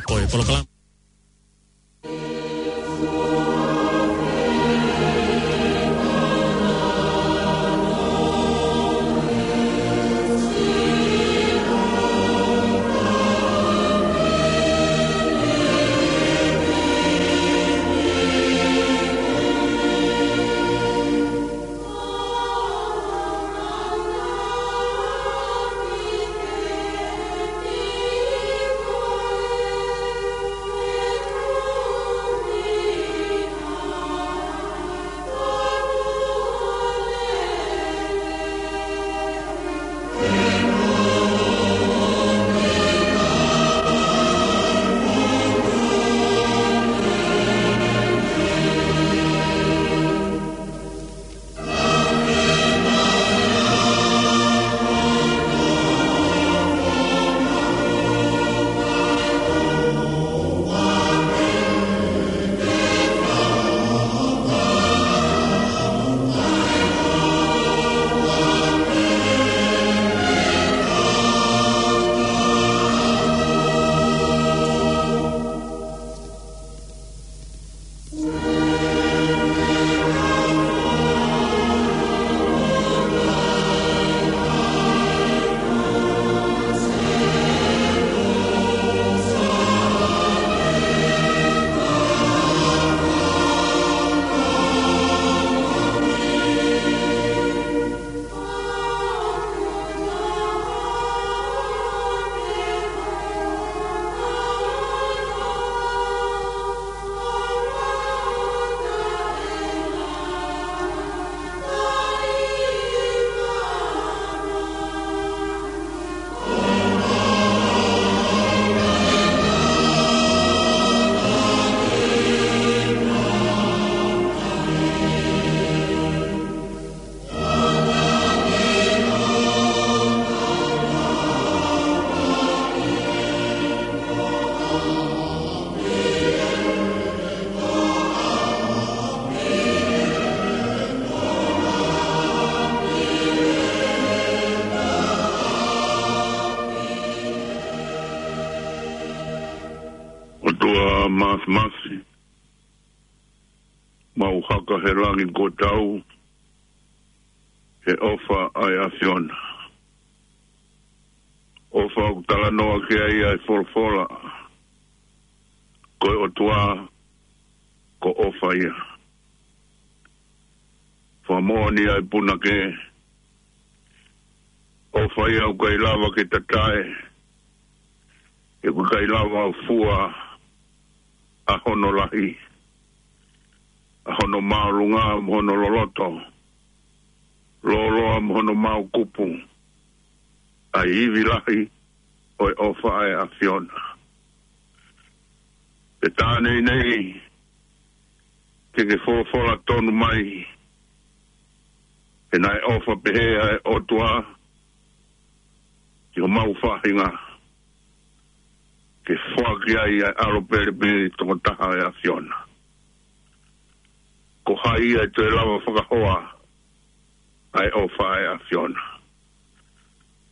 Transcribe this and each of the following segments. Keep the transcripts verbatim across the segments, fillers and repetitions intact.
Ko e polokalama. ʻOtua Māfimafi, mau haka he langi kuo tau, he ʻofa ʻa e ʻAfiona. ʻOfa ʻoku talanoa ki ai ʻa e folofola, ko e ʻOtua, ko ʻofa ia. Fakamoʻoni ʻa e punake, ʻofa ia ʻoku ʻikai lava ke tatae, he ʻoku ʻikai lava ʻo fua ʻa hono lahi, ʻa hono māʻolunga mo hono loloto, lōloa mo hono maokupu, ʻa e ivi lahi ʻo e ʻofa ʻa e ʻAfiona. Pea tā nei nei, ke ke folofola tonu mai, he naʻe ʻofa pehē ʻa e ʻOtua ki homau faʻahinga, ke foaki ai ʻa e ʻAlo pele pē tokotaha ʻo e ʻAfiona. Ko hai ia ʻe toe lava fakahoa ʻa e ʻofa ʻa e ʻAfiona?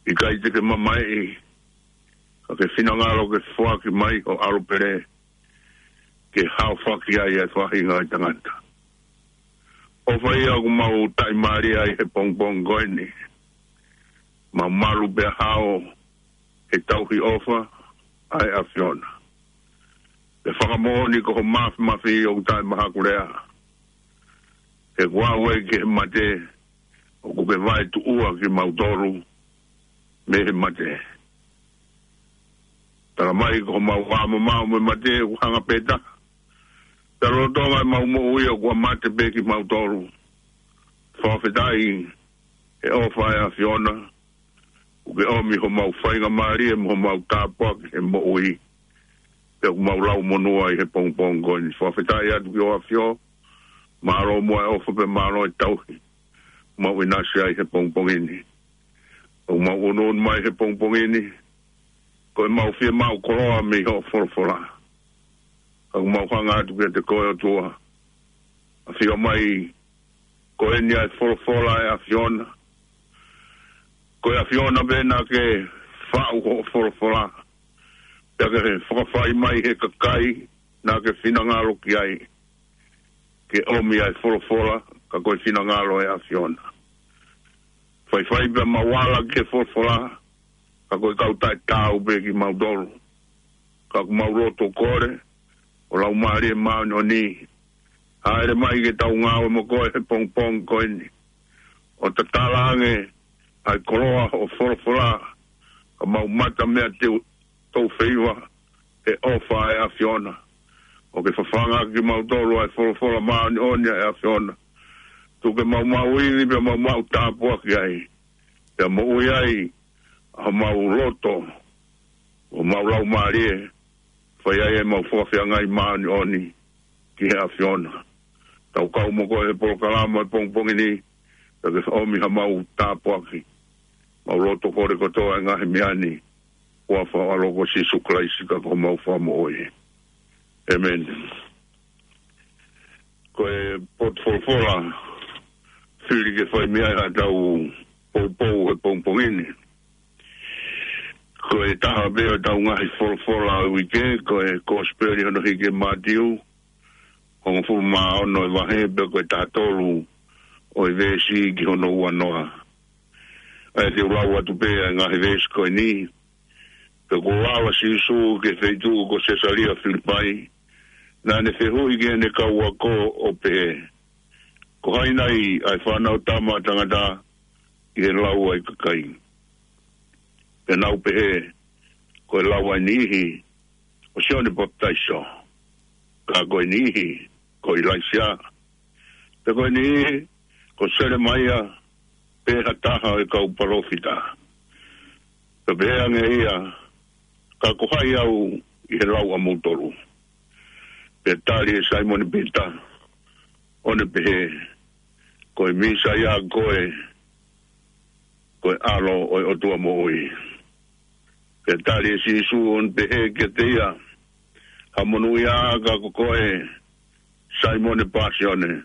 ʻIkai te ke mamaeʻi, ka ke finangalo ke foaki mai ho ʻAlo pele, ke haofaki ai ʻa e faʻahinga ʻo e tangata. ʻOfa ia ʻoku mau taʻimālie ai he pongipongi ko eni. Mau malu pea hao he tauhi ʻofa ʻa e ʻAfiona. Pea fakamoʻoni ko ho Māfimafi ʻoku taʻemahakulea. He kuo aʻu ai ki he mate, ʻoku ke vaetuʻua kimautolu mei he mate. Tala mai ko homau ʻā mamao mei he mate, ʻoku hanga pē taha. Pea lolotonga ʻemau moʻui ʻoku mate pē kimautolu. Fakafetaʻi he ʻofa ʻa e ʻAfiona, ʻoku ke ʻomi homau faingamālie mo homau tāpuaki he moʻui. Pea ʻoku mau lau monū ai he pongipongi ko eni. Fakafetaʻi atu ki ho ʻAfio, mālō muʻa e ʻofa pea mālō e tauhi ʻoku mau ʻinasi ai he pongipongi ni. ʻOku mau ʻunuʻunu mai he pongipongi ni, ko ʻemau fiemaʻu koloa mei hoʻo folofola. Ka ʻoku mau hanga atu kiate koe ʻOtua, ʻafio mai, ko eni ʻa e folofola ʻa e ʻAfiona. Ko e ʻAfiona pē naʻa ke faʻu hoʻo folofola. Pea ke fakafai mai he kakai naʻa ke finangalo ki ai, ke ʻomi ʻa e folofola, ka ko e finangalo ʻo e ʻAfiona. Faifai pea mau ala ki he folofola, ka ko e kau taʻetaau pē kimautolu. Ka ʻoku mau loto kole, ʻo Laumālie Māʻoniʻoni, hāʻele mai ke tau ngāue mo koe he pongipongi ko eni, ʻo tatala ange ʻa e koloa ʻo e folofola, ka mau mata mea te tau feiva he ʻofa ʻa e ʻAfiona. ʻO ke fafanga kimautolu ʻa e folofola māʻoniʻoni ʻa e ʻAfiona. Tuku ke mau maʻu ivi pea mau maʻu tāpuaki ai, pea moʻui ai ʻa homau loto, ʻo mau laumālie, fai ai ʻemau fakafeangai māʻoniʻoni ki he ʻAfiona. Tau kau mo koe he polokalama he pongipongi ni, pea ke ʻomi haʻamau tāpuaki. Mau loto kole kotoa e ngaahi meʻa ni, ʻi he huafa ʻo ho ʻAlo ko Sīsū Kalaisi ka ko homau Fakamoʻui. ʻĒmeni. Ko e potu folofola, fili ke fai mei ai haʻatau poupou he pongipongi ni. Ko e taha pē ʻo ʻetau ngaahi folofola ʻo e uike, ko e Kosipeli hono hiki ʻe Mātiu, hongofulu mā ono e vahe, pea ko e taha tolu ʻo e veesi ki hono ua noa. ʻA ia te u lau atu pē ʻa e ngaahi veesi ko eni. Pea kuo ala ʻa Sīsū ki he feituʻu ko Sesalia Filipai, naʻa ne fehuʻi ki heʻene kau ako ʻo pehē, Ko hai nai ʻa e Fanautama ʻa Tangata ʻi he lau ʻa e kakai? Pea nau pehē, Ko e lau ʻa e niʻihi, ko Sione Papitaiso, ka ko e niʻihi, ko ʻIlaisiā, pea ko e niʻihi, ko Selemaia, pe ha taha ʻo e kau palōfita. Pea pehē ange ʻe ia, Ka ko hai au ʻi he lau ʻamoutolu? Pea tali ʻe Saimone Pita, ʻo ne pehē, Ko e Mīsaia koe, ko e ʻAlo ʻo e ʻOtua moʻui. Pea tali ʻe Sīsū, ʻo ne pehē kiate ia, Ha monūʻia ka ko koe, Saimone Pāsione,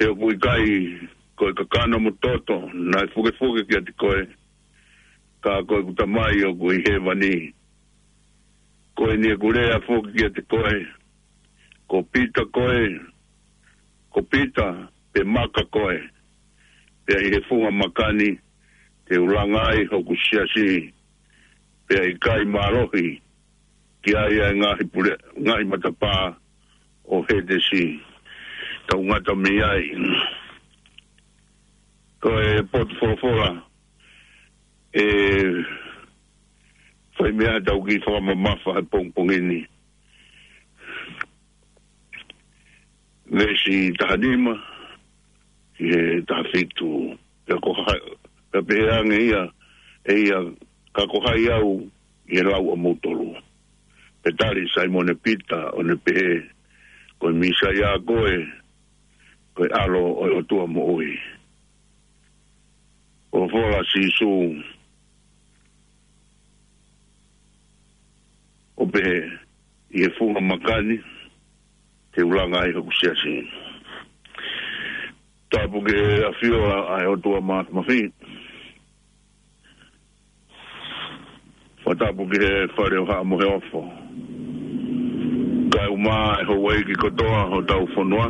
he ʻoku ʻikai ko e kakano mo e toto naʻe fukefuke kiate koe, ka ko ʻeku Tamai ʻoku ʻi hēvani. Ko eni ʻeku lea foki kiate koe, ko Pita koe, ko Pita, pe maka koe, pea ʻi he funga maka ni te u langa ai hoku siasi, pea ʻe ʻikai mālohi ki ai ʻa e ngaahi pule, ngaahi matapā ʻo Hētesi. Tau ngata mei ai. Ko e potu folofola, ʻe fai mei ai haʻatau kiʻi fakamamafa he pongipongi ni. Veesi taha nima ki he taha fitu. Pea ko hai, pea pehē ange ia, ʻe ia, Ka ko hai au ʻi he lau ʻamoutolu? Pea tali ʻe Saimone Pita, ʻo ne pehē, Ko e Mīsaia koe, ko e ʻAlo ʻo e ʻOtua moʻui. Folofola ʻa Sīsū, ʻo pehē, ʻI he funga maka ni te u langa ai hoku siasi. Tapu ki he ʻAfio ʻa e ʻOtua Māfimafi. Fakatapu ki he Fale ʻo Haʻa Moheofo. Kae ʻumaʻā e houʻeiki kotoa hotau fonua.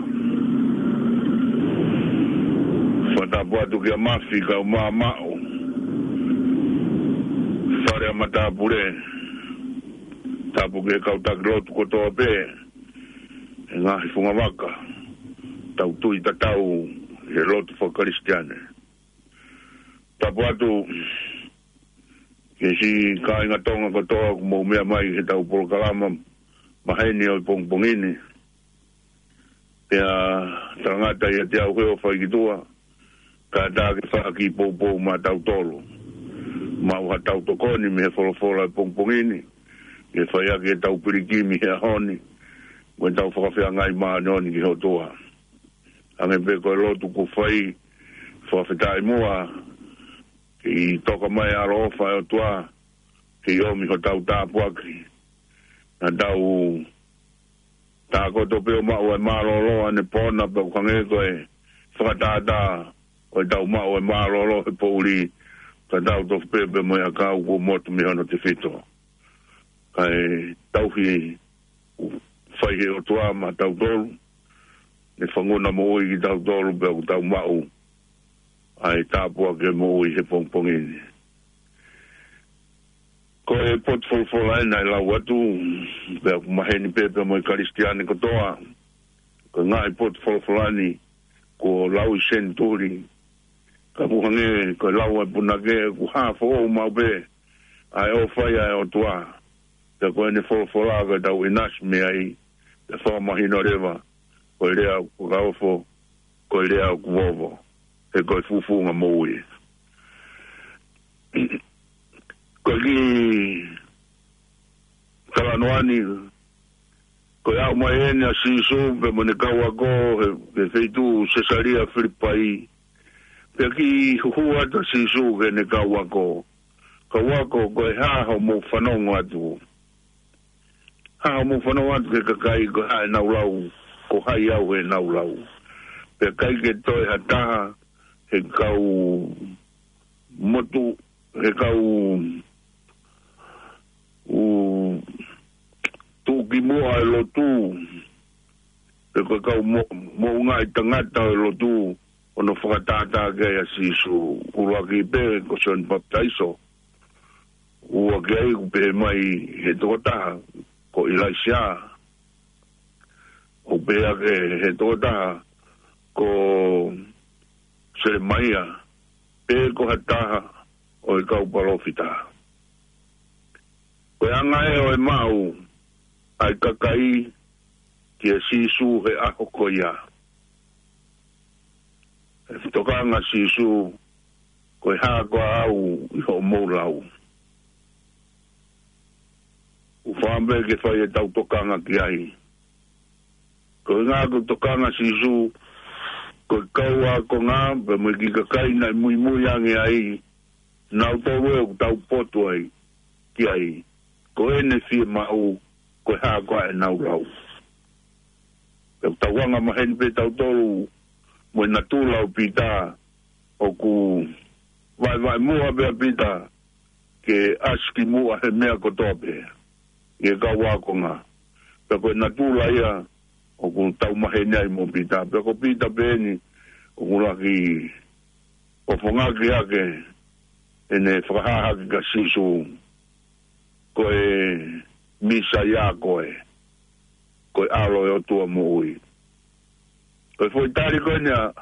Fakatapu atu kia Mafi kae ʻumaʻā Maʻu, Fale ʻa Matāpule. Tapu ki he kau taki lotu kotoa pē he ngaahi fungavaka, tau tui tatau he lotu fakakalisitiane. Tapu atu ki he siʻi kāinga Tonga kotoa ʻoku mou meʻa mai he tau polokalama maheni ʻo e pongipongi ni. Pea talangata ʻiate au he ʻofa ʻi ki tuʻa, kae ʻatā ke fai ha kiʻi poupou maʻatautolu. Maʻu haʻatau tokoni mei he folofola ʻo e pongipongi ni, ke fai ʻaki ʻetau pilikimi he ʻaho ni, mo ʻetau fakafeangai māʻoniʻoni ki he ʻOtua. Hangē pē ko e lotu kuo fai, fakafetaʻi muʻa, ke toka mai ʻa e ʻaloʻofa ʻa e ʻOtua, ke ʻomi hotau tāpuaki. Naʻa tau tākoto pē ʻo maʻu e mālōlō ʻanepōna pea ʻoku hangē ko e fakatātā ʻo ʻetau maʻu e mālōlō he poʻuli, ka tau tofu pē pea mo e ʻakau kuo motu mei hono tefito. Kae tauhi ʻoku fai he ʻOtua maʻa tautolu, ne fanguna moʻui kitautolu pea ʻoku tau maʻu ʻa e tāpuaki moʻui he pongipongi ni. Ko e potu folofola eni naʻe lau atu, pea ʻoku maheni pē pea mo e Kalisitiane kotoa, ko e ngaahi potu folofola ni kuo lau ʻi senituli, ka ʻoku hangē ko e lau ʻa e punake, ʻoku hā foʻou maʻu pē ʻa e ʻofa ʻa e ʻOtua. Pea ko ʻene folofola ko e tau ʻinasi mei ai, pea fakamahino leva, ko e lea ʻoku fakaofo, ko e lea ʻoku vovo, he ko e fufunga moʻui. Ko e kiʻi talanoa ni, ko e aʻu mai eni ʻa Sīsū pea mo ʻene kau ako he, he feituʻu Sesalia Filipai, pea kiʻi huhu atu ʻa Sīsū ki heʻene kau ako. Kau ako, ko e hā hoʻomou fanongo atu? Hā hoʻomou fanongo atu ki he kakai, ko e hā ʻenau lau, ko hai au heʻenau lau? Pea ʻikai ke toe ha taha he kau motu, he kau ʻoku tuʻukimuʻa e lotu, pe ko e kau mo-, moʻungaʻi tangata ʻo e lotu, ʻo ne fakatātā ki ai ʻa Sīsū. ʻUluaki pē ko Sione Papitaiso. Ua ki ai ʻoku pehē mai he tokotaha ko ʻIlaisiā. ʻOku pehē ange he tokotaha ko Selemaia, pe ko ha taha ʻo e kau palōfita. Ko e anga ē ʻo e maʻu ʻa e kakai kia Sīsū he ʻaho ko ia. ʻE tokanga Sīsū, ko e hā koā au ʻi hoʻomou lau? ʻOku fiemaʻu ke fai ʻetau tokanga ki ai. Ko e ʻuhinga ko e tokanga Sīsū, ko e kau ākonga, pea mo e kiʻi kakai naʻe muimui ange ai, nautolu ē ʻoku tau potu ai, ki ai. Ko ʻene fiemaʻu, ko e hā koā ʻenau lau? Pea ʻoku tau anga maheni pē tautolu, mo e natula ʻo Pita, ʻoku vaevae muʻa pē ʻa Pita, ke ʻasi ki muʻa he meʻa kotoa pē, ʻi he kau ākonga. Pea ko e natula ia ʻoku tau maheni ai mo Pita. Pea ko Pita pē eni ʻoku laki ʻofongaki hake ʻene fakahā hake kia Sīsū, ko e Mīsaia koe, ko e ʻAlo ʻo e ʻOtua moʻui. Ko e foʻi tali ko eni ʻa,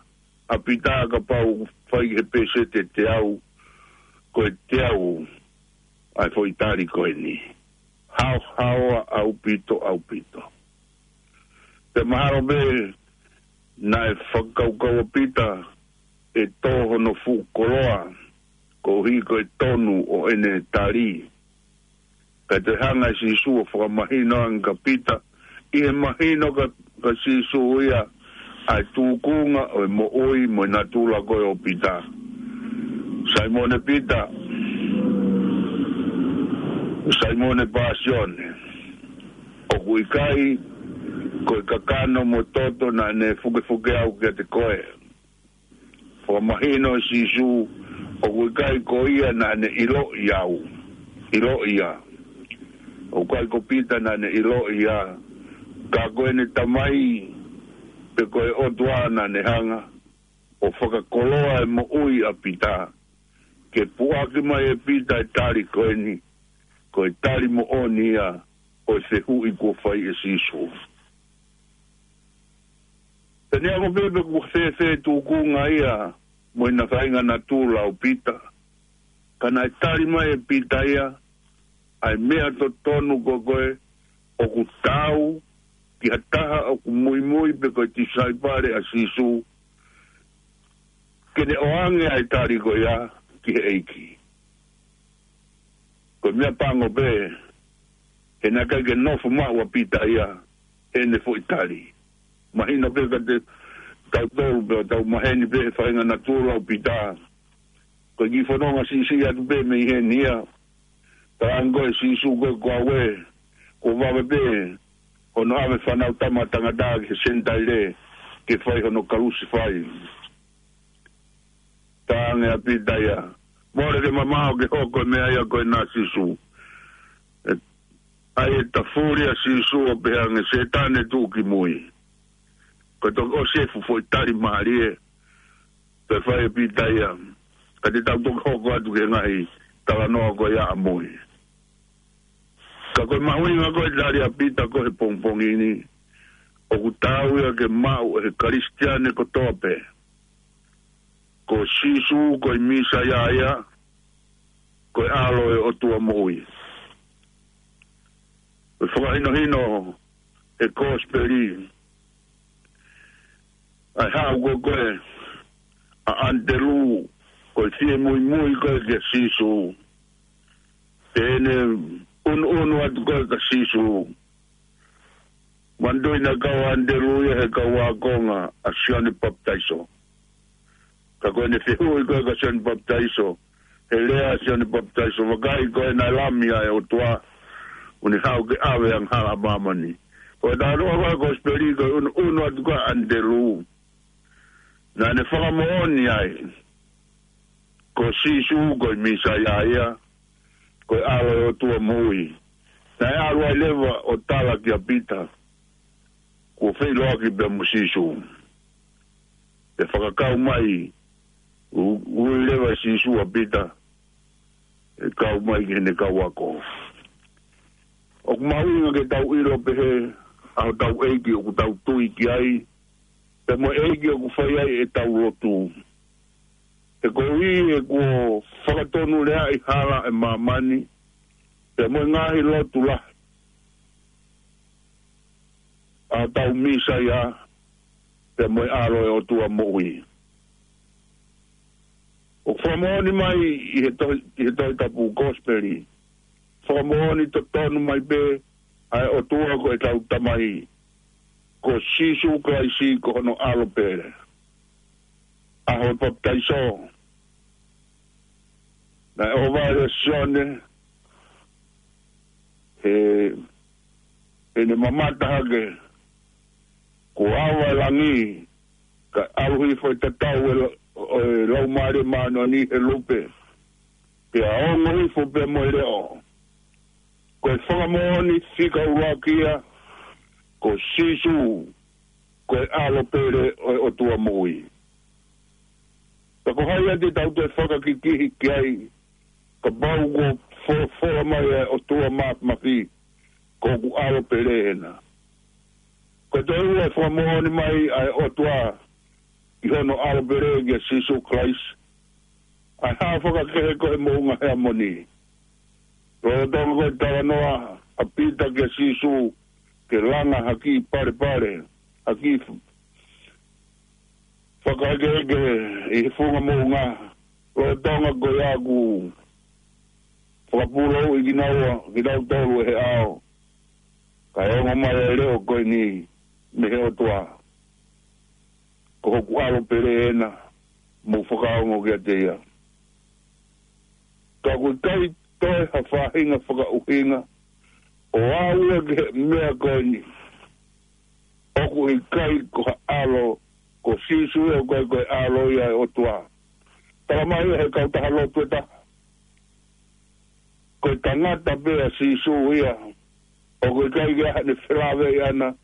ʻa Pita kapau fai he pēseti ʻe teau, ko e teau ʻa e foʻi tali ko eni. Haohaoa ʻaupito, ʻaupito. Pea mahalo pē naʻe fakakaukau ʻa Pita ʻe tō hono fuʻu koloa, koeʻuhi ko e tonu ʻo ʻene tali. Kae toe hanga ʻe Sīsū ʻo fakamahino ange kia Pita, ʻi he mahino kia, kia Sīsū ia, ʻa e tūkunga ʻo e moʻui mo e natula ko ē ʻo Pita. Saimone Pita, Saimone Pāsione, ʻoku ʻikai ko e kakano mo e toto naʻa ne fukefuke au kiate koe. Fakamahino ʻe Sīsū, ʻoku ʻikai ko ia naʻa ne ʻiloʻi au, ʻiloʻi ia. ʻOku ʻikai ko Pita naʻa ne ʻiloʻi ia, ka ko ʻene Tamai, pe ko e ʻOtua naʻa ne hanga ʻo fakakoloa e moʻui ʻa Pita, ke puʻaki mai ʻe Pita e tali ko eni, ko e tali moʻoni ia ʻo e fehuʻi kuo fai ʻe Sīsū. Pea neongo pē pe ʻoku fēfē e tūkunga ia mo ʻena faʻahinga natula ʻo Pita, ka naʻe tali mai ʻe Pita ia, ʻa e meʻa totonu ko ē ʻoku taau ki ha taha ʻoku muimui pe ko e tisaipale ʻa Sīsū, ke ne ʻoange ʻa e tali ko ia ki he ʻEiki. Ko e meʻa pango pē, he naʻe ʻikai ke nofo maʻu ʻa Pita ia, heʻene foʻi tali. Mahino pē kiate tautolu pea tau maheni pē he faʻahinga natula ʻo Pita. Ko e kiʻi fononga siʻisiʻi atu pē mei heni ia. Talaange ʻe Sīsū ko e, ko au ē, kuo vave pē hono ʻave Fānautama ʻa Tangata ki he Senitaile, ke fai hono kalusefai. Talaange ʻa Pita ia, mole ke mamaʻo ke hoko e meʻa ia ko ena, Sīsū. ʻE, ʻA e tafuli ʻa Sīsū ʻo pehē ange, Sētane, tuʻu ki mui. Ko e toki ʻosi e fuʻu foʻi tali mālie ʻe fai ʻe Pita ia. Ka te tau toki hoko atu ki he ngaahi talanoa ko ia ʻamui. Ka ko e mahuʻinga ko e tali ʻa Pita ko e he pongipongi ni, ʻoku taau ia ke maʻu ʻe he Kalisitiane kotoa pē, ko Sīsū ko e Mīsaia ia, ko e ʻAlo ʻo e ʻOtua moʻui. Ko e fakahinohino ʻa e Kosipeli, ʻa e haʻu ko ē ʻa ʻAnitelū, ko e fie muimui ko ē kia Sīsū. Pea ne ʻunuʻunu atu ko ē kia Sīsū. Manatuʻi naʻe kau ʻa ʻAnitelū ia he kau ākonga ʻa Sione Papitaiso. Ka ko ʻene fehuʻi ko ē kia Sione Papitaiso, he lea ʻa Sione Papitaiso, vakai, ko e Lami ʻa e ʻOtua, ʻoku ne haʻu ke ʻave ʻa e angahala ʻa māmani. Ko e talanoa ko ē ʻa e Kosipeli, ko e ʻunuʻunu atu ko ē ʻa ʻAnitelū, naʻa ne fakamoʻoni ai ko Sīsū ko e Mīsaia ia, ko e ʻAlo ʻo e ʻOtua moʻui. Naʻe ʻalu ai leva ʻo tala kia Pita, kuo feʻiloaki pea mo Sīsū. Pea fakakau mai, u-, ui leva ʻe Sīsū ʻa Pita, ʻo kau mai ki heʻene kau ako. ʻOku mahuʻinga ke tau ʻilo pehē ʻa hotau ʻEiki ʻoku tau tui ki ai, pea mo e ʻEiki ʻoku fai ai ʻetau lotu. He koeʻuhi he kuo fakatonuleaʻi hala ʻa māmani, pea mo e ngaahi lotu lahi, ʻa hotau Mīsaia, pea mo e ʻAlo ʻo e ʻOtua moʻui. ʻOku fakamoʻoni mai ʻi he tohi, ʻi he Tohi Tapu, Kosipeli, fakamoʻoni totonu mai pē ʻa e ʻOtua ko ʻetau Tamai, ko Sīsū Kalaisi ko hono ʻAlo pele. ʻAho Papitaiso, naʻe ʻohovale ʻa Sione, he, heʻene mamata hake, kuo ava e langi, kae ʻalu hifo e tatau ʻo e la-, ʻo e Laumālie Māʻoniʻoni he lupe, pea ongo hifo pea mo e leʻo. Ko e fakamoʻoni fika ʻuluaki ia, ko Sīsū, ko e ʻAlo pele ʻo e ʻOtua moʻui. Ka ko hai ia te tau toe fakakikihi ki ai, kapau kuo fo-, fola mai ʻa e ʻOtua Māfimafi, ko hoku ʻAlo pele ena. Ko e toe ua e fakamoʻoni mai ʻa e ʻOtua ʻi hono ʻAlo pele kia Sīsū Kalaisi, ʻa e hā fakakehe ko ē he moʻunga Heamoni. Lolotonga ko e talanoa ʻa Pita kia Sīsū, ke langa ha kiʻi palepale, ha kiʻi f-, fakaekeeke ʻi he funga moʻunga. Lolotonga ko ia kuo fakapūlouʻi kinaua, kinautolu ʻe he ʻao. Kae ongo mai ʻa e leʻo ko eni mei he ʻOtua. Ko hoku ʻAlo pele ena, mou fakaongo kiate ia. Ka ʻoku ʻikai toe ha faʻahinga fakaʻuhinga ʻo aʻu ia ki he meʻa ko eni. ʻOku ʻikai ko ha ʻalo, ko Sīsū ia ʻoku ʻikai ko e ʻAlo ia ʻo e ʻOtua. Tala mai ʻe he kautaha lotu ʻe taha, ko e tangata pē ʻa Sīsū ia, ʻoku ʻikai ke ʻi ai haʻane felāveʻi ʻana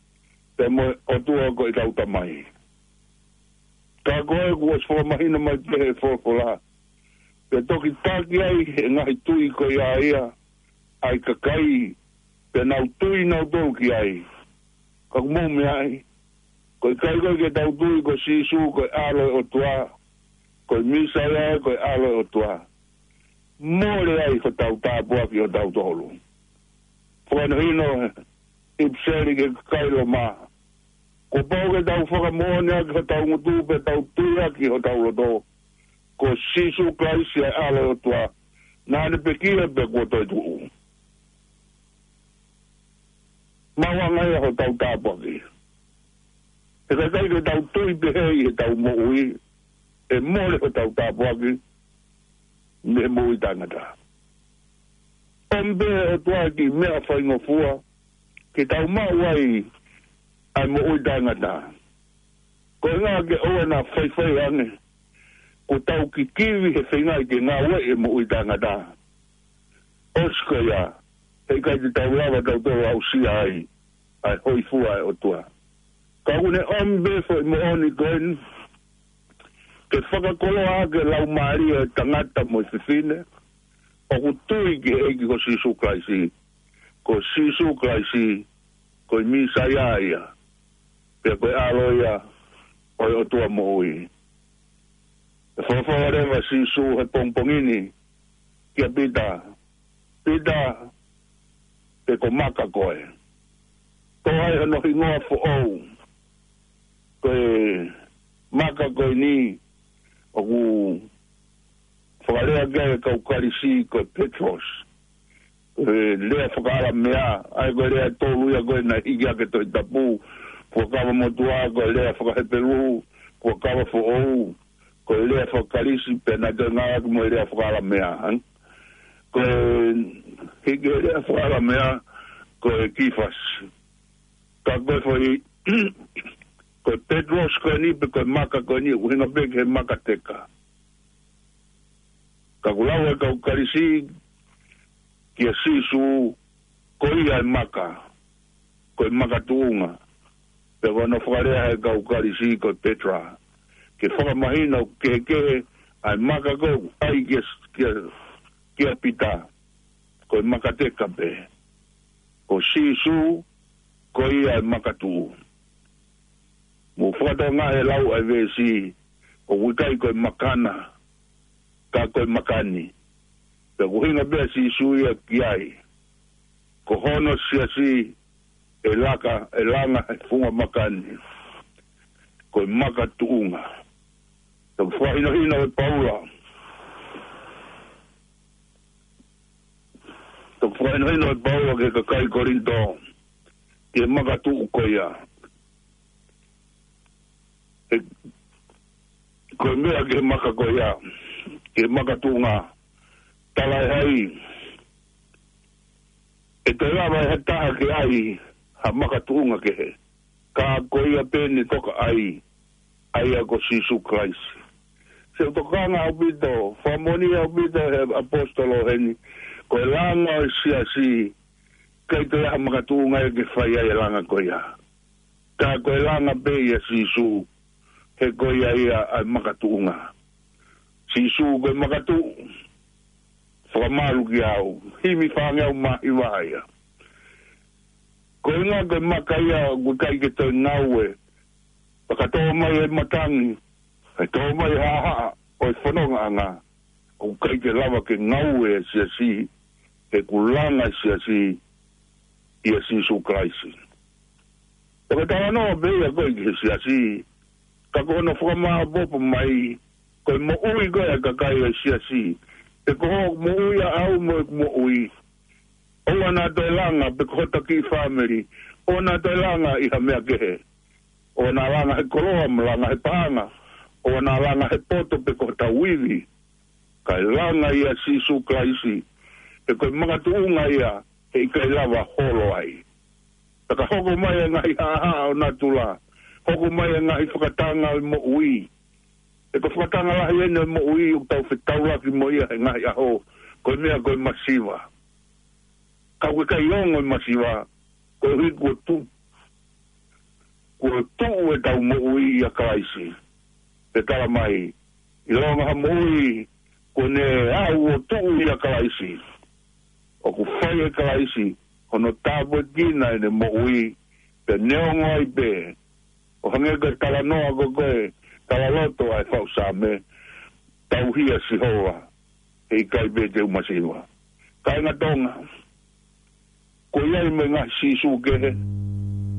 pea mo e ʻOtua ko ʻetau Tamai. Ka ko e kuo ʻosi fakamahino mai pē ʻe he folofola, pea toki taki ai ʻe he ngaahi tui ko ia ia ʻa e kakai, pea nau tui nautolu ki ai. Ka ʻoku mou meaʻi, ko e ʻikai ko ē ke tau tui ko Sīsū ko e ʻAlo ʻo e ʻOtua, ko e Mīsaia ko e ʻAlo ʻo e ʻOtua, mole ai hotau tāpuaki ʻotautolu. Fakahinohino ʻe he ʻIpiseli ki he kakai Loma, kuo pau ke tau fakamoʻoni ʻaki hotau ngutu pea tau tui ʻaki hotau loto, ko Sīsū Kalaisi ʻa e ʻAlo ʻo e ʻOtua, naʻa ne pekia pea kuo toetuʻu. Maʻu ange ia hotau tāpuaki. He ka ʻikai ke tau tui pehē ʻi heʻetau moʻui, ʻe mole hotau tāpuaki mei he moʻui taʻengata. ʻOmi pē ʻe he ʻOtua e kiʻi meʻa faingofua ke tau maʻu ai ʻa e moʻui taʻengata. Ko e ʻuhinga ke ʻoua naʻa faifai ange kuo tau kikivi he feingaʻi ke ngāueʻi e moʻui taʻengata. ʻOsi ko ia, ʻe ʻikai te tau lava tautolu ʻo aʻusia ai ʻa e hōifua ʻa e ʻOtua. Ka ʻoku ne ʻomi pē foʻi moʻoni ko eni ke fakakoloa ʻaki e laumālie ʻo e tangata mo e fefine ʻoku tui ki he ʻEiki ko Sīsū Kalaisi. Ko Sīsū Kalaisi, ko e Mīsaia ia, pea ko e ʻAlo ia ʻo e ʻOtua moʻui. ʻE folofola leva ʻa Sīsū he pongipongi ni kia Pita, Pita, pe ko maka koe? Toʻo ai hono hingoa foʻou. Ko e maka ko eni ʻoku fakalea ki ai e kau Kalisi ko e Petros. Ko e lea fakaʻAlamea, ʻa ia ko e lea ʻe tolu ia ko ē naʻe hiki hake he Tohi Tapu, Fuakava Motuʻa, ko e lea fakaHepelū, Fuakava Foʻou, ko e lea fakaKalisi, pea naʻe toe ngāueʻaki mo e lea fakaʻAlamea. Ko e hiki he lea fakaʻAlamea, ko e Kifasi. Ka ko e foʻi, ko e Petros ko eni pe ko e maka ko eni, ʻuhinga pē ki he maka teka. Ka ʻoku lau ʻe he kau Kalisi kia Sīsū, ko ia e maka, ko e makatuʻunga. Pea ko hono fakalea ʻe he kau Kalisi ko e Petra, ke fakamahino ʻoku kehekehe ʻa e maka ko ē ʻoku ʻai kia, kia, kia Pita, ko e maka teka pē. Ko Sīsū, ko ia e makatuʻu. Mou fakatokangaʻi e lau ʻa e veesi, ʻoku ʻikai ko e makana, ka ko e makani. Pea ʻoku ʻuhinga pē ʻa Sīsū ia ki ai. Ko hono siasi ʻe laka, ʻe langa he funga makani. Ko e makatuʻunga. Toki fakahinohino ʻe Paula. Toki fakahinohino ʻe Paula ki he kakai Kolinitō, ki he makatuʻu ko ia. He, ko e meʻa ki he maka ko ia, ki he makatuʻunga, tala ʻe hai, ʻe toe lava ʻe ha taha ke ʻai ha makatuʻunga kehe, ka ko ia pē ʻoku toka ʻai, ʻa ia ko Sīsū Kalaisi. Sio, tokanga ʻaupito, fakamoʻoni ʻaupito ʻe he ʻaposetolo heni, ko e langa ʻo e siasi, ʻikai toe ʻi ai ha makatuʻunga ia ke fai ai e langa ko ia. Ka ko e langa pē ʻia Sīsū, he ko ia ia ʻa e makatuʻunga. Sīsū ko e makatuʻu, fakamalu kiate au, himi fāngeau mā hiva ia. Ko e ʻuhinga ko e maka ia ʻoku ʻikai ke toe ngaue, pea ka tō mai e matangi, ʻe tō mai e haʻahaʻa ʻo e fonongaʻanga, ʻoku ʻikai ke lava ke ngaue e siasi, he kuo langa e siasi ʻia Sīsū Kalaisi. Pea ko e talanoa pē ia ko ē ki he siasi, ka ko hono fakamāopoopo mai, ko e moʻui ko ē ʻa e kakai ʻo e siasi, pe ko hoʻo moʻui ʻaʻau mo ʻeku moʻui, ʻoua naʻa toe langa, pe ko hota kiʻi fāmili, ʻoua naʻa toe langa ʻi ha meʻa kehe. ʻOua naʻa langa he koloa, mo langa he paʻanga, ʻoua naʻa langa he poto pe ko hotau ivi. Kae langa ʻia Sīsū Kalaisi, he ko e makatuʻunga ia, he ʻikai lava holo ai. Pea ka hoko mai e ngaahi haʻahaʻa ʻo natula, hoko mai e ngaahi fakatanga ʻo e moʻui. He ko e fakatanga lahi eni ʻo e moʻui ʻoku tau fetaulaki mo ia he ngaahi ʻaho, ko e meʻa ko e masiva. Ka ʻoku ʻikai ongo e masiva, koeʻuhi kuo tu-, kuo tuʻu ʻetau moʻui ʻia Kalaisi. Pea tala mai, ʻilonga ha moʻui kuo ne aʻu ʻo tuʻu ʻia Kalaisi, ʻoku fai ʻe Kalaisi hono tāpuekina ʻene moʻui, pea neongo ai pē, ʻo hangē ko e talanoa ko ē, talaloto ʻa e faʻu Saame, tauhi ʻa Sihova, he ʻikai pē te u masiva. Kāinga Tonga, ko ia ʻi he ngaahi Sīsū kehe,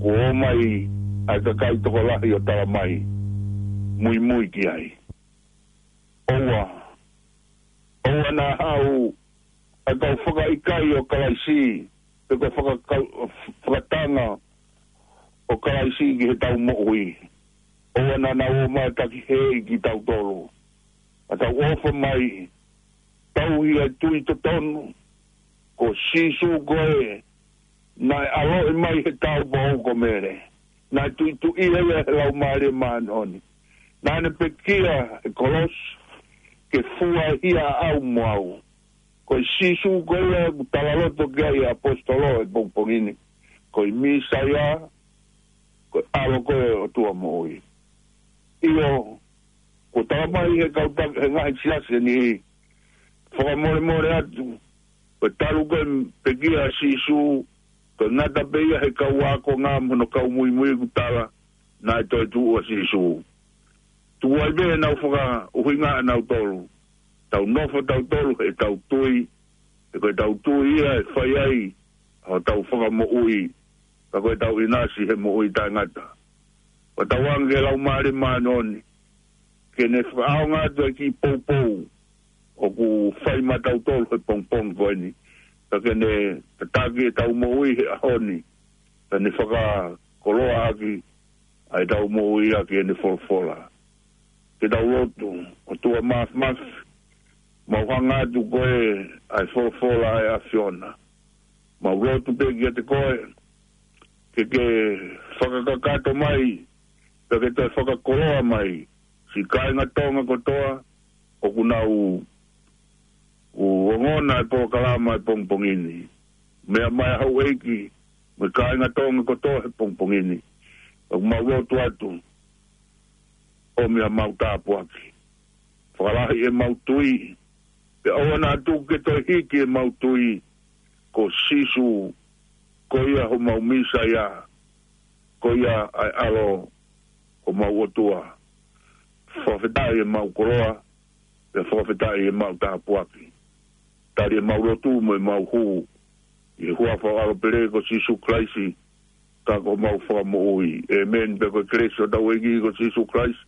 kuo ʻomai ʻa e kakai tokolahi ʻo tala mai, muimui ki ai. ʻOua, ʻoua naʻa haʻu ʻa e kau fakaʻikaiʻi ʻo Kalaisi, pe ko e fakakau-, fakatanga ʻo Kalaisi ki heʻetau moʻui. ʻOua naʻa nau ō mai ʻo takihēʻi kitautolu. Ka tau ʻofa mai, tauhi ʻa e tui totonu, ko Sīsū ko ē naʻe ʻaloʻi mai he tāupoʻou ko Mele. Naʻe tuituʻia ia he Laumālie Māʻoniʻoni. Naʻa ne pekia he kolosi ke fua e hia ʻaʻau mo au. Ko e Sīsū ko ia ʻoku talaloto ki ai e ʻaposetolo he pongipongi ni. Ko e Mīsaia, ko e ʻAlo ko ē ʻo e ʻOtua moʻui. ʻIo, kuo tala mai he kau ta-, he ngaahi siasi ʻe niʻihi, fakamolemole atu, ko e talu ko ē e pekia ʻa Sīsū, ko e ngata pē ia he kau ākonga mo hono kau muimui kuo tala, naʻe toetuʻu ʻa Sīsū. Tuku ai pē ʻenau fakaʻuhinga ʻanautolu. Tau nofo tautolu he tau tui, he ko e tau tui ia ʻe fai ai ʻa hotau fakamoʻui, ka ko e tau ʻinasi he moʻui taʻengata. Ko e tau anga ke Laumālie Māʻoniʻoni, ke ne fakaʻaonga atu e kiʻi poupou ʻoku fai maʻatautolu he pongipongi ko eni. Ka ke ne tataki e tau moʻui he ʻaho ni, ka ne fakakoloa ʻaki ʻa e tau moʻui ʻaki ʻene folofola. Ke tau lotu. ʻOtua Māfimafi, mau hanga atu ko ē ʻa e folofola ʻa e ʻAfiona. Mau lotu pē kiate koe, ke ke fakakakato mai, pea ke toe fakakoloa mai siʻi kāinga Tonga kotoa ʻoku nau ongona e polokalama he pongipongi ni. Meʻa mai ʻa houʻeiki mo e kāinga Tonga kotoa he pongipongi ni. ʻOku mau lotu atu, ʻomi ʻemau tāpuaki. Fakalahi ʻemau tui, pea ʻoua naʻa tuku ke toe hiki ʻemau tui ko Sīsū, ko ia homau Mīsaia, ko ia ʻa e ʻAlo homau ʻOtua. Fakafetaʻi ʻemau koloa, pea fakafetaʻi ʻemau tāpuaki. Tali ʻemau lotu mo ʻemau hū ʻi he huafa ʻo e ʻAlo pele ko Sīsū Kalaisi, ka ko homau Fakamoʻui. ʻĒmeni. Pea ko e kelesi ʻa hotau ʻEiki ko Sīsū Kalaisi,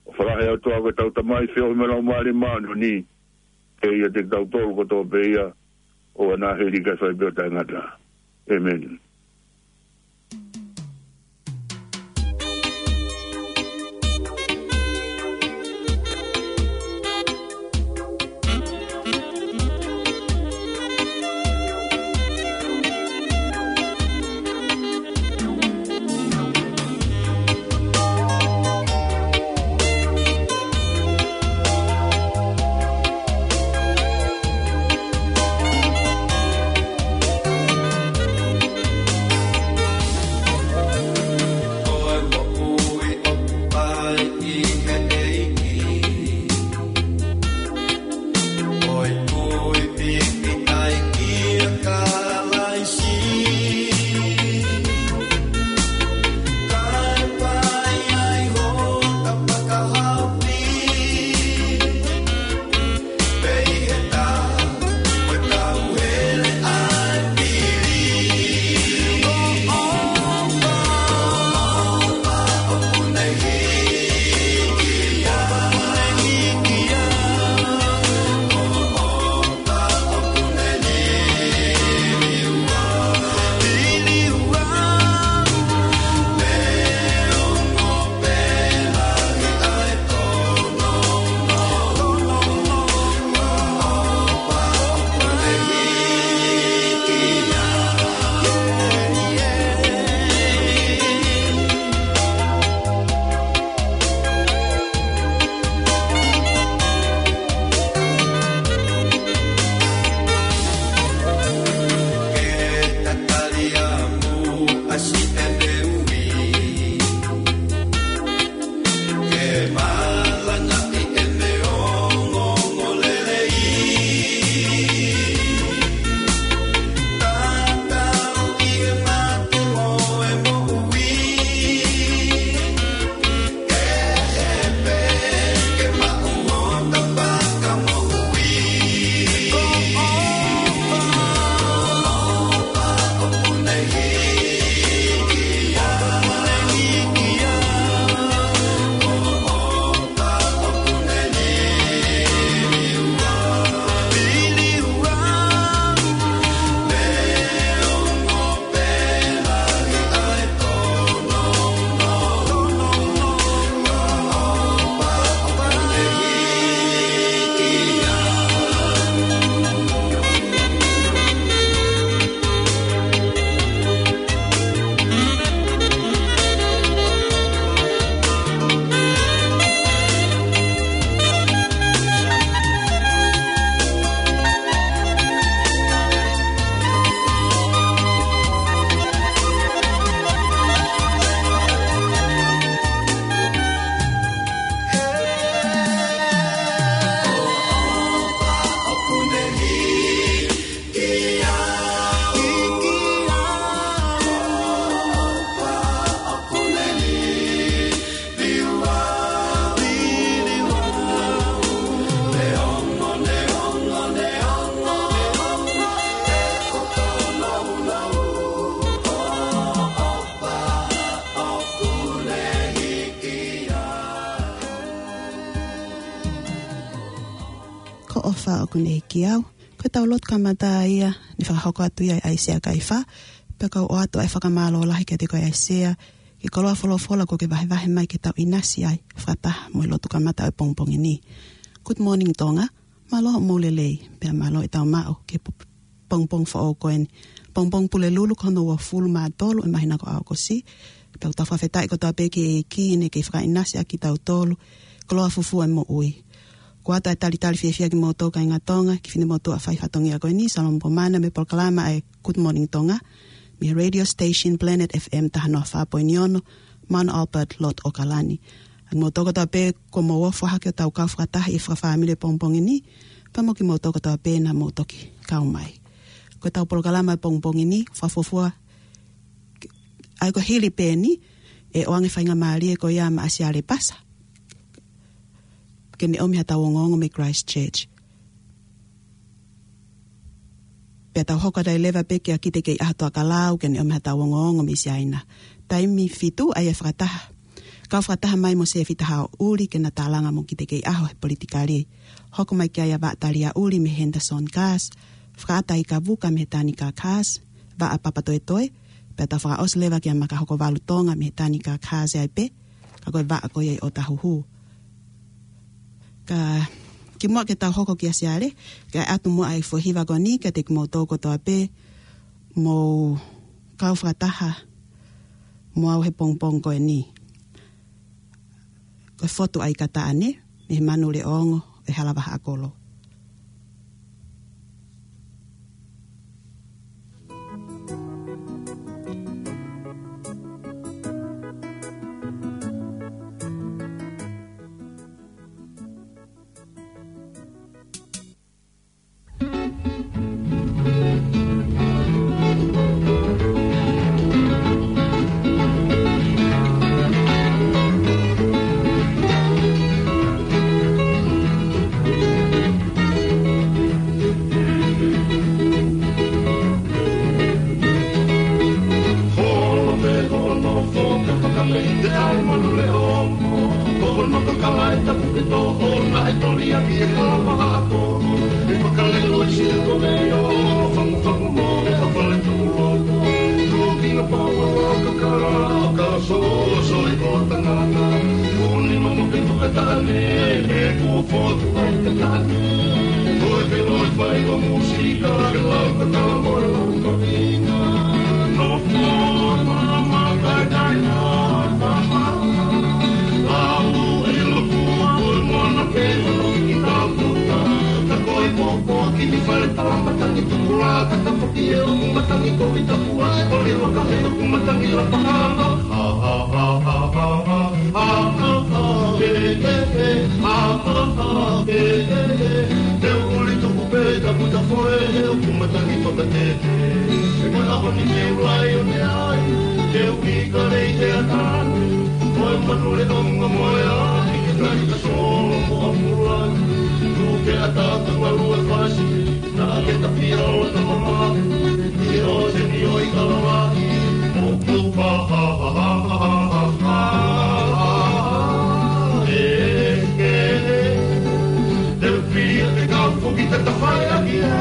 ʻofa lahi ʻa e ʻOtua ko e tau Tamai, feohi mo e Laumālie Māʻoniʻoni, ke ʻiate kitautolu kotoa pē ia, ʻo ʻoua naʻa hili kae fai pē ʻo taʻengata. ʻĒmeni. Kuo ne hiki au. Ko ʻetau lotu kamata ia, ne fakahoko atu ia ʻe ʻAisea Kaifā, pea kau ʻoatu ʻa e fakamālō lahi kiate koe ʻAisea, ki he koloa folofola kuo ke vahevahe mai ke tau ʻinasi ai, fakataha mo e lotu kamata ʻo e pongipongi ni. Good morning, Tonga. Mālō hoʻomou lelei, pea mālō ʻetau maʻu ki he po-, pongipongi foʻou ko eni. Pongipongi Pulelulu ko hono uofulu mā tolu ʻo e māhina ko ʻAokosi. Pea ʻoku tau fakafetaʻi kotoa pē ki he ʻEiki ne kei fakaʻinasi ʻaki kitautolu, koloa fufū ʻo e moʻui. Kuo ʻoatu ʻa e talitali fiefia kimoutolu kāinga Tonga, ki he finemotuʻa fai fatongia ko eni, Salomo Pomana, mei he polokalama ʻa e Good Morning Tonga, mei he radio station Planet F M taha noa fā poini ono, Mount Albert, Lord ʻAokalani. ʻA kimoutolu kotoa pē kuo mou ofo hake ʻo tau kau fakataha ʻi he fakafāmili ʻo e pongipongi ni, pea mo kimoutolu kotoa pē naʻa mou toki kau mai. Ko ʻetau polokalama ʻo e pongipongi ni, fakafuofua, ʻa ia ko e hili pē eni, ʻe ʻoange faingamālie ko ia maʻa Siale Pasa, ke ne ʻomi haʻatau ongoongo mei Christchurch. Pea tau hoko atu ai leva pē kia Kitekeiʻaho Tuʻakalau ke ne ʻomi haʻatau ongoongo mei Siaina. Taimi fitu ʻa ia ʻe fakataha. Kau fakataha mai mo Sefita Haʻoʻuli ke na tālanga mo Kitekeiʻaho he politikale. Hoko mai ki ai ʻa Vaʻa Taliaʻuli mei he Henderson Cars. Fakaʻata ʻa Ika Vuka mei he Tanika Cars. Vaʻa Papatoetoe. Pea tau fakaʻosi leva kia Makahokovalu Tonga mei he Tanika Cars ai pē. Ka ko e vaʻa ko ia ʻi ʻOtahuhu. Ka kimuʻa ke tau hoko kia Siale, kae ʻoatu muʻa ʻa e foʻi hiva ko eni kiate kimoutolu kotoa pē mou kau fakataha mo au he pongipongi ko eni. Ko e fotu ʻa Ikataʻane, mei he Manu Leʻo Ongo ʻo e Hala Vahaʻakolo. Holo pē hono foka fakameite ai Manu Leʻo Ongo. Ko hono kakala ʻe tapu ke tō ʻo naʻe toli ʻaki e Hala Vahaʻakolo. ʻE fakaleloi siʻa ko mei ʻo fangufangu mo e ʻa fale tuʻuloto. Tuki na pau ʻa kakala ʻo ka soso e ko tangata. Kuni mamo ke fakataʻane, ʻe kuo fotu ai Ikataʻane. Ko e ke loi fai ko musika, ke lau kakala mo e lau kaveinga. No po mama kai kai na mama. Lau e loku ko e mona ke hono ki taputa. Ta ko e popo ki ni fale tala matangi tukula. Ka ta foki e uku matangi ko i tapua. Ko e waka he uku matangi la pakama. Ha ha ha ha ha ha. Ha ha ha he he he. Ha ha ha he he he. Te u uli tuku pē ka puta foe he uku matangi fakatete. He ko e ʻaho ni ke u lai ʻo ne ai. Ke u ki ka lei he ata. Ko e Manu Leʻo Ongo mo e ai. Ke nai ka solo ko a mulai. Tuke ata ka ngalu e fasi. Naʻa ke tapia ʻo na mama. Ke ʻo te ni ʻo i ka lava. Mo ku pa ha ha ha ha ha ha. E, e, e. Te u pia te kau foki te tafai ʻaki e.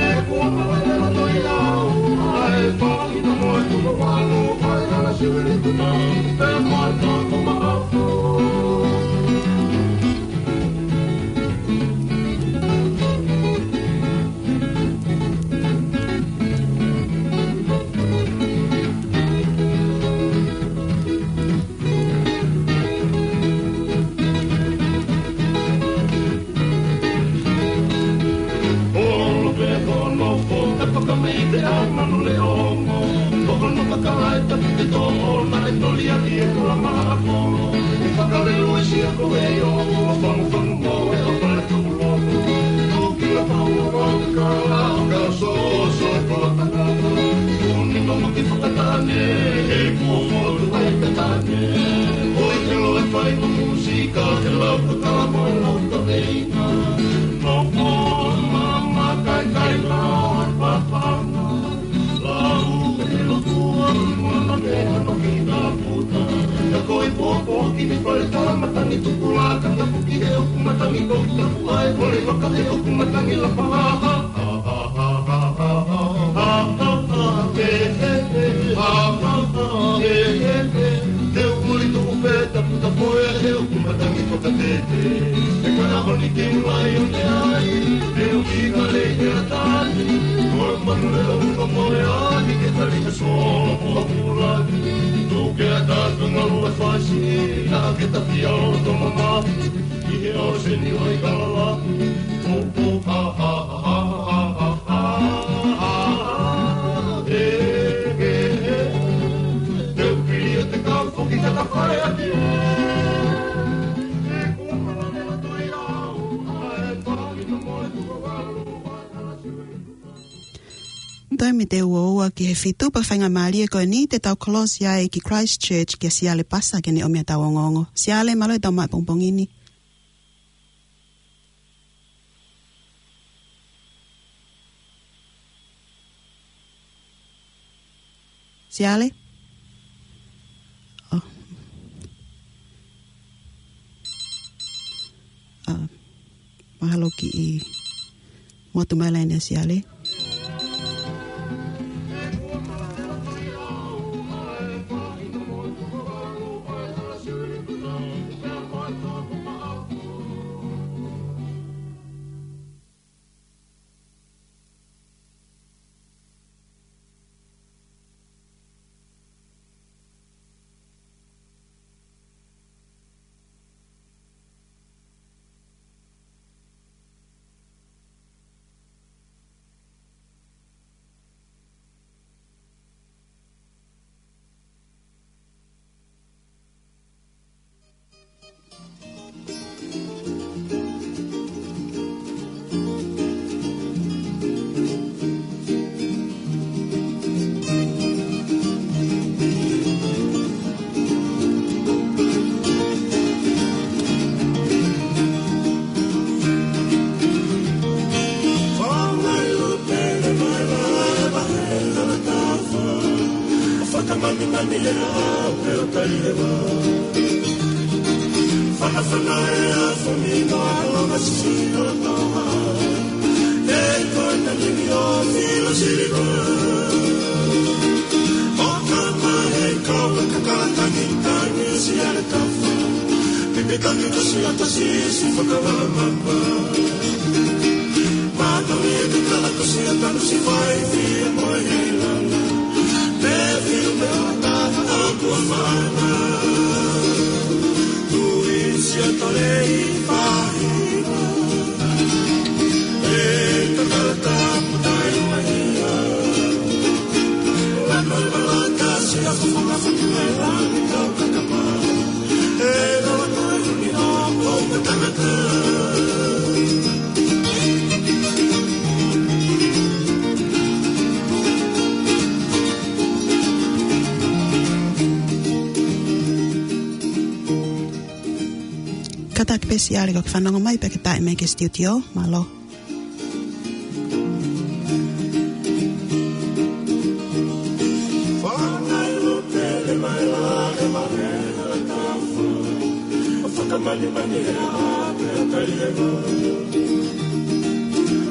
E kua mawe e loto i au. Ai, pa, i na moe tu mo wano. Ai, ana siwili tu na. Pe moe tu mo ma. Olo pē ko no fo, te paka mei te au Manu Leʻo Ongo. Ko hono kakala ʻe tapu ke tō ʻo naʻe toli ʻaki e Hala Vahaʻakolo. ʻE fakaleloi siʻa ko mei ʻo fangufangu mo e ʻa fale tuʻuloto. Tuki la pau ʻa kakala ʻo ka soso e ko tangata. Kuni mamo ke fakataʻane, ʻe kuo fotu ai Ikataʻane. Ko e ke loi fai ko musika, ke lau kakala mo e lau kaveinga. No po mama kai kai la papanga. Lau e loku ʻa mama ke hono ki taputa. Ta ko e popo ki ni fale tala matangi. Tukulaka tapu ki he ʻoku matangi kou tapu ai, mole maka he ʻoku matangi lapa. Te u muli tuku pē tapu tapu ē he ʻoku matangi fakatete. E kana honi ke u lai o te ai, e u ki kale he atani. Ko e manu e o ka mole ani ke tali ka solo ko a pulani. Tuke a ta ka ngalu e fasi, na ke ta pia o to mama. I he ʻōseni ʻo e kalala. Ho, ho, ha, ha, ha. E, e, e. Te u pili e te kau foki ka ta fale ati. E kua mana ne la toi au. Ae pali na moe tu walu. Taimi te ua ua ki he fitu pea faingamālie ko eni te tau kolosi ai ki Christchurch kia Siale Pasa ke ne ʻomi ʻetau ongoongo. Siale, mālō e tau mai pongipongi ni. Siale? Oh. Ah, mahalo kiʻi motu mai laine ʻa Siale. Fakamanimani e ʻao pe o tai e vā. Fanafana e afo ni no alo masisi no toa. E koe na nini o filo siliva. O kama he kau e kakala tangi tangi Siale Tafa. Pipi tangi kasi ata sisi fakavamamba. Mātou i te kala ko sia tanu si fai fia moe hei langa. Te fiu me o taha a kua mana. Tui sia tale i fahi. E te kala tapu tai mai ia. Lano e malaka sia fufanga faki mai langi tau kakapa. E lava koe uni o o me tangata. Kātaki pē Siale ko ke fanongo mai pea ke taʻe mai ki he studio, mālō. Fanai lo pele mai la e mare na la kafa. Fakamanimani e a pe a kai e ma.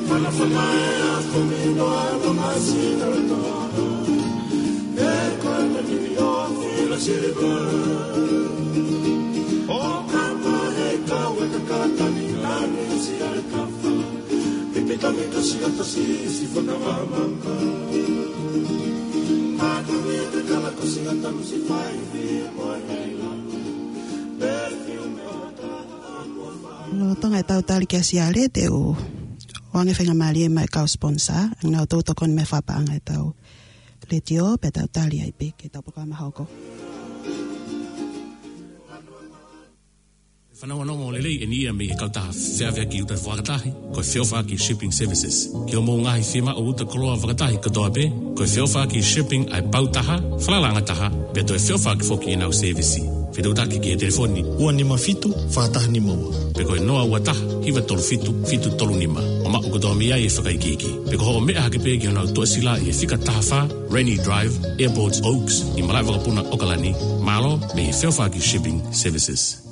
Fanafana e a komino a lo masi na la toa. E koe na nini o fila siliva. O kapa he kau e kakatani nani Siale Tafa. Pipi tangi kasi ata sisi fakavamamba. Mātou i te kala kasi ata musi fai fia moe hei lalo. Pe fiu me o ta a kua fai. Lolotonga e tau tali kia Siale te u ʻoange faingamālie mai kau sponsor. ʻAnga ʻo tau tokoni mai fakapaʻanga e tau letiō pe tau tali ai pē ke tau polokalama hoko. Fanauʻi ʻa e ongo lelei eni ia mei he kautaha feʻaveʻaki uta fakatahi, ko e Feʻofaʻaki Shipping Services. Ki hoʻomou ngaahi fiemaʻu uta koloa fakatahi kotoa pē, ko e Feʻofaʻaki Shipping ʻa e pau taha, falalaʻanga taha, pea toe feʻofaʻaki foki ʻenau sēvisi. Fetuʻutaki ki he telefoni ua nima fitu, fā taha nima ua. Pe ko e noa ua taha, hiva tolu fitu, fitu tolu nima. ʻO maʻu kotoa mei ai e fakaikiiki. Pe ko hoʻo meʻa hake pē ki honau toʻesila ʻi he fika taha fā, Rennie Drive, Airport Oaks, ʻi Malaʻevakapuna, ʻAokalani. Mālō, mei he Feʻofaʻaki Shipping Services.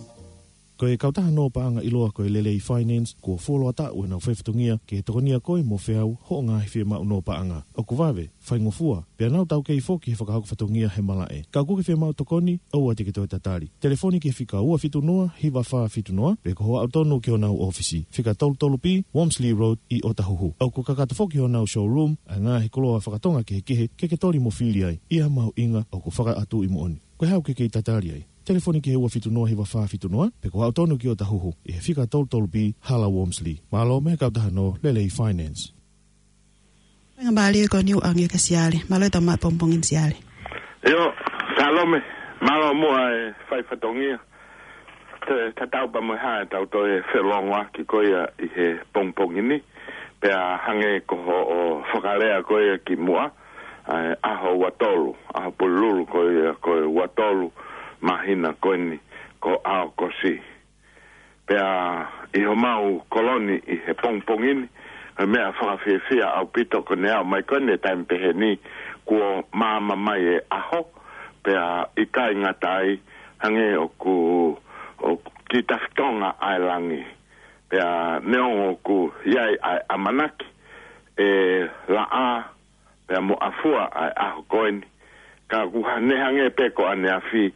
Ko e kautaha nō paʻanga ʻiloa ko e Lelei Finance, kuo fuoloa taʻu ʻenau fai fatongia ke tokonia koe mo feau hoʻo ngaahi fiemaʻu nō paʻanga. ʻOku vave, faingofua, pea nau taukei foki he fakahoko fatongia he malaʻe. Ka ʻoku ke fiemaʻu tokoni, ʻoua te ke toe tatali. Telefoni ki he fika ua fitu noa, hiva fā fitu noa, pe ko hoʻo aʻu tonu ki honau ʻōfisi, fika tolu tolu B, Wormsley Road, ʻi ʻŌtāhuhu. ʻOku kakato foki honau showroom ʻa e ngaahi koloa fakatonga kehekehe ke ke toli mo fili ai, ʻi ha mahuʻinga ʻoku fakaʻatuʻi moʻoni. Ko e hā ʻoku ke kei tatali ai? Telefoni ki he ua fitu noa, hiva fā fitu noa, pe ko hoʻo aʻu tonu ki ʻŌtāhuhu, ʻi he fika tolu tolu B, Hala Wormsley. Mālō mei he kautaha nō Lelei Finance. Faingamālie ko eni ʻoku ʻange kia Siale. Mālō e tau maʻu pongipongi ni, Siale. ʻIo, Salome, mālō muʻa e fai fatongia. Te, tatau pē mo e hā ʻetau toe felōngoaki ko ia ʻi he pongipongi ni. Pea hangē ko hoʻo fakalea ko ia kimuʻa, ʻa e ʻaho ua tolu, ʻaho Pulelulu ko ia ko e ua tolu māhina ko eni ko ʻAokosi. Pea ʻi homau kolo ni ʻi he pongipongi ni, ko e meʻa fakafiefia ʻaupito ko ʻene aʻu mai ko eni e taimi pehē ni, kuo maama mai e ʻaho, pea ʻikai ngata ai, hangē ʻoku, ʻoku kiʻi tafitonga ʻa e langi. Pea neongo ʻoku ʻi ai ʻa e ʻamanaki ʻe laʻā, pea mo ʻafua ʻa e ʻaho ko eni. Ka ʻoku ha-, ne hangē pē ko ʻaneafi,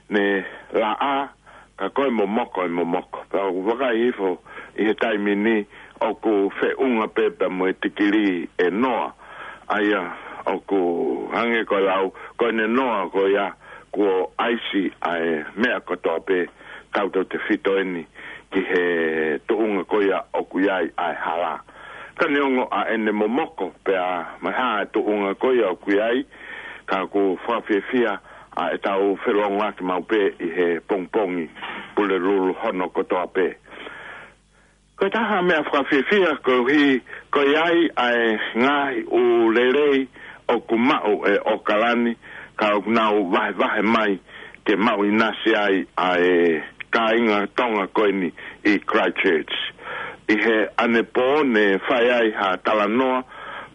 ne laʻā, ka ko e momoko e momoko. Pea ʻoku vakai hifo ʻi he taimi ni ʻoku feʻunga pē pea mo e tikilī ʻe noa. ʻA ia ʻoku hangē ko e lau, ko ʻene noa ko ia kuo ʻaisi ʻa e meʻa kotoa pē, tautautefito eni ki he tuʻunga ko ia ʻoku ʻi ai ʻa e hala. Ka neongo ʻa ʻene momoko pea mo e hā e tuʻunga ko ia ʻoku ʻi ai, ka ʻoku fakafiefia ʻa ʻetau felōngoaki maʻu pē ʻi he pongipongi Pulelulu hono kotoa pē. Ko e taha meʻa fakafiefia koeʻuhi ko e ʻi ai ʻa e ngaahi ʻū lelei ʻoku maʻu ʻe ʻAokalani, ka ʻoku nau vahevahe mai ke maʻu ʻinasi ai ʻa e kāinga Tonga ko eni ʻi Christchurch. ʻI he ʻanepō ne fai ai ha talanoa,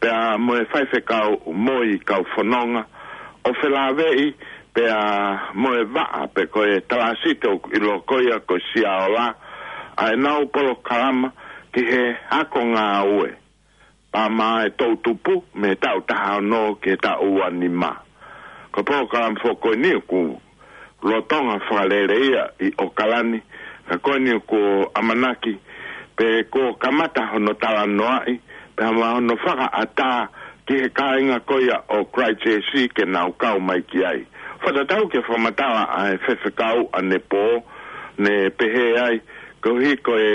pea mo e faifekau mo e kau fononga, ʻo felāveʻi pea mo e vaʻa pe ko e talāsiti ʻoku ʻiloa ko ia ko e Siaola, ʻa ʻenau polokalama ki he ako ngāue. Pea mo e toʻutupu mei he taʻu taha ono ki he taʻu ua nima. Ko e polokalama foki ko eni ʻoku lolotonga fakalele ia ʻi ʻAokalani, ka ko eni ʻoku ʻamanaki pē kuo kamata hono talanoaʻi, pea mo hono fakaʻatā ki he kāinga ko ia ʻo Christchurch ke nau kau mai ki ai. Fakatatau ki he fakamatala ʻa e faifekau ʻanepō, ne pehē ai, koeʻuhi ko e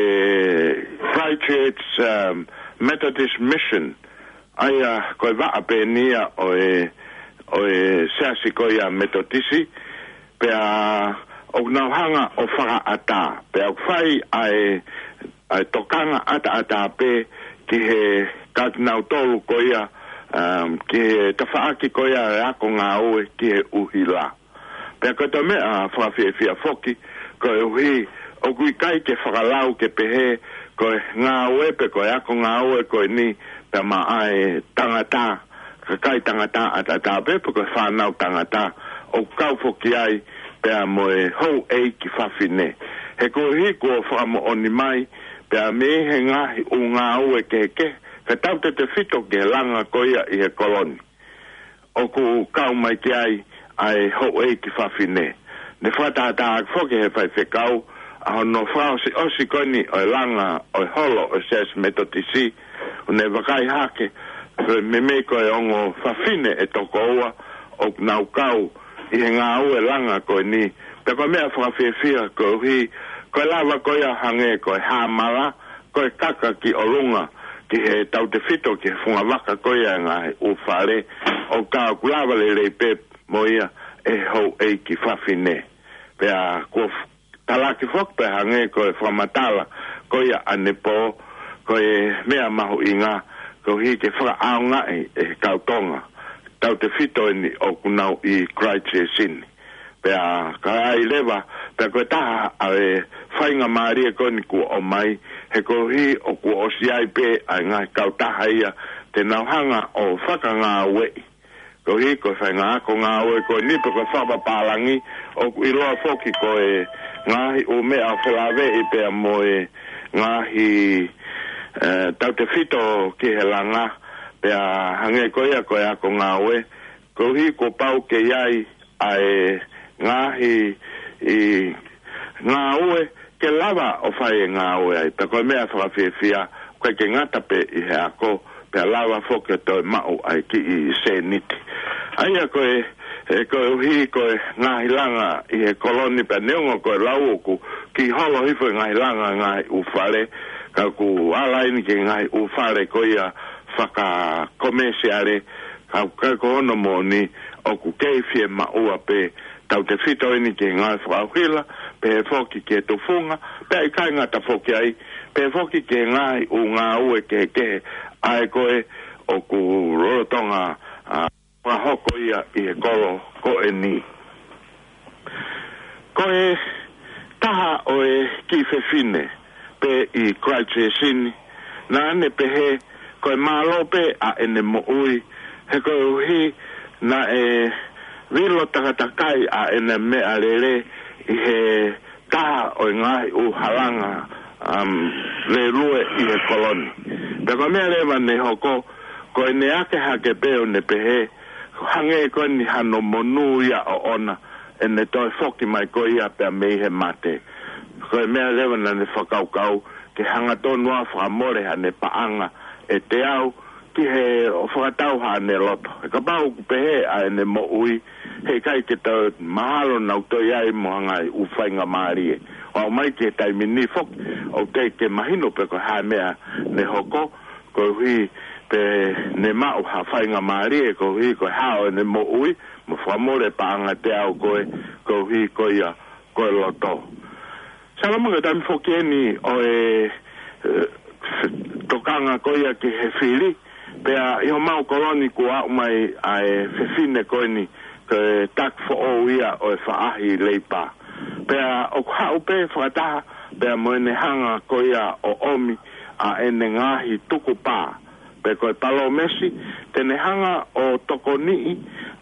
Christchurch, um, Methodist Mission, ʻa ia ko e vaʻa pē eni ia ʻo e, ʻo e siasi ko ia Metotisi, pea ʻoku nau hanga ʻo fakaʻatā, pea ʻoku fai ʻa e, ʻa e tokanga ʻataʻatā pē ki he kāinga ʻe tolu ko ia, um, ki he tafaʻaki ko ia e ako ngāue ki he ʻuhila. Pea ko e toe meʻa fakafiefia foki, koeʻuhi ʻoku ʻikai ke fakalau ke pehē ko e ngāue pe ko e ako ngāue ko eni pea maʻa e tangata, kakai tangata ʻataʻatā pē pe ko e fānau tangata, ʻoku kau foki ai pea mo e houʻeiki fafine. He koeʻuhi kuo fakamoʻoni mai pea mei he ngaahi ʻū ngāue kehekehe, ka tautautefito ki he langa ko ia ʻi he kolo ni, ʻoku kau mai ki ai ʻa e houʻeiki fafine. Ne fakatātā ʻaki foki he faifekau ʻa hono fakaʻosiʻosi ko eni ʻo e langa ʻo e holo ʻo e Siasi Metotisi, ʻo ne vakai hake, meimei ko e ongo fafine ʻe toko ua ʻoku nau kau ʻi he ngāue langa ko eni. Pea ko e meʻa fakafiefia koeʻuhi ko e lava ko ia hangē ko e hāmala, ko e kaka ki ʻolunga ki he tautefito ki he fungavaka ko ia e ngaahi ʻū fale, ʻo ka ʻoku lava lelei pē mo ia ʻe he houʻeiki fafine. Pea kuo f-, talaki foki pē hangē ko e fakamatala ko ia ʻanepō, ko e meʻa mahuʻinga koeʻuhi ke fakaʻaongaʻi ʻe he kau Tonga, tautefito eni ʻoku nau ʻi Christchurch ni. Pea ka ai leva, pea ko e taha ʻa e faingamālie ko eni kuo ʻomai, he koeʻuhi ʻoku ʻosi ʻi ai pē ʻa e ngaahi kautaha ia te nau hanga ʻo fakangāueʻi. Koeʻuhi ko e faʻahinga ako ngāue ko eni pe ko e fakapapālangi, ʻoku ʻiloa foki ko e ngaahi ʻū meʻa ʻoku felāveʻi pea mo e ngaahi, eh, tautefito ki he langa, pea hangē ko ia ko e ako ngāue, koeʻuhi kuo pau ke ʻi ai ʻa e ngaahi ʻi ngāue ke lava ʻo fai e ngāue ai. Pea ko e meʻa fakafiefia, ʻoku ʻikai ke ngata pē ʻi he ako, pea lava foki ʻo toe maʻu ʻa e kiʻi sēniti. ʻA ia ko e, e koeʻuhi ko e ngaahi langa ʻi he koloni pea neongo ko e lau ʻoku kiʻi holo hifo e ngaahi langa ngaahi ʻū fale, ka ʻoku ala eni ki he ngaahi ʻū fale ko ia fakakomesiale, ka ʻoku ʻikai ko hono moʻoni, ʻoku kei fiemaʻua pē tautefito eni ki he ngāue fakaʻuhila, pehē foki ki he tufunga, pea ʻikai ngata foki ai, pehē foki ki he ngaahi ʻū ngāue kehekehe ʻa ē ko ē ʻoku lolotonga, ʻa, fakahoko ia ʻi he kolo ko eni. Ko e taha ʻo e kiʻi fefine pē ʻi Christchurch ni, naʻa ne pehē ko e mālō pē ʻa ʻene moʻui, he koeʻuhi naʻe vilo takatakai ʻa ʻene meʻalele ʻi he taha ʻo e ngaahi ʻū halanga, um, lēlue ʻi he koloni. Pea ko e meʻa leva ne hoko, ko ʻene ake hake pē ʻo ne pehē, hangē ko eni hano monū ia ʻoʻona, ʻene toe foki mai ko ia pea mei he mate. Ko e meʻa leva naʻa ne fakakaukau ke hangatonu ʻo fakamole haʻane paʻanga ʻe teau ki he ʻo fakatau haʻane loto. He kapau ʻoku pehē ʻa ʻene moʻui, heʻikai ke tau mahalo naʻa nau toe ʻi ai mo ha ngaahi ʻū faingamālie. ʻO aʻu mai ki he taimi ni foki, ʻoku teʻeki ke mahino pe ko e hā e meʻa ne hoko, koeʻuhi pē ne maʻu ha faingamālie, koeʻuhi ko e hao ʻene moʻui, mo fakamole paʻanga teau ko ē, koeʻuhi ko ia ko e loto. Salama, ko e taimi foki eni ʻo e, eh, tokanga ko ia ki he fili, pea ʻi homau koloni kuo aʻu mai ʻa e fefine ko eni, ko e taki foʻou ia ʻo e faʻahi Leipa. Pea ʻoku haʻu pē fakataha pea mo ʻene hanga ko ia ʻo ʻomi ʻa ʻene ngaahi tukupā, pe ko e palōmesi, te ne hanga ʻo tokoniʻi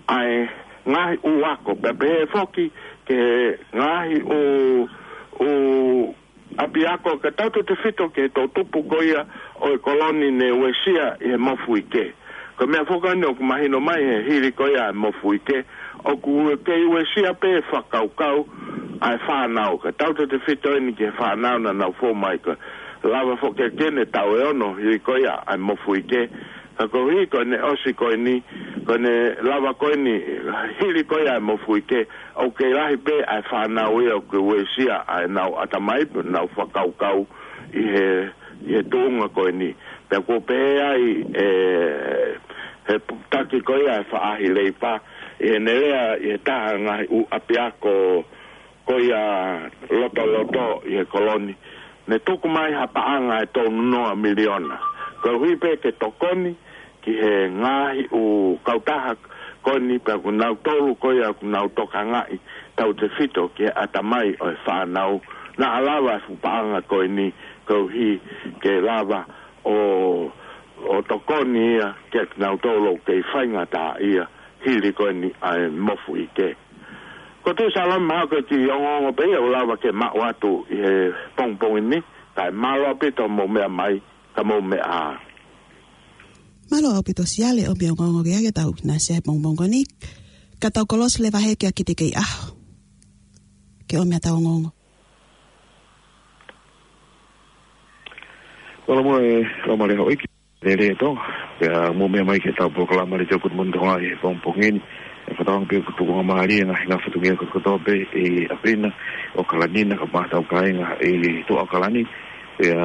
ʻa e ngaahi ʻū ako, pea pehē foki ki he ngaahi ʻū, ʻū ʻapiako, ka tautefito ki he toʻutupu ko ia ʻo e koloni ne uesia ʻi he mofuike. Ko e meʻa foki eni ʻoku mahino mai he hili ko ia e mofuike, ʻoku kei uesia pē fakakaukau ʻa e fānau, ka tautefito eni ki he fānau naʻa nau fou mai, ko e lava foki ke ne taʻu ʻe ono hili ko ia ʻa e mofuike. Ka koeʻuhi ko ʻene ʻosi ko eni, ko ʻene lava ko eni hili ko ia e mofuike, ʻoku kei lahi pē ʻa e fānau ia ʻoku uesia ʻa ʻenau ʻatamai pe ʻenau fakakaukau ʻi he, ʻi he tuʻunga ko eni. Pea kuo pehē ai ʻe he taki ko ia e faʻahi Leipa, ʻi heʻene lea ʻi he taha ngaahi ʻū ʻapiako ko ia lotoloto ʻi he koloni, ne tuku mai ha paʻanga ʻe tolu noa miliona, koeʻuhi pē ke tokoni ki he ngaahi ʻū kautaha ko eni, pea ko kinautolu ko ia ʻoku nau tokangaʻi tautefito ki he ʻatamai ʻo e fānau, naʻa lava e fuʻu paʻanga ko eni koeʻuhi ke lava ʻo, ʻo tokoni ia kiate kinautolu ʻoku kei faingataʻaʻia hili ko eni ʻa e mofuike. Ko e tuʻu Salama, ko e kiʻi ongoongo pē ia ʻoku lava ke maʻu atu ʻi he pongipongi ni, kae mālō ʻaupito hoʻomou meʻa mai, ka mou meʻa ā. Mālō ʻaupito Siale hoʻo ongoongo ke ake tau na sia he pongipongi ni, ka tau kolosi leva he kia Kite Keiʻaho ke ʻomai haʻatau ongoongo. Mālō mo e, mālō mo e houʻeiki. Lele to, pea mou meʻa mai ki heʻetau polokalama Letiō Good Morning Tonga ʻi he pongipongi ni. ʻE fakatauange pē ʻoku tukuangamālie e ngaahi fatongia kotoa pē ʻi ʻApelina, ʻAokalani na, kae ʻumaʻā hotau kāinga ʻi tuʻa ʻAokalani. Pea,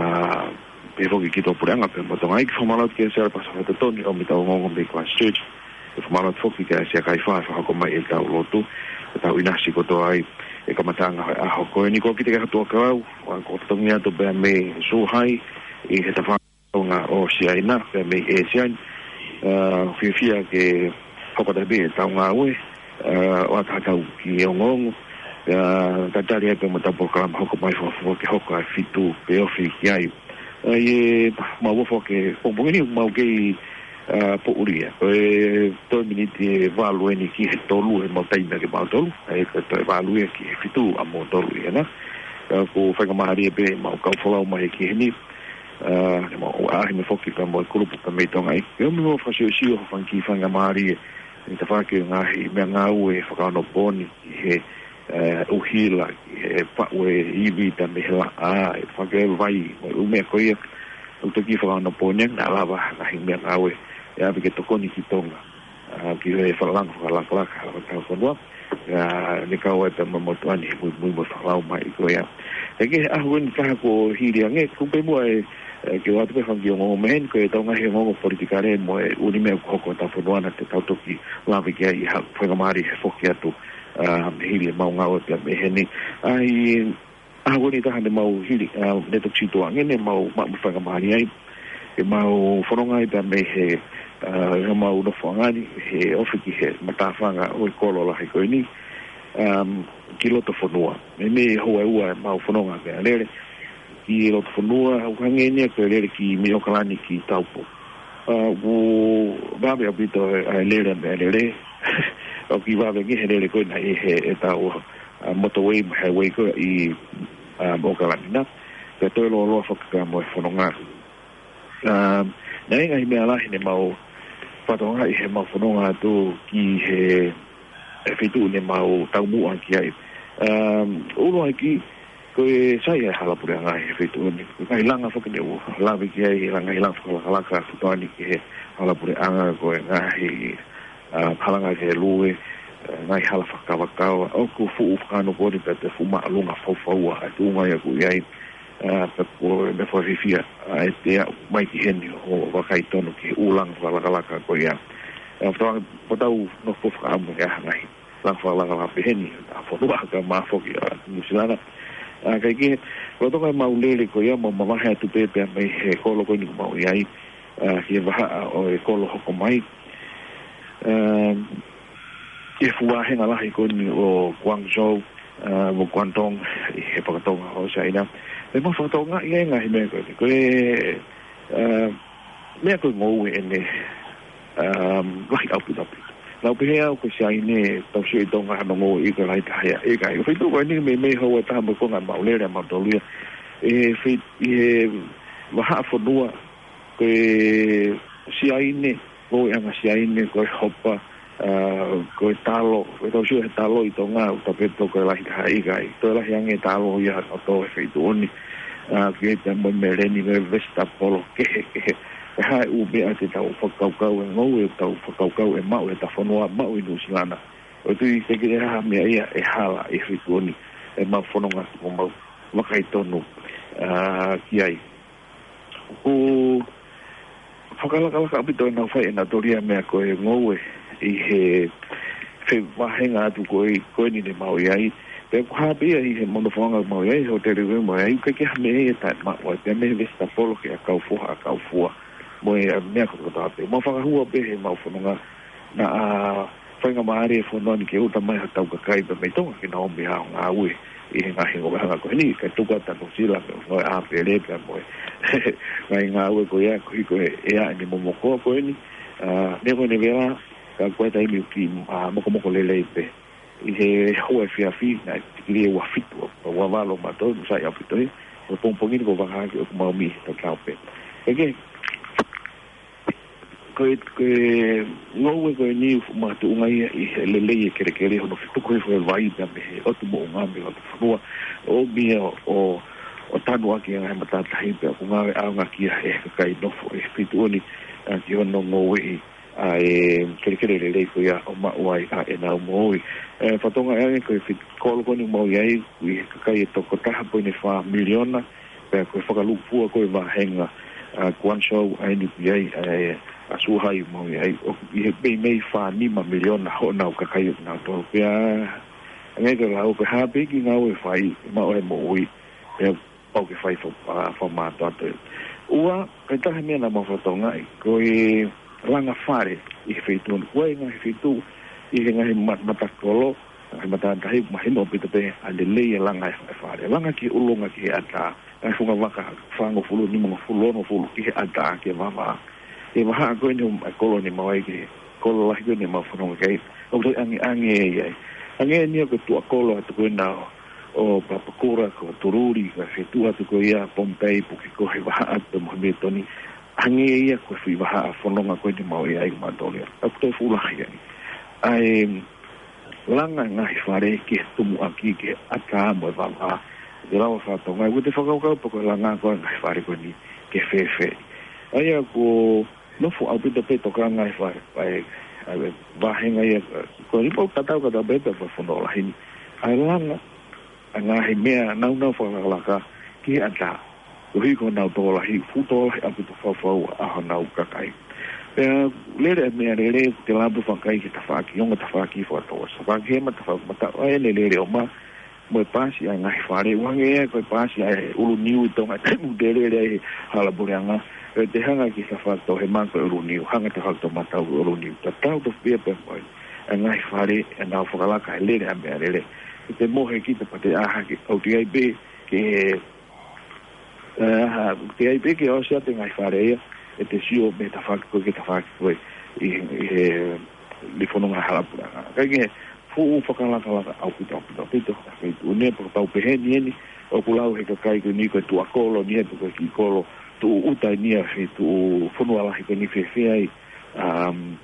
pea foki ki tuʻapuleʻanga pea mo Tonga. ʻEiki, fakamālō atu kia Siale Pasifika Totoni ʻo ʻomai ʻetau ongoongo mei Christchurch. Pea fakamālō atu foki kia Siakaifā ʻi he fakahoko mai ʻetau lotu, ʻetau ʻinasi kotoa ai ʻi he kamataʻanga ʻo e ʻaho ko eni. Ko Kite Keiʻaho Tuʻakalau, ʻoku ou totongi atu pea mei Zhuhai ʻi he tafaʻaki ʻo Siaina, pea mei ʻĒsia ni. ʻA, fiefia ke hoko atu pē ʻetau ngāue, ʻa, ʻo ʻoatu haʻatau kiʻi ongoongo, ʻa, tatali ai pea mo ʻetau polokalama hoko mai, fakafoki hoko ʻa e fitu pe ofi ki ai. ʻA, ʻi heʻemau ʻofa ki he pongipongi ni, mau kei ʻa, poʻuli ia. Ko e toe miniti ʻe valu eni ki he tolu ʻemau taimi ʻa kimautolu. ʻA ia ko e toe valu ia ki he fitu ʻa moutolu ia na. ʻA, ʻoku faingamālie pē ʻemau kau folau mai ki heni. ʻA, ʻemau ʻaʻahi mai foki pea mo e kulupu pea mei Tonga ʻi. ʻE ʻomi mo fakasiosio fanga kiʻi faingamālie ʻi he tafaʻaki ʻo e ngaahi meʻangāue fakaonopooni ki he, ʻa, ʻuhila, ki he faʻu e ivi pea mei he laʻā, ʻa e fakaʻevaʻeva, mo e ʻū meʻa ko ia. ʻOku toki fakaonopooni ange naʻa lava ha ngaahi meʻangāue ʻe ʻave ke tokoni ki Tonga. ʻA, ki he fakalanga fakalakalaka ʻa e tau fonua. ʻA, ne kau ai pea mo e motuʻa ni he muimui mo e folau mai ko ia. ʻE ki he ʻaho ni taha kuo hili ange, kuo pē muʻa e, ʻe, ke ʻoatu pē fanga kiʻi ongoongo mei heni, ko e tau ngaahi ongoongo politikale mo e ʻū meʻa ʻoku hoko ʻi he tau fonua naʻa te tau toki lave ki ai ha faingamālie he foki atu, ʻa, hili ʻemau ngāue pea mei heni. ʻA, ʻi he ʻaho ni taha ne mau hili, ʻa, ne toki situʻa ange ne mau maʻu mo e faingamālie ai. ʻEmau fononga ai pea mei he, ʻa, ʻemau nofoʻanga ni, he ofi ki he matāfanga ʻo e kolo lahi ko eni, ʻa, ki loto fonua. Meimei houa ʻe ua ʻemau fononga meʻalele ki loto fonua, ʻoku hangē ni ia ko e lele ki mei ʻOkalani ki Taupo. ʻA, ʻoku vave ʻaupito ʻa e lele meʻalele. ʻOku vave ange he lele ko ena ʻi he, ʻetau, ʻa, motorway mo e highway ko ē ʻi, ʻa, ʻOkalani na. Pea toe lōloa foki pea mo e fononga. ʻA, naʻe ngaahi meʻa lahi ne mau fakatokangaʻi heʻemau fononga atu ki he, ʻe, feituʻu ne mau taumuʻa ki ai. ʻA, ʻuluaki, ko e sai ʻa e hala puleʻanga he feituʻu ni. Ko e ngaahi langa foki ne u lave ki ai, langa, ngaahi langa fakalakalaka ʻa Fitoani ki he hala puleʻanga, ko e ngaahi, ʻa, hala ngaahi lue, ʻa, ngaahi hala fakakavakava, ʻoku fuʻu fakaonopooni pea toe fuʻu māʻolunga faufaua ʻa e tuʻunga ia ʻoku ʻi ai, ʻa, pea ko e meʻa fakafiefia, ʻa, ʻete aʻu mai ki heni ʻo vakai tonu ki he ʻū langa fakalakalaka ko ia. ʻA, fakatokangaʻi, ʻoku tau nofo fakaʻamu he ʻaho ni. Langa fakalakalaka pehē ni, ʻa, fonua ka mā foki ʻa Nuʻu Sila na. ʻA, kae kehe, lolotonga ʻemau lele ko ia, mau mavahe atu pē pea mei he kolo ko eni ʻoku mau ʻi ai, ʻa, ki he vahaʻa ʻo e kolo hoko mai. ʻA, ki he fuʻu vāhenga lahi ko eni ʻo Guangzhou, ʻa, mo Guangdong, ʻi he fakatonga ʻo Siaina. Pea mau fakatokangaʻi e ngaahi meʻa ko eni. Ko e, ʻa, meʻa ko e ngoue eni, ʻa, lahi ʻaupito ʻaupito. Naʻa ku pehē au ko Siaina, tau sio ʻi Tonga hono ngoue ʻi ko e lahi taha ia. ʻIkai, ko e feituʻu ko eni meimei houa ʻe taha mo e konga ʻemau lele ʻamautolu ia. ʻI he fei-, ʻi he vahaʻa fonua, ko e Siaina, ngoueʻanga Siaina, ko e hopa, ʻa, ko e talo, ko e tau sio he talo ʻi Tonga, ʻoku tau pehē ko e lahi taha, ʻikai. Toe lahi ange talo ia ʻo tō he feituʻu ni, ʻa, ki ai pea mo e meleni, mo e vesitapolo, kehe, kehe. Ko e hā e ʻū meʻa te tau fakakaukau e ngoue, tau fakakaukau ʻe maʻu ʻe he tau fonua, maʻu ʻi Nuʻu Sila na. ʻOku ou tui ʻikai ke ʻi ai ha meʻa ia ʻe hala ʻi he feituʻu ni, ʻemau fononga, mo mau vakai tonu, ʻa, ki ai. ʻOku fakalakalaka ʻaupito ʻenau fai ʻenautolu ia meʻa ko e ngoue ʻi he fevāhenga atu ko ē, ko eni ne mau ʻi ai. Pea ʻoku hā pē ia ʻi heʻemau nofoʻanga mau ʻi ai, hōtele ʻoku mau ʻi ai, ʻikai ke ha meʻa ia ʻe taʻemaʻu ai, pea mei he vesitapolo ki he ʻakau foha, ʻakau fua. Mo e, ʻa, meʻa kotoa pē. Mau fakahua pē heʻemau fononga, naʻa faingamālie e fonua ni ke ʻuta mai hotau kakai pea mei Tonga ke nau ō mai ʻo ngāue ʻi he ngaahi ngoueʻanga ko eni, kae tuku atu ʻa Nuʻu Sila mo e ngaahi ʻāpele pea mo e ngaahi ngāue ko ia, koeʻuhi ko e ʻea ʻene momoko ko eni. ʻA, meʻa ko eni vela, ka ko e taimi ʻoku kiʻi, ʻa, mokomoko lelei pē. ʻI he houa efiafi, naʻe tikili ʻe ua fitu, ua valu mautolu, sai ʻaupito ia. Ko e pongipongi ni ko e vaka hake ʻoku mau mei he tatau pē. ʻEke, ko e, ko e ngoue ko eni ʻoku makatuʻunga ia ʻi he lelei e kelekele hono fetuku hifo e vai pea mei he ʻotu moʻunga mei he ʻotu fonua. ʻOmi ia ʻo, ʻo tanu ʻaki e ngaahi matātahi pea ʻoku ngāueʻaonga ki ai ʻe he kakai nofo ʻi he feituʻu ni, ʻa, ki hono ngoueʻi ʻa e kelekele lelei ko ia ʻo maʻu ai ʻa ʻenau moʻui. ʻE, fakatokangaʻi ange ko e feituʻu kolo ko eni ʻoku mau ʻi ai, ʻoku ʻi he kakai ʻe toko taha poini fā miliona, pea ko e fakalūkufua ko e vāhenga, ʻa, Guangzhou ʻa eni ʻoku ʻi ai, ʻa e, ʻa Suhai ʻoku mau ʻi ai, ʻoku ʻi he meimei fā nima miliona honau kakai ʻoku nau tō. Pea, ʻa e ngaahi ko e lau, ko e hā pē kiʻi ngāue ʻe fai, ʻe maʻu ai e moʻui, pea pau ke fai fa-, fa-, fakamātoato. Ua, ko e taha e meʻa naʻa mau fakatokangaʻi, ko e langa fale ʻi he feituʻu ni. Ko e ngaahi feituʻu, ʻi he ngaahi ma-, matakolo, ngaahi matātahi, mahino ʻaupito pē ʻa e lelei e langa e fale. Langa ki he ʻolunga ki he ʻatā, ngaahi funga vaka fāngofulu, nimangofulu, onongofulu, ki he ʻatā, ki he vavā. ʻE vahaʻa ko eni ʻa e kolo ni mau ai ki he kolo lahi ko eni mau fononga ki ai. ʻOku toe ʻangeʻange ia ai. ʻAnge eni ʻoku tuʻa kolo atu ko ena ʻo, ʻo Papakura, ko Tululi, ka ke tuʻa atu ko ia Pohnpei, Pukekoi, vahaʻa atu mo Hamilton. ʻAnge ia ko e foʻi vahaʻa fononga ko eni mau ʻi ai mautolu ia. ʻOku toe fuʻu lahi ai. ʻA e langa ngaahi fale ki he tumuʻaki, ki he ʻatā mo e vavā. ʻE lava fakatonga, ʻoku te fakakaukau pe ko e langa ko e ngaahi fale ko eni ke fēfē. ʻA ia ko nofo ʻaupito pē tokanga e fai, fai, ʻa e vahenga ia, ko e lipo katau katau pē pē fonua lahi ni. ʻA e langa, ʻa e ngaahi meʻa naunau fakalakalaka ki he ʻatā. Koeʻuhi ko honau tokolahi, fuʻu tokolahi ʻaupito faufau ʻa honau kakai. Pea lele ʻa e meʻalele, te lava pē fakakai ki he tafaʻaki, ongo tafaʻaki fakatau. Tafaʻaki hema, tafaʻaki mataʻu, ʻa e lele ʻo ma, mo e paasi ʻa e ngaahi fale, ʻoku hangē ia ko e paasi ʻa e ʻulu niu ʻi Tonga, taimi ʻoku te lele ai he hala puleʻanga, ʻe te hanga ki he tafaʻaki tauhema ko e ʻulu niu, hanga tafaʻaki taumatau ko e ʻulu niu, tatau tofu pē pea mo e, ʻa e ngaahi fale, ʻenau fakalaka he lele ʻa e meʻalele. ʻE te mohe kita pea te ʻā hake, ʻoku te ʻi ai pē, ke, ʻe, ha, ʻoku te ʻi ai pē ke ʻosi atu e ngaahi fale ia, ʻe te sio mei he tafaʻaki ko ē ki he tafaʻaki ko ē ʻi, ʻi he, ʻi he fononga hala puleʻanga. Ka ke fuʻu fakalakalaka ʻaupito, ʻaupito, ʻaupito, ʻa e feituʻu ni, pea kapau pehē ni eni, ʻoku lau he kakai ko eni ko e tuʻa kolo ni, he ko e kiʻi kolo tuʻu ʻuta ni ʻa e feituʻu fonua lahi ko eni fēfē ai, um,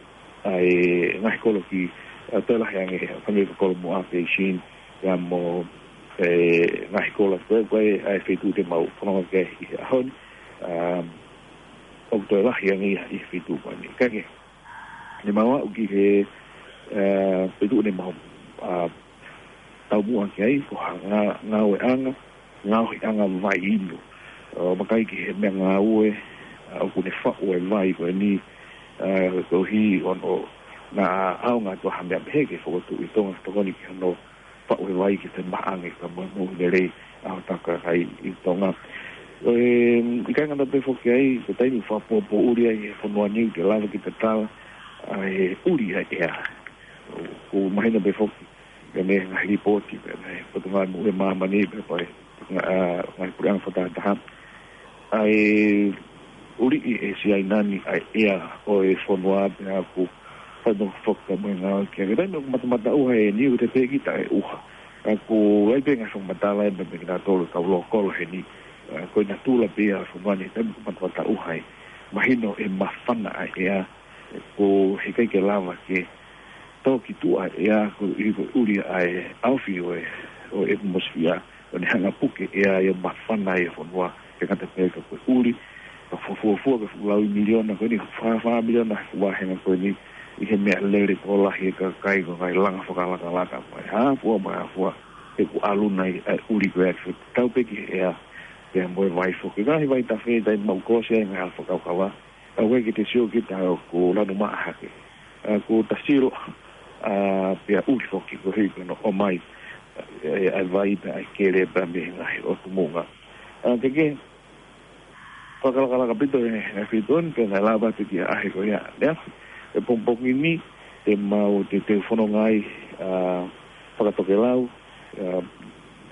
ʻa e ngaahi kolo ki, ʻa, toe lahi ange, hangē ko Kolomuʻa, Beijing, ia mo e ngaahi kolo ko ē, ko ē ʻa e feituʻu te mau fononga ki ai ʻi he ʻaho ni, um, ʻoku toe lahi ange ia ʻi he feituʻu ko eni. Ka ke, ne mau aʻu ki he, ʻa, feituʻu ne mau, ʻa, taumuʻa ki ai, ko ha ngā-, ngāueʻanga, ngāueʻanga vai inu. ʻO vakai ki he meʻangāue, ʻa, ʻoku ne faʻu e vai ko eni, ʻa, koeʻuhi ʻoku naʻa ʻaonga atu ha meʻa pehē ke fokotuʻu ʻi Tonga, tokoni ki hono faʻu e vai ke te maʻange ka mo, mo lelei ʻa hotau kakai ʻi Tonga. ʻE, ʻikai ngata pē foki ai, ko e taimi ʻoku fakapōpōʻuli ai he fonua ni ke lava ke tatala ʻa e ʻuli ʻa e ʻea. ʻOku mahino pē foki, pea mei he ngaahi lipooti, pea mei he Potungāue Moʻui ʻa Māmani, pea mei he, ʻa, ngaahi puleʻanga fakatahataha. ʻA e ʻuliʻi ʻe Siaina ni ʻa e ʻea ʻo e fonua pea ʻoku fai mo foka mo e ngāue ki ai. Ka taimi ʻoku matamata ʻuha e niu te pehē kita ʻe ʻuha. Ka ʻoku ʻi ai pē ngaahi fakamatala ʻe meʻa mei kinautolu kau lokolo heni. ʻA, ko e natula pē ʻa e fonua ni taimi ʻoku matamata ʻuha ai. Mahino ʻe mafana ʻa e ʻea. Ko e ʻikai ke lava ke tō ki tuʻa e ʻea koeʻuhi ko e ʻuli ʻa e ʻaofi ʻo e, ʻo e ʻatimosifia, ʻo ne hanga puke ʻea ia mafana ʻa e fonua, ke ngata pē ka ko e ʻuli, ka fuofua ke fuʻu laui miliona ko eni, fā, fā miliona he vahenga ko eni, ʻi he meʻalele tokolahi e kakai ko e ngaahi langa fakalakalaka mai, hā fua mai, hā fua, he ʻoku ʻalu nai ʻa e ʻuli ko ē, tau pē ki he ʻea, pea mo e vai foki, ngaahi vaitafe, taimi ʻoku ʻosi ai ngaahi fakakaukau, ʻa ʻoku ʻikai ke te sio kita ʻoku lanu maʻa hake. ʻA, ko Tasilo, ʻa, pea ʻuli foki, koeʻuhi ko hono ʻomai, ʻa, ʻa e vai pea ʻa e kele pea mei he ngaahi ʻotu muʻa. ʻA, ke ke, fakalakalaka ʻaupito e, e feituʻu ni, pea naʻe lava atu ki he ʻaho ko ia. Lea, e pongipongi ni, te mau te, te fononga ai, ʻa, fakatokelau, ʻa,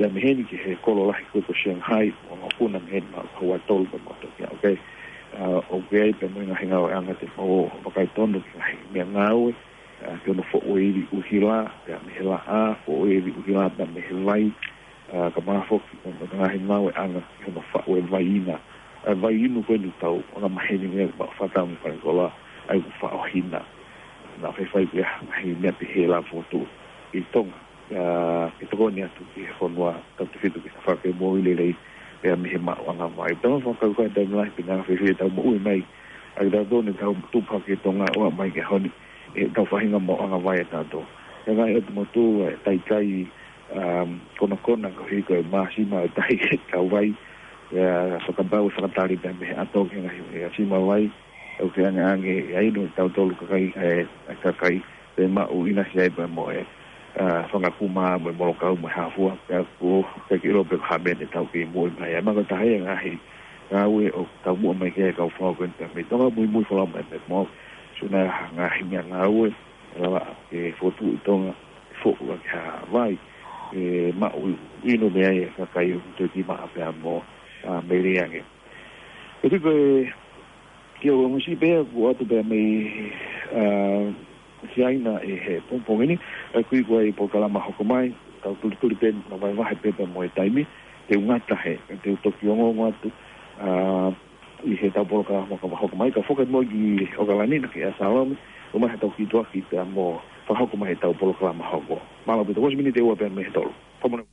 ia mei heni ki he kolo lahi ko ē ko Shanghai, ʻo ngā puna mei heni ma ua tolu pea mau toki aʻu ki ai. ʻA, ʻoku ʻi ai pē mo e ngaahi ngāueʻanga te mau vakai tonu ki he ngaahi meʻangāue, ʻa, ki hono foʻu e ivi ʻuhila, pea mei he laʻā, foʻu e ivi ʻuhila, pea mei he vai, ʻa, kae ʻumaʻā foki, mo e ngaahi ngāueʻanga ki hono faʻu e vai ina. ʻA e vai inu ko eni ʻoku tau angamaheni mei ai, ma fata mo fale kola, ʻa ia ʻoku faʻo hina. Naʻa faifai pē ha ngaahi meʻa pehē lava fokotuʻu ʻi Tonga. ʻA, ke tokoni atu ki he fonua, tautefito ki he tafaʻaki moʻui lelei, pea mei he maʻuʻanga vai. Tau fakakaukau taimi lahi pē naʻa fēfē ʻetau moʻui mai. ʻA ia tau tonu tau tupu hake ʻi Tonga ʻo aʻu mai ki he ʻaho ni, ʻetau faʻahinga maʻuʻanga vai ʻatautolu. He ngaahi ʻotu motu, ʻe taitai, um, konakona koeʻuhi ko e māsima ʻo e tahi ʻetau vai. ʻA, fakapapau ʻe fakatali pē mei he ʻato ki he ngaahi, ʻa e sima vai. ʻOku ʻikai ange, ʻa ia ʻoku ʻi ai ʻa tautolu kakai, ʻe, ʻa e kakai, pea maʻu ʻinasi ai pea mo e, ʻa, fanga kuma mo e molokau mo e hā fua, pea ʻoku ʻikai ke ʻilo pe ko e hā e meʻa te tau kei moʻui mai ai. Mahalo ko e taha ia e ngaahi ngāue ʻoku taumuʻa mai ki ai e kau fanga ko eni pea mei Tonga, muimui folau mai pea mo au. Sio naʻa ha ngaahi meʻangāue, ʻe lava ke fokotuʻu ʻi Tonga, foʻu ʻaki ha vai, ʻe maʻu inu mei ai e kakai ʻoku toe kiʻi maʻa pea mo, ʻa, melie ange. ʻOku ʻi ai ko e Ke ʻosi pē ʻoku ʻoatu pē mei, ā, Siaina ʻi he pongipongi ni, ʻa ia ko e polokalama hoko mai, tau tulituli pē, na vaevae pē pea mo e taimi, te u ngata he, te u toki ongoongo atu, ā, ʻi heʻetau polokalama hoko mai, ka foki mo ki ʻOkalani na ki ʻa Salome, ʻomai haʻatau kiʻi tuʻuaki pea mo fakahoko mai heʻetau polokalama hoko. Mālō pē, tau ʻosi miniti ʻe ua pē mei he tolu. Fakamolemole.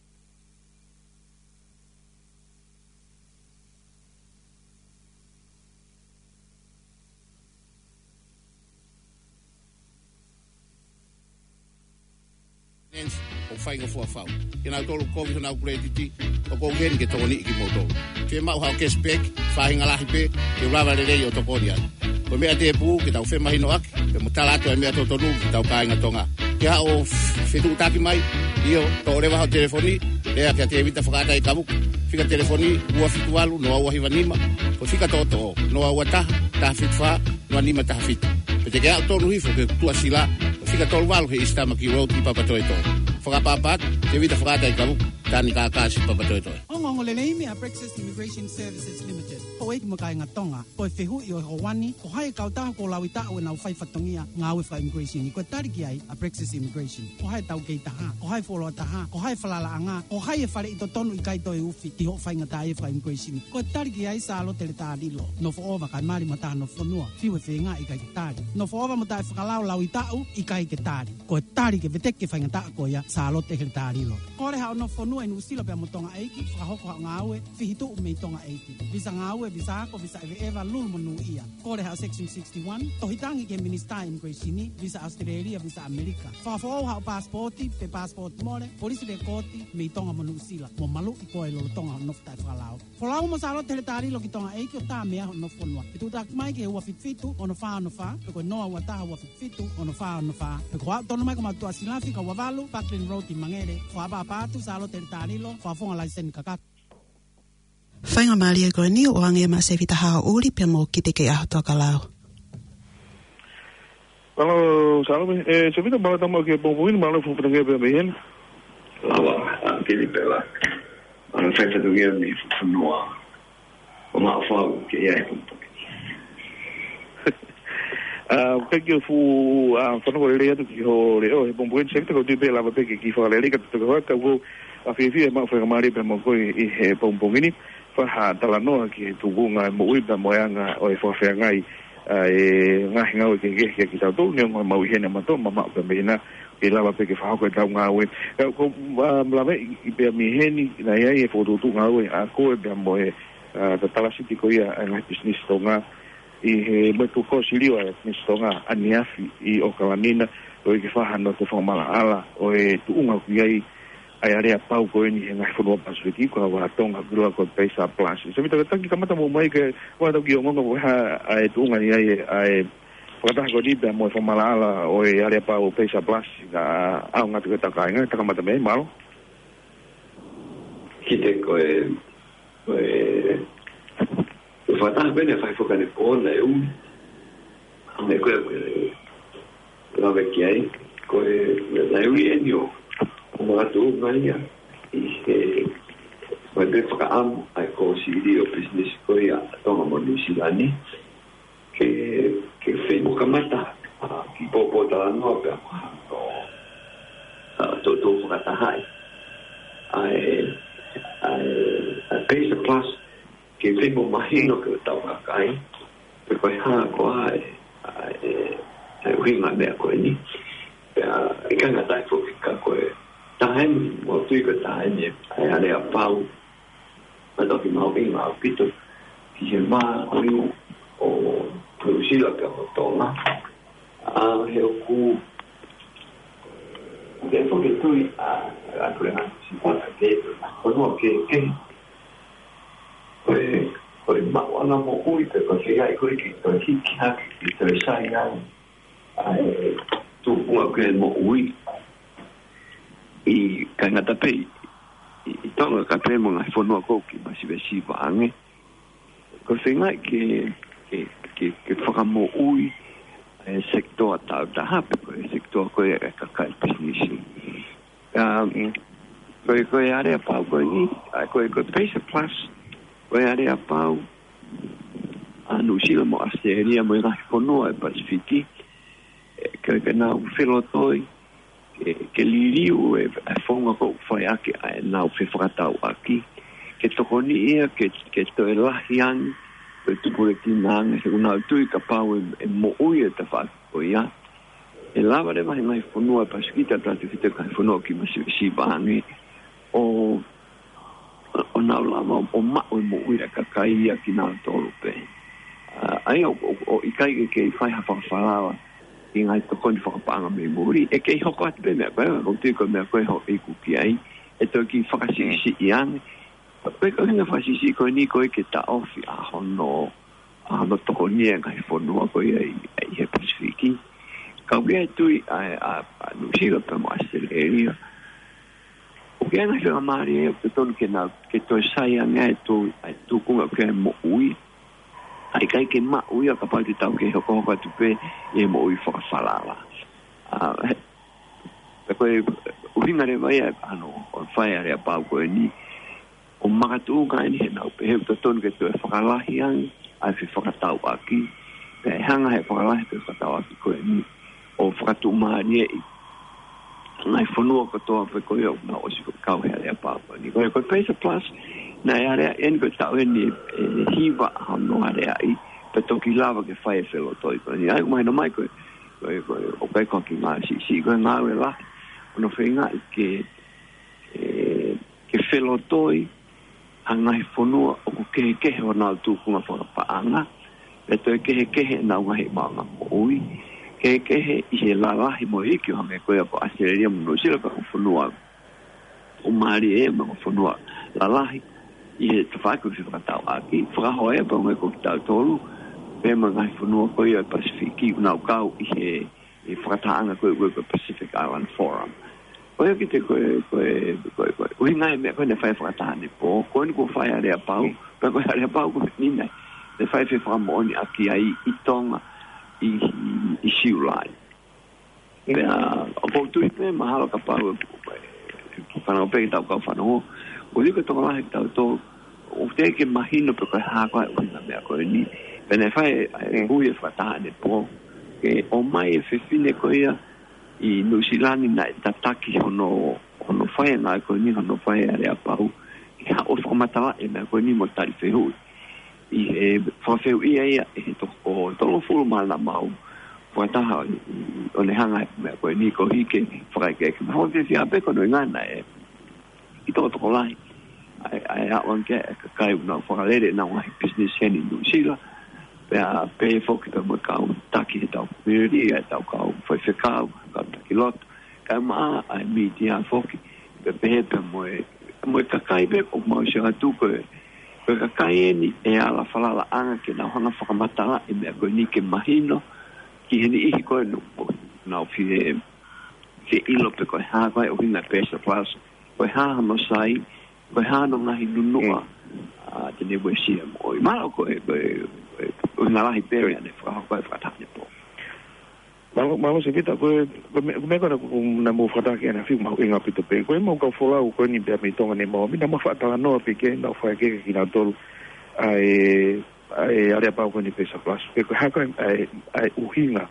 Nancy, ʻo fai ngā fuafau. Ke nau tolu kovi honau kuletiti, ʻoku ou ʻi heni ke tokoniʻi kimoutolu. Ke maʻu haʻo cashback, faʻahinga lahi pē, ke u lava lelei ʻo tokoni ai. Ko e meʻa tēpū, ke tau femahinoʻaki, pea mo tala atu e meʻa totonu ki heʻetau kāinga Tonga. Ke haʻu ʻo fetuʻutaki mai, ʻio, toʻo leva hoʻo telefoni, lea kia Tēvita Fakaʻataʻi Kavuku. Fika telefoni, ua fitu valu, noa ua hiva nima, ko e fika toʻotoʻo, noa ua taha, taha fitu fā, noa nima taha fitu. Pe te ke aʻu tonu hifo ki he tuʻasila, ko e fika tolu valu he East Tamaki Road ʻi Papatoetoe. Fakaʻapaʻapa atu, Tēvita Fakaʻataʻi Kavuku, Tani Kākasi Papatoetoe. Ongoongo lelei meia Praxis Immigration Services Limited. Houʻeiki mo e kāinga Tonga, ko e fehuʻi ʻo e houa ni, ko hai e kautaha kuo laui taʻu ʻenau fai fatongia ngāue faka-immigration. Ko e tali ki ai ʻa Praxis Immigration. Ko hai ʻetau kei taha, ko hai e fuoloa taha, ko hai e falalaʻanga, ko hai e faleʻi totonu ʻikai toe ufi ki hoʻo faingataʻaʻia faka-immigration. Ko e tali ki ai Sālote Letalilo, nofo ʻova kae mali mo ha taha nofo fonua, fiu e feinga ʻikai ke tali. Nofo ʻova mo taʻefakalao laui taʻu ʻikai ke tali. Ko e tali ke veteki e faingataʻa ko ia, Sālote Letalilo. Kole haʻo nofo fonua ʻi Nuʻusila pea mo Tonga ʻeiki, fakahoko haʻo ngāue, fihituʻu mei Tonga ʻeiki. Visa ngāue, visa ako, visa ʻeveʻeva, lulu monūʻia. Kole haʻo Section sixty-one, tohi tangi ki he Minisitā Immigration, visa ʻAositelēlia, visa ʻAmelika. Fakafoʻou haʻo paasipooti, pe paasipooti mole, polisi lekooti, mei Tonga mo Nuʻusila. Mo maluʻi koe lolotonga hoʻo nofo taʻefakalao. Folau mo Sālote Letalilo ki Tonga ʻeiki ʻo tā meʻa hoʻo nofo fonua. Fetuʻutaki mai ki he ua fitu fitu, ono fā ono fā, pe ko e noa ua taha ua fitu fitu, ono fā ono fā, pe ko e aʻu tonu mai ki homau tuʻasila fika ua valu, Parkland Road ʻi Mangere. Fakaʻapaʻapa atu Sālote Letalilo, fakafofonga laiseni kakato. Faingamālie ko eni, ʻoange maʻa Sevita Haʻauli, pea mo Kite kei ʻaho Tokalau. Mālō, Salome, ē, Sevita, mālō e tau maʻu ki he pongipongi ni, mālō e fuʻu fatongia pē mei heni. Lava, ā, kili pē la. Mālō e fai fatongia mei he fuʻu fonua. ʻO maʻu fau ke ʻi ai e pongipongi. Ā, ʻoku ʻikai ke u fuʻu, ā, fanongo lelei atu ki hoʻo leʻo he pongipongi ni, Sevita, ka ʻoku ou tui pē lava pē ke kiʻi fakalelei ka toki hoko atu, ʻoku ou fiefia he maʻu faingamālie pē mo koe ʻi he pongipongi ni. Fai ha talanoa ki he tuʻunga e moʻui pea mo e anga ʻo e fakafeangai ʻa e ngaahi ngāue kehekehe kia kitautolu, neongo e maʻu ʻi heni ʻa mautolu, mamaʻo pē mei hena, ke lava pē ke fakahoko ʻetau ngāue. Ka ʻoku ou, ā, lave ʻi pea mei heni, naʻe ʻi ai e fokotuʻutuʻu ngāue ʻa koe pea mo e, ā, tatalasi ko ia ʻa e ngaahi pisinisi Tonga ʻi he meʻa ko e kōsilio ʻa e pisinisi Tonga ʻaneafi ʻi ʻOkalani na, ʻo ʻikai ke fai hano toe fakamaʻalaʻala ʻo e tuʻunga ʻoku ʻi ai ʻa e aleapau ko eni he ngaahi fonua Pasifiki, ko e ʻa Tonga, ko e ʻa ko e PACER Plus. Sevita, ke taki kamata muʻa mai ke ʻoua tau kiʻi ongoongo ko e hā ʻa e tuʻunga ni ai ʻa e fakataha ko eni pea mo e fakamaʻalaʻala ʻo e aleapau PACER Plus, ka ʻaonga atu ki heʻetau kāinga, taka kamata mei ai, mālō. Kite, ko e, ko e, ko e fakataha ko eni naʻe fai foki ʻanepō naʻe ui. ʻA e meʻa ko ē, ko e, lave ki ai, ko e, naʻe ui eni ʻo, ʻo makatuʻunga ia ʻi he, ko e meʻa fakaʻamu ʻa e kōsilio pisinisi ko ia ʻa Tonga mo Nuʻusila ni, ke, ke fai mo kamata, ā, kiʻi pōpōtalanoa pea mo hano, ā, toutou fakatahaʻi ʻa e, ʻa e, ʻa e PACER Plus, ke fai mo mahino ki hotau kakai pe ko e hā koā e, ʻa e, ʻa e ʻuhinga e meʻa ko eni. Pea ʻikai ngata ai foki ka ko e taimi, ʻoku ou tui ko e taimi ʻa e aleapau, ʻa e toki mahuʻinga ʻaupito ki he mākoni ʻo Nuʻusila pea mo Tonga. ʻA, he ʻoku, he ʻoku ke tui ʻa, ʻa Puleʻanga Nuʻusila ke, ko e fonua kehekehe, ko e, ko e maʻuʻanga moʻui pe ko e feiā ko ē ke toe hiki hake, ke toe sai ai ʻa e tupuʻanga ko ē moʻui. ʻIkai ngata pē ʻi, ʻi Tonga ka pē mo e ngaahi fonua ko ē ʻoku masivesiva ange. Ko e feinga ke, ke, ke, ke fakamoʻui e sekitoa taautaha pe ko e sekitoa ko ē ʻa e kakai pisinisi. Um, ko e, ko e aleapau ko eni, ʻa, ko e, ko e PACER Plus, ko e aleapau ʻa Nuʻusila mo ʻAositelēlia mo e ngaahi fonua ʻo e Pasifiki, ʻe, ke, ke nau felotoi, ke, ke liliu e, e founga ʻoku fai ʻaki ʻa ʻenau fefakatauʻaki, ke tokoni ia ke, ke toe lahi ange, ke tupulekina ange, he ʻoku nau tui kapau ʻe, ʻe moʻui e tafaʻaki ko ia, ʻe lava leva he ngaahi fonua ʻo e Pasifiki, tautautefito ki he ngaahi fonua ʻoku masiva ange, ʻo, ʻo nau lava ʻo maʻu e moʻui ʻa e kakai ia kinautolu pē. ʻA, ʻa ia ʻo, ʻo, ʻo ʻikai ke, ke fai ha fakafalala ki he ngaahi tokoni fakapaʻanga mei muli, ʻe kei hoko atu pē meʻa ko ē, ʻoku ou tui ko e meʻa ko ē hoʻo ʻeke ki ai, ʻe toe kiʻi fakasiʻisiʻi ange. Ko e, ko e ʻuhinga fakasiʻisiʻi ko eni ko e ke taʻofi ʻa hono, ʻa hono tokoni e ngaahi fonua ko ia ʻi, ʻi he Pasifiki. Ka ʻoku ʻi ai e tui ʻa, ʻa, ʻa Nuʻusila pea mo ʻAositelēlia. ʻOku ʻi ai e ngaahi faingamālie ʻoku totonu ke nau, ke toe sai ange ʻa e tū-, ʻa e tūkunga ʻoku ʻi ai e moʻui. ʻA ia ʻikai ke maʻu ia kapau te tau kei hokohoko atu pē ʻi he moʻui fakafalala. ʻA, he, he ko e ʻuhinga leva ia ʻa hono, ʻo fai ʻa e aleapau ko eni. ʻO makatuʻunga eni he nau pehē ʻoku totonu ke toe fakalahi ange ʻa e fefakatauʻaki. Pea ʻe hanga he fakalahi fefakatauʻaki ko eni ʻo fakatuʻumālieʻi ngaahi fonua kotoa pē ko ia ʻoku nau ʻosi kau he aleapau ko eni. Ko e, ko e PACER Plus, naʻe aleaʻi eni ko e taʻu eni ʻe hiva hono aleaʻi, pea toki lava ke fai e felotoi ko eni. ʻA ia ʻoku mahino mai ko e, ko e, ko e, ʻoku ʻikai ko ha kiʻi ngāue siʻisiʻi, ko e ngāue lahi, ʻo nau feingaʻi ke, ʻe, ke felotoi ʻa e ngaahi fonua ʻoku kehekehe honau tūkunga fakapaʻanga, pea toe kehekehe ʻenau ngaahi maʻuʻanga moʻui, kehekehe ʻi he lalahi mo e iiki ʻo hangē ko ia ko ʻAositelēlia mo Nuʻusila pea ko e fonua ʻoku mālie mo e fonua lalahi ʻi he tafaʻaki ʻo e fefakatauʻaki, fakahoko ia pea mo e ko kitautolu, pea mo e ngaahi fonua ko ia ʻo e Pasifiki ʻoku nau kau ʻi he, ʻi he fakatahaʻanga ko e, ko e, ko e Pacific Island Forum. Ko ia kiate au ko e, ko e, ko e, ko e ʻuhinga e meʻa ko ē naʻe fai fakataha ʻanepō, ko eni kuo fai ʻa e aleapau, pea ko e aleapau ko eni naʻe, naʻe fai fefakamoʻoniʻaki ai ʻi Tonga ʻi, ʻi, ʻi Siulai. Pea, ʻoku ou tui pē mahalo kapau ʻe, ʻe, ʻe fanongo pē ʻetau kau fanongo, ʻoku ou tui ko e tokolahi kitautolu, ʻoku teʻeki ke mahino pe ko e hā koā e ʻuhinga e meʻa ko eni. Pea naʻe fai e, e ui e fakataha ʻanepō, ke ʻomai e fefine ko ia ʻi Nuʻusila ni naʻe tataki hono, hono fai e ngāue ko eni, hono fai e aleapau, ke haʻu ʻo fakamatalaʻi e meʻa ko eni mo tali fehuʻi. ʻI he fakafehuʻia ia ʻe he toko tolungofulu mā nima ʻo fakataha ʻi, ʻi, ʻo ne hanga he meʻa ko eni koeʻuhi ke fakaʻekeʻeke. Mahalo ʻoku fiefia pē ko hono ʻuhinga naʻe ʻi tokotokolahi ʻa e, ʻa e aʻu ange ki ai e kakai ʻoku nau fakalele ʻenau ngaahi business heni ʻi Nuʻusila. Pea pehē foki pea mo e kau taki ʻetau community, ʻa ʻetau kau faifekau, kau taki lotu, kae ʻumaʻā ʻa e mītia foki, pea pehē pea mo e, mo e kakai pē ʻoku mau sio atu ko e, ko e kakai eni ʻe ala falalaʻanga ke nau hanga ʻo fakamatalaʻi e meʻa ko eni ke mahino ki he niʻihi ko ē ʻoku nau fie, fie ʻilo pe ko e hā koā e ʻuhinga e PACER Plus, ko e hā hono sai, ko e hā hono ngaahi nunuʻa, ʻa, te ne uesia mo ʻoi. Mahalo ko e, ko e, ko e ʻuhinga lahi pē ia naʻe fakahoko ai e fakataha ʻanepō. Mālō, mālō Sēvita, ko e, ko e meʻa, ko e meʻa ko ena ʻoku, naʻa mou fakataha ki ai ʻanefē ʻoku mahuʻinga ʻaupito pē. Ko e mau kau folau ko eni pea mei Tonga ni mo, naʻa mau faʻa talanoa pē ki ai, naʻa mau fai ki ai kinautolu ʻa e, ʻa e aleapau ko eni PACER Plus. Pe ko e hā koā e, ʻa e, ʻa e ʻuhinga,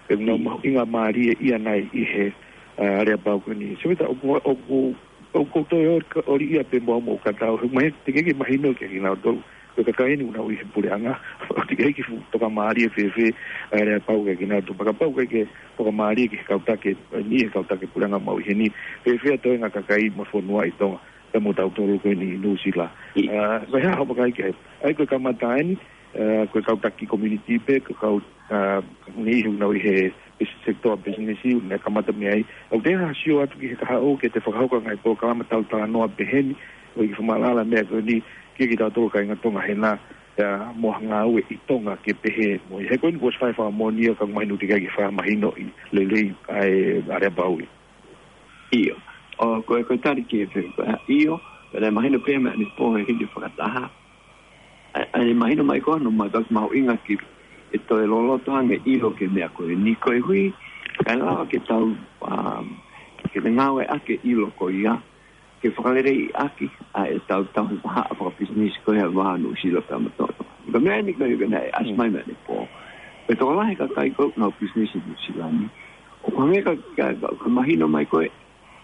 pe ʻoku nau mahuʻinga mālie ia nai ʻi he, ʻa, aleapau ko eni. Sēvita, ʻoku, ʻoku, ʻoku ou toe ʻo, ʻo liʻia pē mo au mo ka tau, he ʻoku mahino, teʻeki ke mahino kia kinautolu. Ko e kakai eni ʻoku nau ʻi he puleʻanga, ʻoku teʻeki ke fuʻu tokamālie fēfē ʻa e aleapau kia kinautolu. Pea kapau ʻoku ʻikai ke tokamālie ki he kau taki, ʻi he kau taki puleʻanga ʻoku mau ʻi heni, fēfē ʻa e toenga kakai mo e fonua ʻi Tonga, pea mo tautolu ko eni ʻi Nuʻusila. ʻA, ko e hā hoʻo vakai ki ai? ʻA ia ko e kamata eni, ʻa, ko e kau taki community pē, ko e kau, ʻa, niʻihi ʻoku nau ʻi he, he sector business, ʻoku nau kamata mei ai. ʻOku te hanga ʻo sio atu ki he kahaʻu ke te fakahoko e ngaahi polokalama tau talanoa pehē ni, ʻo ʻikai ke fakamaʻalaʻala e meʻa ko eni, kia kitautolu kāinga Tonga hena, ʻa, mo e ngāue ʻi Tonga ke pehē mo ia. He ko eni kuo ʻosi fai fakamoʻoni ia ka ʻoku mahino teʻeki ai ke fakamahinoʻi lelei ʻa e aleapau ia. ʻIo. ʻO, ko e, ko e tali ki he fe-, ko e, ʻio, pea naʻe mahino pē meʻa ʻanepō he hili fakataha. ʻA, ʻa ia mahino mai ko hono, mai ka mahuʻinga ke, ke toe loloto ange ʻilo ki he meʻa ko eni koeʻuhi, kae lava ke tau, um, ke ngāueʻaki e ʻilo ko ia, ke fakaleleiʻaki ʻa ʻetau tauhi vahaʻa fakapisinisi ko ia ʻa Nuʻusila pea mo Tonga. Ko e meʻa eni ko e, ko e naʻe ʻasi mai mei he pō. Ko e tokolahi e kakai ko ē ʻoku nau pisinisi ʻi Nuʻusila ni, ʻoku hangē ka, ka, ka, ka mahino mai ko ē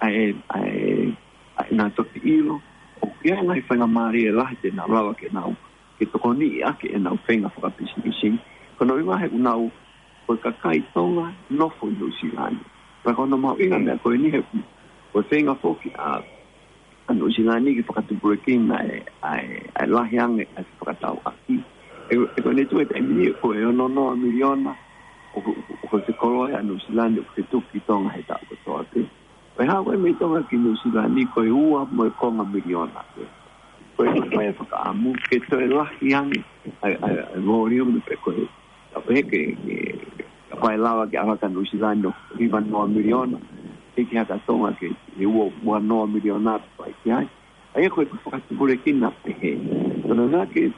ʻa e, ʻa e, ʻa e nau toki ʻilo ʻoku ʻi ai e ngaahi faingamālie lahi te nau lava ke nau, ke tokoniʻi ʻaki ʻenau feinga fakapisinisi. Ko hono ʻuhinga he ʻoku nau, ko e kakai Tonga nofo ʻi Nuʻusila ni. Pea ko hono mahuʻinga e meʻa ko eni he ko e feinga foki ʻa, ʻa Nuʻusila ni ke fakatupulekina e, ʻa e, ʻa e lahi ange ʻa e fakatauʻaki. ʻE, ʻe ko eni tuʻu he taimi ni ko e ono noa miliona ʻoku, ʻoku, ʻoku fekoloi ʻa Nuʻusila ni ʻoku fetuku ki Tonga he taʻu kotoa pē. Pea haʻu ko ē mei Tonga ki Nuʻusila ni ko e ua mo e konga miliona pē. Ko e, ko e fakaʻamu ke toe lahi ange ʻa e, ʻa e, ʻa e volume pe ko e, ka pehē ke, ke, kapau ʻe lava ke ʻalu hake ʻa Nuʻusila ni ʻo hiva noa miliona, ʻe ʻikai ke haka Tonga ke, ke ua, ua noa miliona pe fai ki ai. ʻA ia ko e fakatupulekina pehē. Ko hono ʻuhinga ke,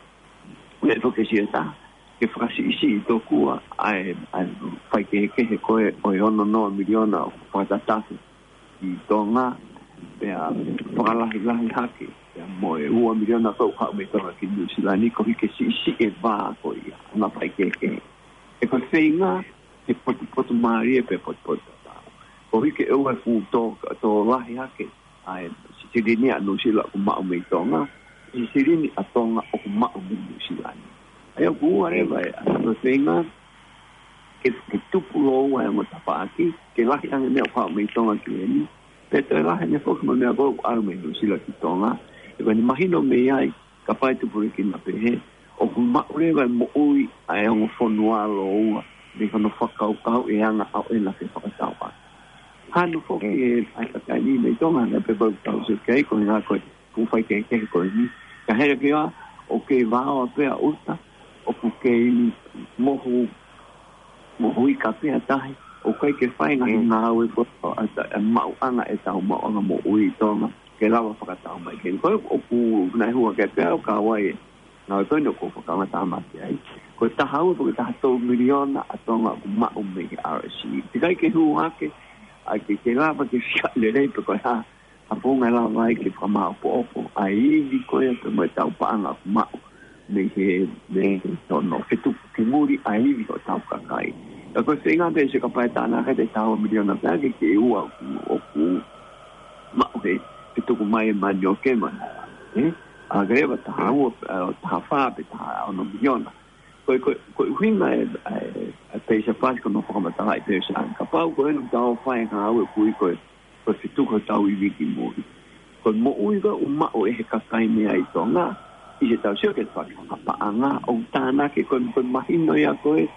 ʻe foki e siʻi taha ke fakasiʻisiʻi tokua ʻa e, ʻa e faikehekehe ko ē ʻo e ono noa miliona ʻoku fakatatafu ʻi Tonga, pea fakalahilahi hake, pea mo e ua miliona ko ē ʻoku haʻu mei Tonga ki Nuʻusila ni, koeʻuhi ke siʻisiʻi e vā ko ia ʻo e ngaahi faikehekehe. He ko e feinga ke potupotumālie pea potupotutatau, koeʻuhi ke ʻoua ʻe fuʻu tō, tō lahi hake ʻa e silini ʻa Nuʻusila ʻoku maʻu mei Tonga, silini ʻa Tonga ʻoku maʻu mei Nuʻusila ni. ʻA ia ʻoku ua leva e, ʻa e feinga ke, ke tupu lōua e ongo tafaʻaki, ke lahi ange e meʻa ʻoku haʻu mei Tonga ki heni, pea toe lahi ange foki mo e meʻa ko ē ʻoku ʻalu mei Nuʻusila ki Tonga. He ko eni mahino mei ai, kapau ʻe tupulekina pehē, ʻoku maʻu leva e moʻui ʻa e ongo fonua lōua mei hono fakakaukau e anga ʻo ʻena ke fakatauʻaki. Hanu foki e, ʻa e kakai ni mei Tonga, naʻe pehē pau tau se kei ko e ngā ko e fuʻu faikehekehe ko eni. Ka hera ke ʻa, ʻoku kei vaoa pē ʻa ʻuta, ʻoku kei mohu, mohu ika pē ʻa tahi, ʻoku ʻikai ke fai ngaahi ngāue ko ē, ʻa ta-, ʻa maʻuʻanga ʻetau maʻuʻanga moʻui ʻi Tonga, ke lava fakatau mai. Ke ko ē ʻoku nau hua ke pea ʻo ka wai e ngāue ko eni ʻoku fakamatala mai ai. Ko e taha ua pe ko e taha tolu miliona ʻa Tonga ʻoku maʻu mei he R S E. Teʻeki ai ke hū hake, ʻa ke, ke lava ke fika lelei pe ko e hā, ʻa e founga ʻe lava ai ke fakamāʻopoʻopo ʻa e ivi ko ia pea mo ʻetau paʻanga ʻoku maʻu mei he, mei he tono fetuku ki muli ʻa e ivi hotau kakai. Ka ko e feinga pē se kapau ʻe tānaki ʻe taha ua miliona pē ʻa ke, ke ua ʻoku, ʻoku maʻu he fetuku mai e manioke ma, ē? ʻA ke leva taha ua, ē, taha fā pe taha ono miliona. Ko e, ko e, ko e ʻuhinga e, e, e peisa pasi ko hono fakamatalaʻi peisa. Kapau ko eni ʻoku tau fai e ngāue ʻoku ui ko e, ko e fetuku hotau ivi ki muli, ko e moʻui ko ē ʻoku maʻu ʻe he kakai mei ai Tonga, ʻi heʻetau sio ki he fakapaʻanga, ʻoku tānaki ko e, ko e mahino ia ko ē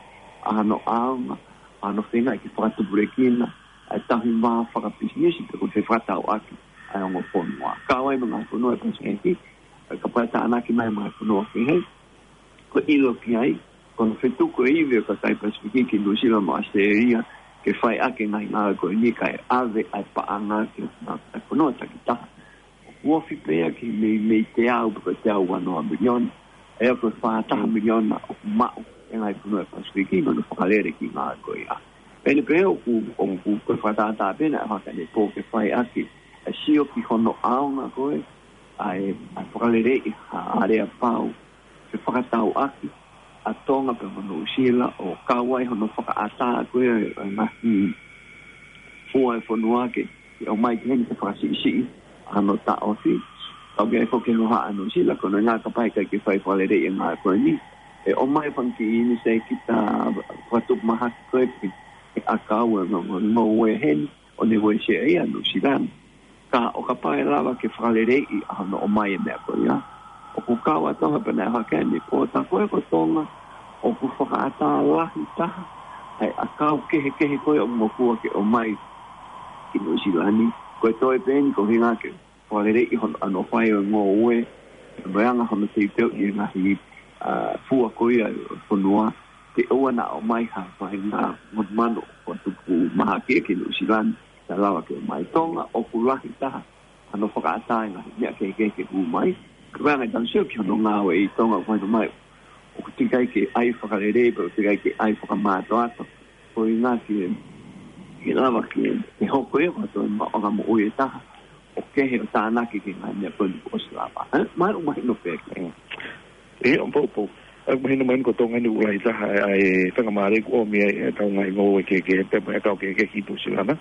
ʻa hono ʻaonga, ʻa hono feinga ke fakatupulekina ʻa e tauhi vā fakapisinisi pe ko e fefakatauʻaki ʻa e ongo fonua. Kau ai mo e ngaahi fonua ʻo e Pasifiki, ʻa ia kapau ʻe tānaki mai mo e ngaahi fonua kehe, ko e ʻilo ki ai, ko hono fetuku e ivi ʻo e kakai Pasifiki ki Nuʻusila mo ʻAositelēlia, ke fai ʻaki e ngaahi ngāue ko eni kae ʻave ʻa e paʻanga ki he ngaahi fonua takitaha. ʻOku ofi pē ia ki he mei, mei he teau pe ko e teau ua noa miliona. ʻA ia ko e fā taha miliona ʻoku maʻu ʻe he ngaahi fonua ʻo e Pasifiki mo hono fakalele e kiʻi ngāue ko ia. Pea ʻi heʻene pehē ʻoku, ʻoku, ko e fakatātā pē naʻe haka ʻi he pō ke fai ʻaki e sio ki hono ʻaonga ko ē ʻa e, ʻa e fakaleleiʻi ha aleapau fefakatauʻaki ʻa Tonga pea mo Nuʻusila, ʻo kau ai hono fakaʻatā ko ē e ngaahi fua ʻo e fonua ke, ke ʻomai ki heni ke fakasiʻisiʻi ʻa hono taʻofi. Kau ki ai foki e hohaʻa ʻa Nuʻusila, ko hono ʻuhinga kapau ʻe ʻikai ke fai fakaleleiʻi e ngāue ko eni, ʻe ʻomai e fanga kiʻi ʻinisēkita fakatupu mahaki ko ē ki he ʻakau ʻo e ngou-, ngou-, ngoue heni, ʻo ne uesia ia ʻa Nuʻusila ni. Ka ʻo kapau ʻe lava ke fakaleleiʻi ʻa hono ʻomai e meʻa ko ia, ʻoku kau ʻa Tonga pea naʻe haka ʻi he pō, tā ko ē ko Tonga ʻoku fakaʻatā lahi taha ʻa e ʻakau kehekehe ko ē ʻoku mokua ke ʻomai ki Nuʻusila ni. Ko e toe pē eni ko e ʻuhinga ke fakaleleiʻi hono, hono fai ʻo e ngoue, mo e anga hono teuteuʻi e ngaahi, ʻa, fua ko ia ʻo e fonua, ke ʻoua naʻa ʻomai ha faʻahinga monumanu fakatupu mahaki ki Nuʻusila ni, naʻa lava ke ʻomai. Tonga ʻoku lahi taha hono fakaʻatā e ngaahi meʻa kehekehe ke hū mai. Ka ko e anga ʻetau sio ki hono ngāue ʻi Tonga, ʻoku mahino mai ʻoku teʻeki ai ke ʻai fakalelei, pe ʻoku teʻeki ai ke ʻai fakamātoato. Ko e ʻuhinga ke, ke lava ke, ke hoko ia ko e toe maʻuʻanga moʻui ʻe taha ʻo kehe ʻo tānaki ki he ngaahi meʻa ko eni kuo ʻosi lava. Ē? Mahalo ʻoku mahino pē ki ai. ʻIo, poupou. ʻOku mahino mai ko Tonga ni ʻoku lahi taha ʻa e faingamālie ʻoku ʻomi ai ʻetau ngaahi ngoue kehekehe pea mo e ʻakau kehekehe ki Nuʻusila na.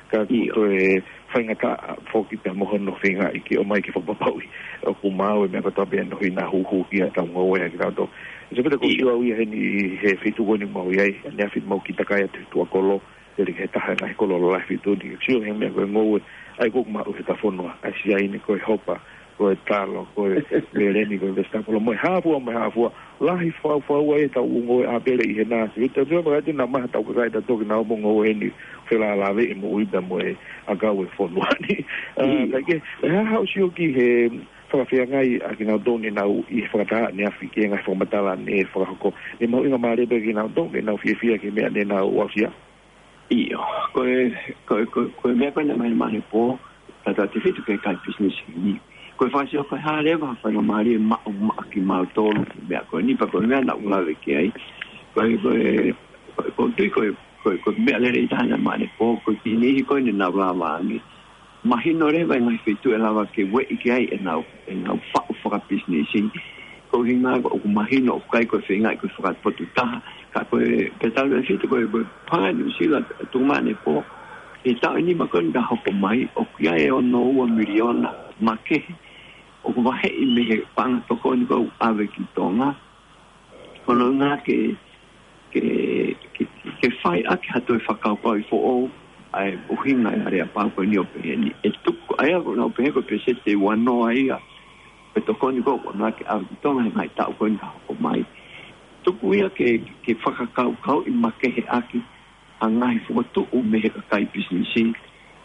Ka ʻoku toe faingataʻa foki pea mo hono feingaʻi ke ʻomai ke fakapapauʻi ʻoku maau e meʻa kotoa pē ʻoku hina huhu ki heʻetau ngoue ʻa kitautolu. Sēpeta, ko e sio au ia heni he feituʻu ko eni ʻoku mau ʻi ai, ʻaneafi mau kiʻi takai atu he tuʻakolo, ʻi he taha e ngaahi kolo lalahi feituʻu ni, sio he meʻa ko e ngoue ʻa ia ʻoku maʻu he tafonua, ʻa e siaine, ko e hopa, ko e talo, ko e meleni, ko e vesitapolo, mo e hā fua, mo e hā fua. Lahi fau fau ai ʻetau ngoue ʻa pele ʻi he nasi. Ita tio maka tina maha tau kakai ta toki nau mo ngoue ni felālāveʻi e moʻui pea mo e ʻakau e fonua ni. ʻA, ka ke, ʻe hā haʻo sio ki he fakafeangai ʻa kinautolu ʻoku nau ʻi he fakataha ʻaneafi ki he ngaahi fakamatala ne fakahoko. ʻE mahuʻinga mālie pē kinautolu ke nau fiefia ki he meʻa ne nau aʻusia. ʻIo, ko e, ko e, ko e, ko e meʻa ko ena mai mane pō, tata te fitu ke kai pisinisi ni. Ko e fakasio ko e hā leva faingamālie maʻu maʻa kimautolu, meʻa ko eni pea ko e meʻa naʻa ku lave ki ai. Ko e, ko e, ko e, ko e tui ko e, ko e, ko e meʻa lelei taha ena mane pō, ko e ki niʻihi ko eni naʻa ku lave ange. Mahino leva e ngaahi feituʻu ʻe lava ke ueʻi ki ai ʻenau, ʻenau faʻu fakapisinisi. Ko e ʻuhinga ʻoku mahino ʻoku ʻikai ko e feingaʻi ko e fakapotu taha. Ka ko e pea tau lea fitu ko e, ko e paʻanga ʻa Nuʻusila tuku mane pō. ʻI he taʻu ʻe nima ko eni ka hoko mai, ʻoku ʻi ai e ono ua miliona makehe ʻoku vaheʻi mei he paʻanga tokoni ko ē ʻoku ʻave ki Tonga. Ko hono ʻuhinga ke, ke, ke, ke fai ʻaki ha toe fakakaukauʻi foʻou ʻa e ʻuhinga e aleapau ko eni ʻo pehē ni. ʻE tuku, ʻa ia ʻoku nau pehē ko e peseti ʻe uanoa ia ʻo e tokoni ko ē ʻoku ʻamanaki ke ʻave ki Tonga he ngaahi taʻu ko eni ka hoko mai. Tuku ia ke, ke fakakaukauʻi makehe ʻaki ʻa e ngaahi fokotuʻu mei he kakai pisinisi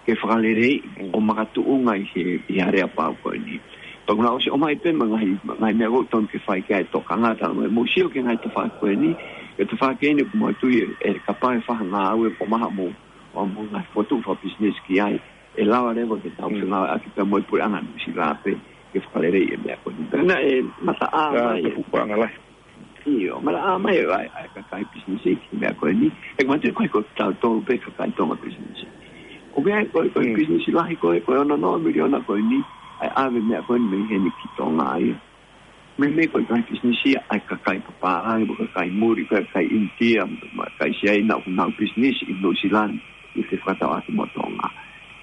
ke fakaleleiʻi ʻo makatuʻunga ʻi he, ʻi he aleapau ko eni. Pea ʻoku nau ʻosi ʻomai pē mo e ngaahi, ngaahi meʻa ʻoku totonu ke fai ki ai e tokanga, tala mai mo sio ki he ngaahi tafaʻaki ko eni, ki he tafaʻaki eni ʻoku mau tui ʻe, ʻe kapau ʻe fai ha ngāue ko maha mo, mo, mo e ngaahi fokotuʻu fakapisinisi ki ai, ʻe lava leva ke tau fengāueʻaki pea mo e puleʻanga Nuʻusila pē ke fakaleleiʻi e meʻa ko eni. Pea naʻe mataʻā mai e pupuʻanga lahi. ʻIo, mataʻā mai e, ʻa e, ʻa e kakai pisinisi ki he meʻa ko eni. ʻE mate ko e ko tautolu pē kakai Tonga pisinisi. ʻOku ʻi ai ko e, ko e pisinisi lahi ko e, ko e ono noa miliona ko eni, ʻa e ʻave meʻa ko eni mei heni ki Tonga ia. Meimei ko e kakai pisinisi ʻa e kakai papālangi, mo e kakai muli, ko e kakai ʻInitia, mo e kakai Siaina, ʻoku nau pisinisi ʻi Nuʻusila ni, ʻi he fakatauʻaki mo Tonga.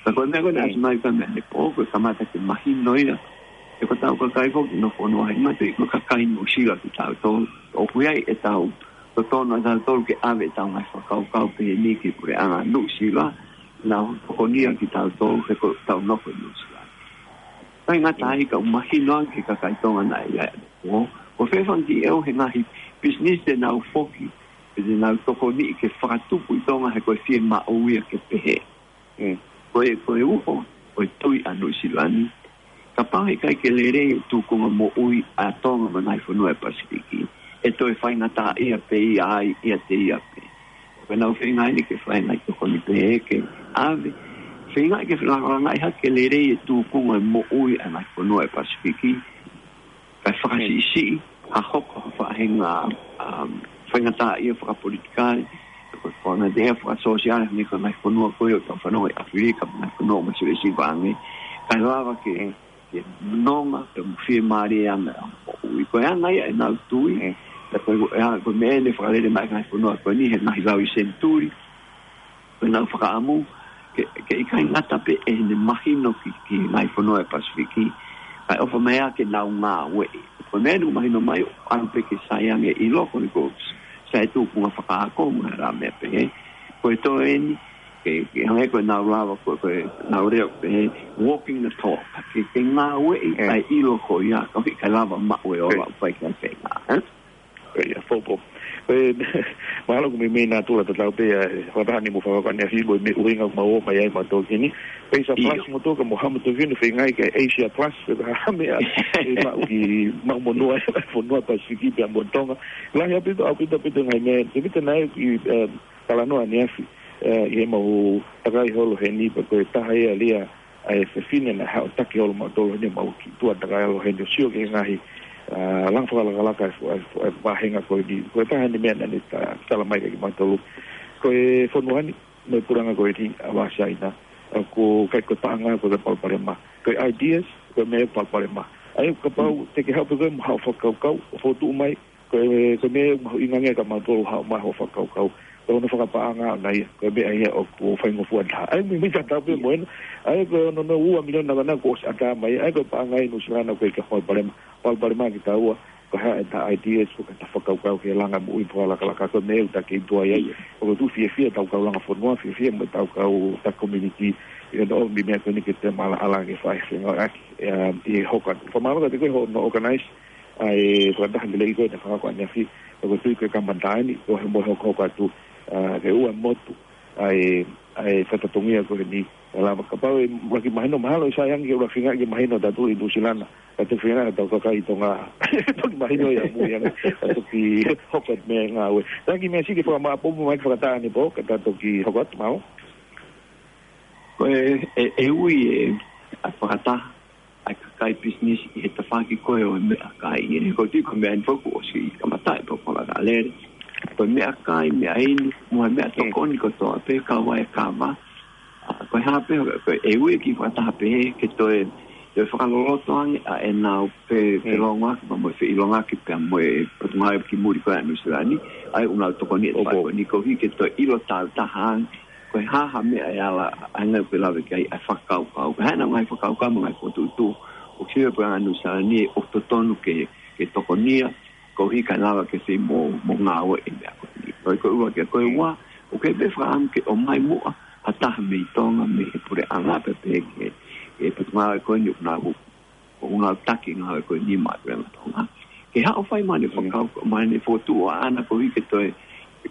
Ka ko e meʻa ko eni ʻasi mai ka meʻa ne pō, ko e kamata ke mahino ia. ʻE ko ʻetau kakai foki ʻi he fonua ni, mate ko e kakai Nuʻusila kitautolu. ʻOku ʻi ai ʻetau totonu ʻa tautolu ke ʻave ʻetau ngaahi fakakaukau pehē ni ki he puleʻanga Nuʻusila, nau tokonia kitautolu he ko ʻetau nofo ʻi Nuʻusila. Kae ngata ai ka ʻoku mahino ange ki he kakai Tonga naʻe ʻi ai ʻanepō, ko e fēfē ange ʻe au he ngaahi pisinisi te nau foki, te nau tokoniʻi ke fakatupu ʻi Tonga he ko e fiemaʻu ia ke pehē. Ko e, ko e uho, ko e tui ʻa Nuʻusila ni. Kapau he ʻikai ke lelei e tūkunga moʻui ʻa Tonga mo e ngaahi fonua ʻo e Pasifiki, ʻe toe faingataʻaʻia pē ia ai, ʻiate ia pē. Ko ʻenau feinga eni ke fai ngaahi tokoni pehē ke ʻave. Feinga ke felangalangaʻi hake ke lelei e tūkunga moʻui ʻa e ngaahi fonua ʻo e Pasifiki. Kae fakasiʻisiʻi, ha hoko ha faʻahinga, um, faingataʻaʻia fakapolitikale, ko e faingataʻaʻia fakasōsiale, hangē ko e ngaahi fonua ko ē ʻoku tau fanongo ʻi ʻAfilika, ngaahi fonua ʻoku masiva siva ange. Kae lava ke, ke nonga, ke fiemālie ange ʻa e moʻui. Ko e anga ia ʻenau tui, pea ko e, ko e meʻa ne fakalele mai ngaahi fonua ko eni, he ngaahi lau ʻi senituli, ko ʻenau fakaʻamu, ke, ke ʻikai ngata pē ʻene mahino ki, ki he ngaahi fonua ʻo e Pasifiki, kae ʻofa mai ā ke nau ngāueʻi. Ko e meʻa ʻoku mahino mai, ʻalu pē ke sai ange ʻilo, ko e ko sai tūkunga fakaako, mo e hā meʻa pehē. Ko e toe eni, ke, ke hangē ko ʻenau lava, ko, ko ʻenau lea pehē, walking the talk, ke, ke ngāueʻi ʻa e ʻilo ko ia, ka ʻoku ʻikai lava maʻu e ola ʻoku fai ki ai e feinga, ē? Ko ia, fōfō. Ko e, mahalo ʻoku meimei natula tatau pē, ʻa e, fakataha ni mo fakakane a fibo, meʻa ʻuhinga ʻoku mau ō mai ai mautolu ki heni. Payzah Plus mo toka mo hamo toki ni feingaʻi ke Asia Plus, pea ka hame a, ʻe maʻu ki, maʻu monū ai, fonua Pasifiki pea mo Tonga. Lahi ʻaupito, ʻaupito, ʻaupito ngaahi meʻa, te pita nai ki, eh, talanoa ʻaneafi, eh, ʻi heʻemau takai holo heni, pea ko e taha ia lia, ʻa e fefine naʻe haʻu ʻo taki holo mautolu heni, mau kiʻi tuʻa takai holo heni ʻo sio ki he ngaahi, ʻa, langa fakalakalaka e fu-, e fu-, e vāhenga ko eni. Ko e taha eni meʻa naʻa ne ta-, tala mai kiate kimautolu. Ko e fonua ni, mo e puleʻanga ko eni, ʻa Siaina. ʻA, ʻoku ʻikai ko e paʻanga, ko e palopalema. Ko e ideas, ko e meʻa palopalema. ʻA ia kapau te ke haʻu pē koe mo haʻo fakakaukau, ʻo fokotuʻu mai, Ko e, ko e meʻa mahuʻinga ange ka mautolu haʻu mai hoʻo fakakaukau. Ko hono fakapaʻanga ʻona ia, ko e meʻa ia ʻoku faingofua taha. ʻA ia, mi, mi tatau pē mo ena. ʻA ia, ko hono ua miliona ka na kuo ʻosi ʻatā mai. ʻA ia, ko e paʻanga ʻi Nuʻu Sila naʻa ʻoku ʻikai ke hoko e palopalema. Ko e palopalema kitaua, ko e hā ʻeta ideas, ko ʻeta fakakaukau ki he langa moʻui pō ʻa e lakalaka, ko e meʻa ʻoku ta kei tuʻu ai. ʻOku ou tui fiefia ʻetau kau langa fonua, fiefia mo ʻetau kau ta community. ʻI hono ʻomi e meʻa ko eni ke te maʻalaʻala ke fai fengāueʻaki, ē, ʻi he hoko atu. Fakamālō kiate koe hono organize ʻa e fakataha lelei ko ē naʻe fakahoko ʻaneafi, ʻoku ou tui ko e kamata eni, ko e hā mo e hokohoko atu, ʻa, ke ʻoua ʻe motu ʻa e, ʻa e fatongia ko eni, ʻe lava kapau ʻe ʻuluaki mahino mahalo ʻe sai ange ke ʻuluaki feinga ke mahino ʻa tautolu ʻi Nuʻu Sila na, ka te feinga ʻa tau kakai ʻi Tonga, toki mahino ia mui ange, ka toki hoko atu e ngāue. Taki meʻa siʻi ke fakamāʻopoʻopo mai ke fakataha ʻanepō, ka ta toki hoko atu, mālō. Ko e, ʻe, ʻe ui ʻe, ʻa e fakataha ʻa e kakai pisinisi ʻi he tafaʻaki ko ē ʻo e meʻakai. ʻOku ou tui ko e meʻa eni foki kuo ʻosi kamata e pō ko la ka lele. Ko e meʻakai, meʻainu, mo e meʻatokoni kotoa pē kau ai e kava. ʻA, ko e hā pē, ko e ʻe ui e kiʻi fakataha pehē ke toe, toe fakaloloto ange ʻa ʻenau fe, felōngoaki pea mo e feʻilongaki pea mo e potungāue ki muli ko ē ʻa Nuʻu Sila ni. ʻA ia ʻoku nau tokoni e fai ko eni koeʻuhi ke toe ʻilo tāutaha ange ko e hā ha meʻa ʻe ala, ʻa e ngaahi ʻoku lave ki ai ʻa e fakakaukau. Ko e hā ʻenau ngaahi fakakaukau mo e ngaahi fokotuʻutuʻu ʻoku sio pē ʻa Nuʻu Sila ni ʻoku totonu ke, ke tokonia, koeʻuhi kae lava ke fai mo, mo ngāue e meʻa ko eni. Ko e, ko e ua ke, ko e ua, ʻoku ʻi ai pē fakaʻamu ke ʻomai muʻa ha taha mei Tonga, mei he puleʻanga pē pē ke, ke potungāue ko eni ʻoku nau ʻoku nau taki ngāue ko eni maʻa e puleʻanga Tonga. Ke haʻu ʻo fai mai ʻene fakau, mai ʻene fokotuʻu ʻaʻana koeʻuhi ke toe,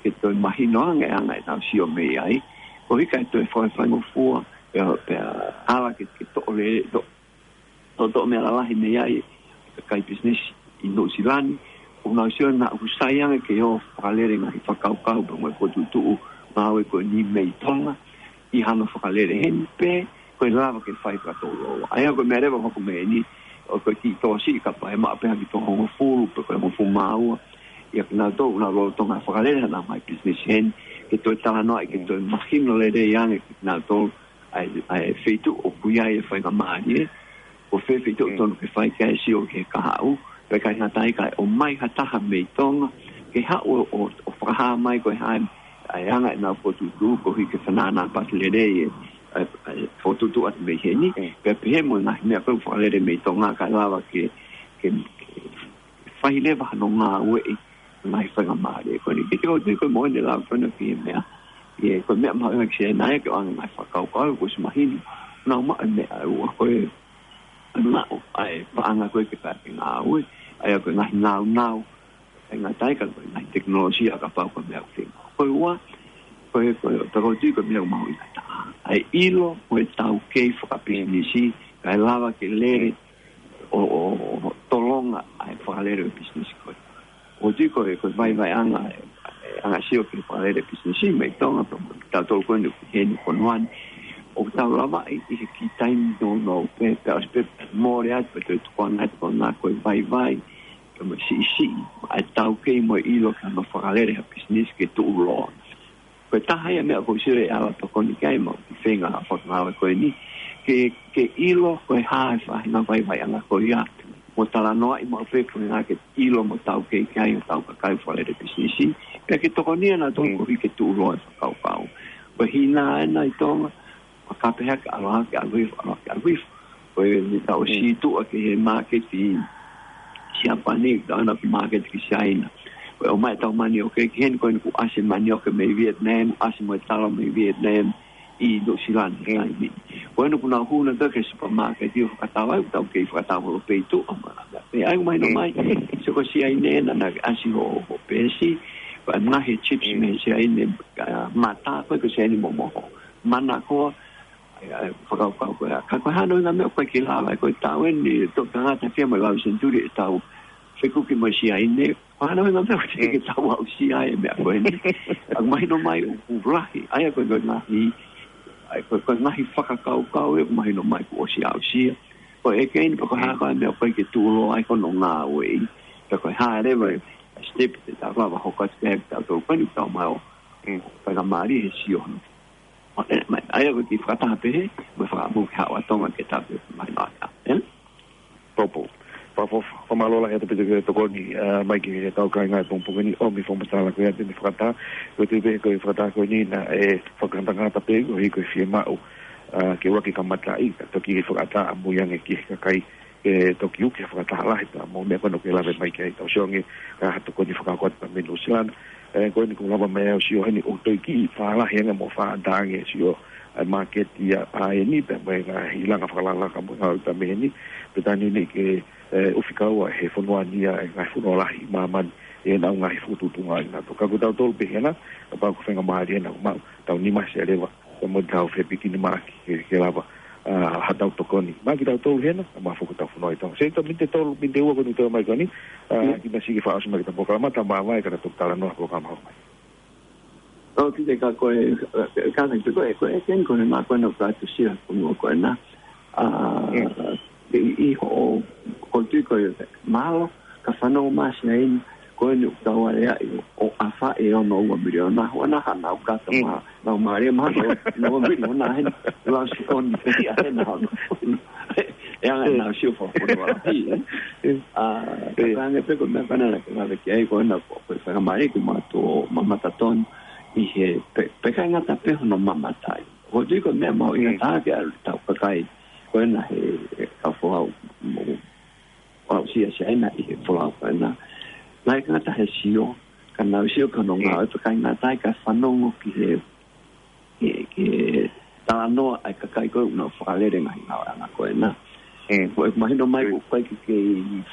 ke toe mahino ange ʻa e anga ʻenau sio mei ai. Koeʻuhi kae toe fai, faingofua, pea, pea ala ke, ke toʻo lele, to, to, toʻo meʻa lalahi mei ai, kakai pisinisi ʻi Nuʻu Sila ni. ʻOku nau sio naʻa ʻoku sai ange ke ō fakalele ngaahi fakakaukau pea mo e fokotuʻutuʻu ngāue ko eni mei Tonga, ʻi hano fakalele heni pē, ko e lava ke fai fakatouloua. ʻA ia ko e meʻa leva ʻoku hoko mei heni, ʻoku kiʻi tō siʻi kapau ʻe maʻu pē ha kiʻi toko hongofulu, pe ko e hongofulu mā ua. ʻA ia kinautolu ʻoku nau lolotonga fakalele haʻanau ngaahi pisinisi heni, ke toe talanoaʻi, ke toe mahino lelei ange kinautolu, ʻa e, ʻa e feituʻu ʻoku ʻi ai e faingamālie, ko fē feituʻu tonu ke fai ki ai e sio ki he kahaʻu, pea ʻikai ngata ai kae ʻomai ha taha mei Tonga, ke haʻu ʻo, ʻo, ʻo fakahā mai ko e hā ʻa e anga ʻenau fokotuʻutuʻu koeʻuhi ke fanana pati lelei e, ʻa e, ʻa e fokotuʻutuʻu atu mei heni, pea pehē mo e ngaahi meʻa ko ē ʻoku fakalele mei Tonga kae lava ke, ke, ke fai leva hano ngāueʻi ngaahi faingamālie ko eni. Ke tau tui ko e moʻoni e lava ko ena ki he meʻa. ʻA ia ko e meʻa mahuʻinga ki siʻena ia ke ʻoange ngaahi fakakaukau, kuo ʻosi mahino. Nau maʻu e meʻa ʻe ua ko e, maʻu ʻa e paʻanga ko ē ke fai e ngāue. ʻA ia ko e ngaahi naunau. ʻIkai ngata ai ka ko e ngaahi tekinolosia kapau ko e meʻa ʻoku feinga. Ko e ua, ko e, ko e, tau tui ko e meʻa mahuʻinga taha. ʻA e ʻilo, ko e taukei fakapisinisi, kae lava ke lele, ʻo, ʻo, ʻo tolonga ʻa e fakalele ʻo e pisinisi ko ē. ʻOku ou tui ko e, ko e vaivaiʻanga, e, e anga sio ki he fakalele pisinisi mei Tonga, pea mo kitautolu ko eni ʻoku ʻi heni ʻi he fonua ni. ʻOku tau lavaʻi ʻi he kiʻi taimi nounou pē, pea ʻosi pē mole atu, pea toe tukuange atu ko ena ko e vaivai, pea mo e siʻisiʻi, ʻa e taukei mo e ʻilo ki hano fakalele ha pisinisi ke tuʻuloa. Ko e taha ia e meʻa ʻoku ou sio ʻe ala tokoni ki ai maʻu kiʻi feinga ʻa e fakangāue ko eni. Ke, ke ʻilo ko e hā e faʻahinga vaivaiʻanga ko ia. Mo talanoaʻi maʻu pē ko e ʻuhinga ke ʻilo mo taukei ki ai hotau kakai fakalele pisinisi. Pea ke tokonia nautolu koeʻuhi ke tuʻuloa e fakakaukau. Ko e hina ena ʻi Tonga, ʻa ka pehē ke ʻalu hake, ʻalu hifo, ʻalu hake, ʻalu hifo. Ko e meʻa ʻoku ʻosi tuʻu ki he māketi Siapani, ka ʻalu ki he māketi ki Siaina. Ko e ʻomai ʻetau manioke ki heni, ko eni kuo ʻasi manioke mei Vietnam, ʻasi mo e talo mei Vietnam ʻi Nuʻu Sila ni he taimi ni. Ko eni kuo nau hū nautolu ki he supermarket ʻo fakatau ai, tau kei fakatau holo pē ʻi tuʻa mo e meʻa. Pea ʻoku mahino mai, sio ko Siaina ena naʻe ʻasi hoʻo, hoʻo peesi, pea ngaahi chips mei Siaina, ʻa, mata, ko e ko Siaina momoho. Manakoa, ʻa e, ʻa e, fakakaukau ko ia. Ka ko e hā hono ʻuhinga e meʻa ʻoku ʻikai ke lava, ko e taʻu eni, toki tangata fia mo e lau senituli ʻetau fekuki mo Siaina. Ko e hā hono ʻuhinga e meʻa ʻoku teʻeki ke tau aʻusia e meʻa ko eni. ʻOku mahino mai ʻoku lahi, ʻa ia ko e, ko e ngaahi, ʻa ia ko e, ko e ngaahi fakakaukau ē, ʻoku mahino mai kuo ʻosi aʻusia. Ko e ʻeke eni, pe ko e hā ko e meʻa ʻoku ʻikai ke tuʻuloa ai ko hono ngāueʻi. Pe ko e hā leva e step te tau lava hoko atu ki ai, tau tau ko eni, tau mai ʻo, ko e faingamālie he sio hono. ʻA ia ko e kiʻi fakataha pehē, mo e fakaʻamu ke haʻu ʻa Tonga ke tau pē mai nā ka. Ē? Popo. Popo, Mālō lahi ʻaupito ki he tokoni, ʻa, mai ki he kau kāinga he pongipongi ni, ʻomi fakamatala ko ia te ne fakataha, ko e tui pē ko e fakataha ko eni naʻe fakangatangata pē koeʻuhi ko e fiemaʻu, ʻa, ke ʻuluaki kamataʻi, ka toki fakataha ʻamui ange ki he kakai, ke toki uki fakataha lahi pea mo e meʻa ko ena ʻoku ke lave mai ki ai tau sio ange, ka ha tokoni fakaako atu pea mei Nuʻu Sila. ʻE, ko eni kuo lava mai ʻa e sio heni ʻo toe kiʻi fālahi ange mo fakaʻatā ange sio, ʻa e māketi ʻa, ʻa eni pea mo e ngaahi langa fakalakalaka mo e ngāue pea mei heni, pea tā ni ni ke, ʻe, ʻufiʻufi ʻa e fonua ni ʻa e ngaahi fonua lahi ʻi māmani, ʻenau ngaahi fokotuʻutuʻunga ʻi nato. Ka ko tautolu pē hena, kapau ko e faingamālie ena ʻoku maʻu, tau nima se leva, pea mo tau fepikinimaʻaki ke, ke lava, ʻa, ha tau tokoni. Maʻa kitautolu hena, ʻa, maʻa foki ʻetau fonua ʻi Tonga. Seminiti ʻe tolu, miniti ʻe ua ko eni ʻoku toe ʻomai ko eni, ʻa, Mm. kiʻi meʻa siʻi ke fakaʻosi mai ki heʻetau polokalama, tā maʻa mai ka ta toki talanoa he polokalama hoko mai. ʻO, kiʻi te ka ko e, ka, ka, ka, ko e, ko e, ken ko e maʻa ko ena ʻoku ʻatu sila ko ena ko ena. ʻA, Mm. ʻi, ʻi hoʻo, ko e tui ko e, mālō, ka fanongo mai ʻa Siaina, ko eni ʻoku tau aleaʻi ʻo, ʻo ʻafaʻi e ono ua miliona, hua na hana ʻoku kata Mm. ma, na ma le ma, ono ua miliona heni, lau si oni pe ia hena ono. E anga Mm. na si o fa ko no ala pi, ʻe. Mm. ʻA, Mm. ka ange pē ko e meʻa ko ena naʻa ke lave ki ai ko ena ko, ko e faingamālie ke maʻu ʻo mamata tonu ʻi he pe, pe ʻikai ngata pē hono mamata ai. Ko e tui ko e meʻa mau Mm. ʻinga tā ke ʻalu tau kakai, ko ena he, he kau folau mo, ʻo aʻusia Siaina ʻi he folau ko ena. Naʻe ʻikai ngata he sio, ka nau sio ka nau Mm. ngāue pē ʻikai ngata ai ka fanongo ki he, ki he, ki he talanoa ʻa e kakai ko ē ʻoku nau fakalele ngaahi ngāueʻanga ko ena. Mm. Ko e mahino mai Mm. ko e kakai ke, ke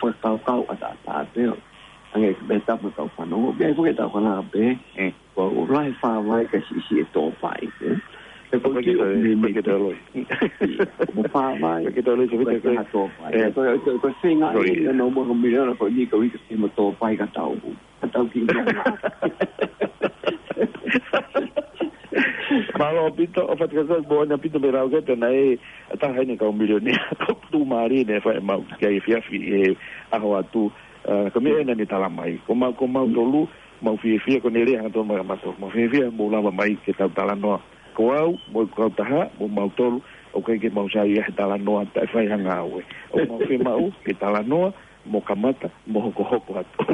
fakakaukau ʻataʻatā pē ʻo. Ange ke pehē tapu kau fanongo, pea ʻi he fuke tau kana pē. Mm. Ko e lahi fāvai ka siʻisiʻi e tōpai, ʻe. He ko Ko e ki tō, ʻoku mi ko e mi ki tō loi. Ko fāvai, Ko e ki tō loi, ko e ko e ki ha tōpai. ʻE. Ko e, ko e, ko e feinga Sorry. ʻi no mo ko miliona ko ni ko ika ki mo tōpai ka tau. Ka tau ki mo. Mālō ʻaupito, ʻo fatika ko e bo ʻaupito mei lau ke te na e, ʻa taha eni kau milionea, ko tu mari ne fai mau ki ai fiafi e aho atu, ʻa, ko e meʻa ena ne tala mai. Ko mau, ko mau tolu, mau fiefia, ko ne lea hangatonu mai ka mautolu. Mau fiefia, mau lava mai ke tau talanoa. Ko au, mo e kau taha, mo mautolu, ʻoku ʻikai ke mau sai ia he talanoa, taʻe fai ha ngāue. ʻOku mau fiemaʻu, ke talanoa, mo kamata, mo hokohoko atu.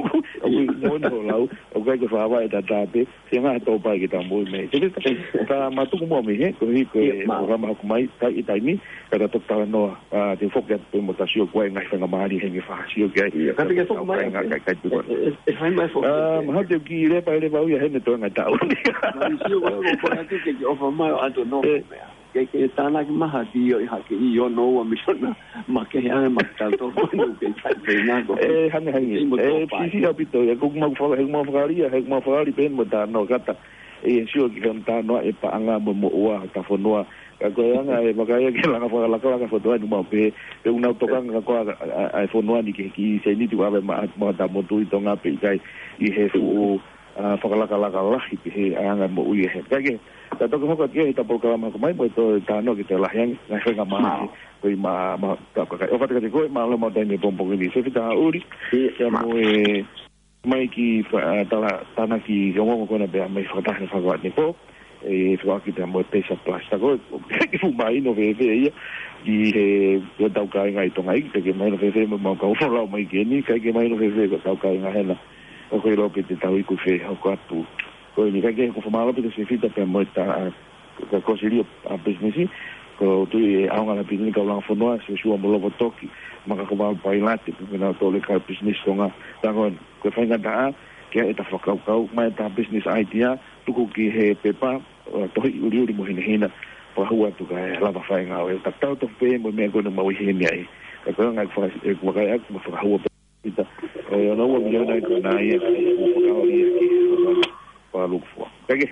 ʻOku ʻi moʻoni hoʻo lau, ʻoku ʻikai ke fāvai ʻataʻatā pē, sia ngā tōpai ke tau moʻui mei. Te ka, ka matuku mua mei he, koeʻuhi ko e Ia, mālō. ʻOkama hoko mai, kai ʻi taimi, ka ta toki talanoa, ʻa, te u foki atu pē mo ta sio ko e ngaahi faingamālie he nge fakasio ki ai. Ia, ka te ke foki mai Kai ngā atu. kai, kai tuku atu. ʻE, ʻe, ʻe fai mai foki ʻA, atu. Mahalo te u kiʻi lepa, lepa au ia heni toe ngaahi taʻu ni. Mai sio ko e ko e atu ke ke ʻofa mai ʻo ʻatu no ʻE. meʻa. Ke, ke tānaki mai ha ki ʻo ʻi hake ʻi ono ua miliona. Ma ke he anga ma ke tau tō ko nu ke kai pē ngā ko. ʻE, hangē, hangē. Imo ʻE, tō pai. Sisi ʻaupito, ʻe, ko mau faka-, he mau fakalia, he mau fakali pē mo ta no kata. ʻE, sio ki he ta no e paʻanga mo moʻua, ta fonua. Ka ko e anga e vakaia ke langa fakalakalaka foto ʻa e numa pē, pe unau tokanga ka ko a, a, a, e fonua ni ke ki se ni tu ave ma, ma ta motu ʻi Tonga pe ʻikai ʻi he fuʻu, ʻa, fakalakalaka lahi pe he anga moʻui ʻe he. Ka ke, ta toki hoko ki he ta polokalama ko mai, mo e tō ta no ke te lahi ange, ngaahi faingamālie, Mālō. ko i ma, ma, ka, ka, ka, ʻo fatika te koe, mālō mo taimi pongipongi ni, se fita ʻuli, Ia, ia ma. mo e, mai ki fa-, ʻa, tala, tānaki ki ongoongo ko ena pea mai fakataha he fakaʻaho ni pō, ʻe fakaʻaki pea mo e Paysa Plus. Ta ko e, ki fuʻu mahino fēfē ia, ki he, ko e tau kāinga ʻi Tonga ʻi, ke mahino fēfē mo mau kau folau mai ki eni, ʻikai ke mahino fēfē ko e tau kāinga hena. ʻOku ʻilo pe te tau iku fē, hoko atu. Ko eni ʻikai ke ko famalo pe te se fita pea mo e ta, ʻa, ka ko sili ʻa business, ko tui e ʻaonga la business kau langa fonua, se sua mo lovo toki, ma ka ko mau pailate, pe mena tole ka business Tonga, ta ko Ko e faingataʻa, ke ʻai ʻeta fakakaukau, mai ʻeta business idea, tuku ki he pepa, ʻo tohi ʻuliʻuli mo hinehina, fakahua atu kae lava fai ngāue. Ta tau tofu pē mo e meʻa ko ena mau ʻi heni ai. Ka ko e ngaahi faka-, ʻe, ko e ngaahi ʻaku mo fakahua pē ʻita. ʻE, ono ua miliona ʻi ko ena ia, ʻo fakahua ia ki he fakalukufua. Ka ke,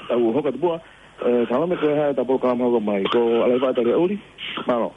tau hoka tupua, ʻe, salame ko e hā ʻeta polokalama hoko mai. Ko Alaiva Tale ʻUli, mālō.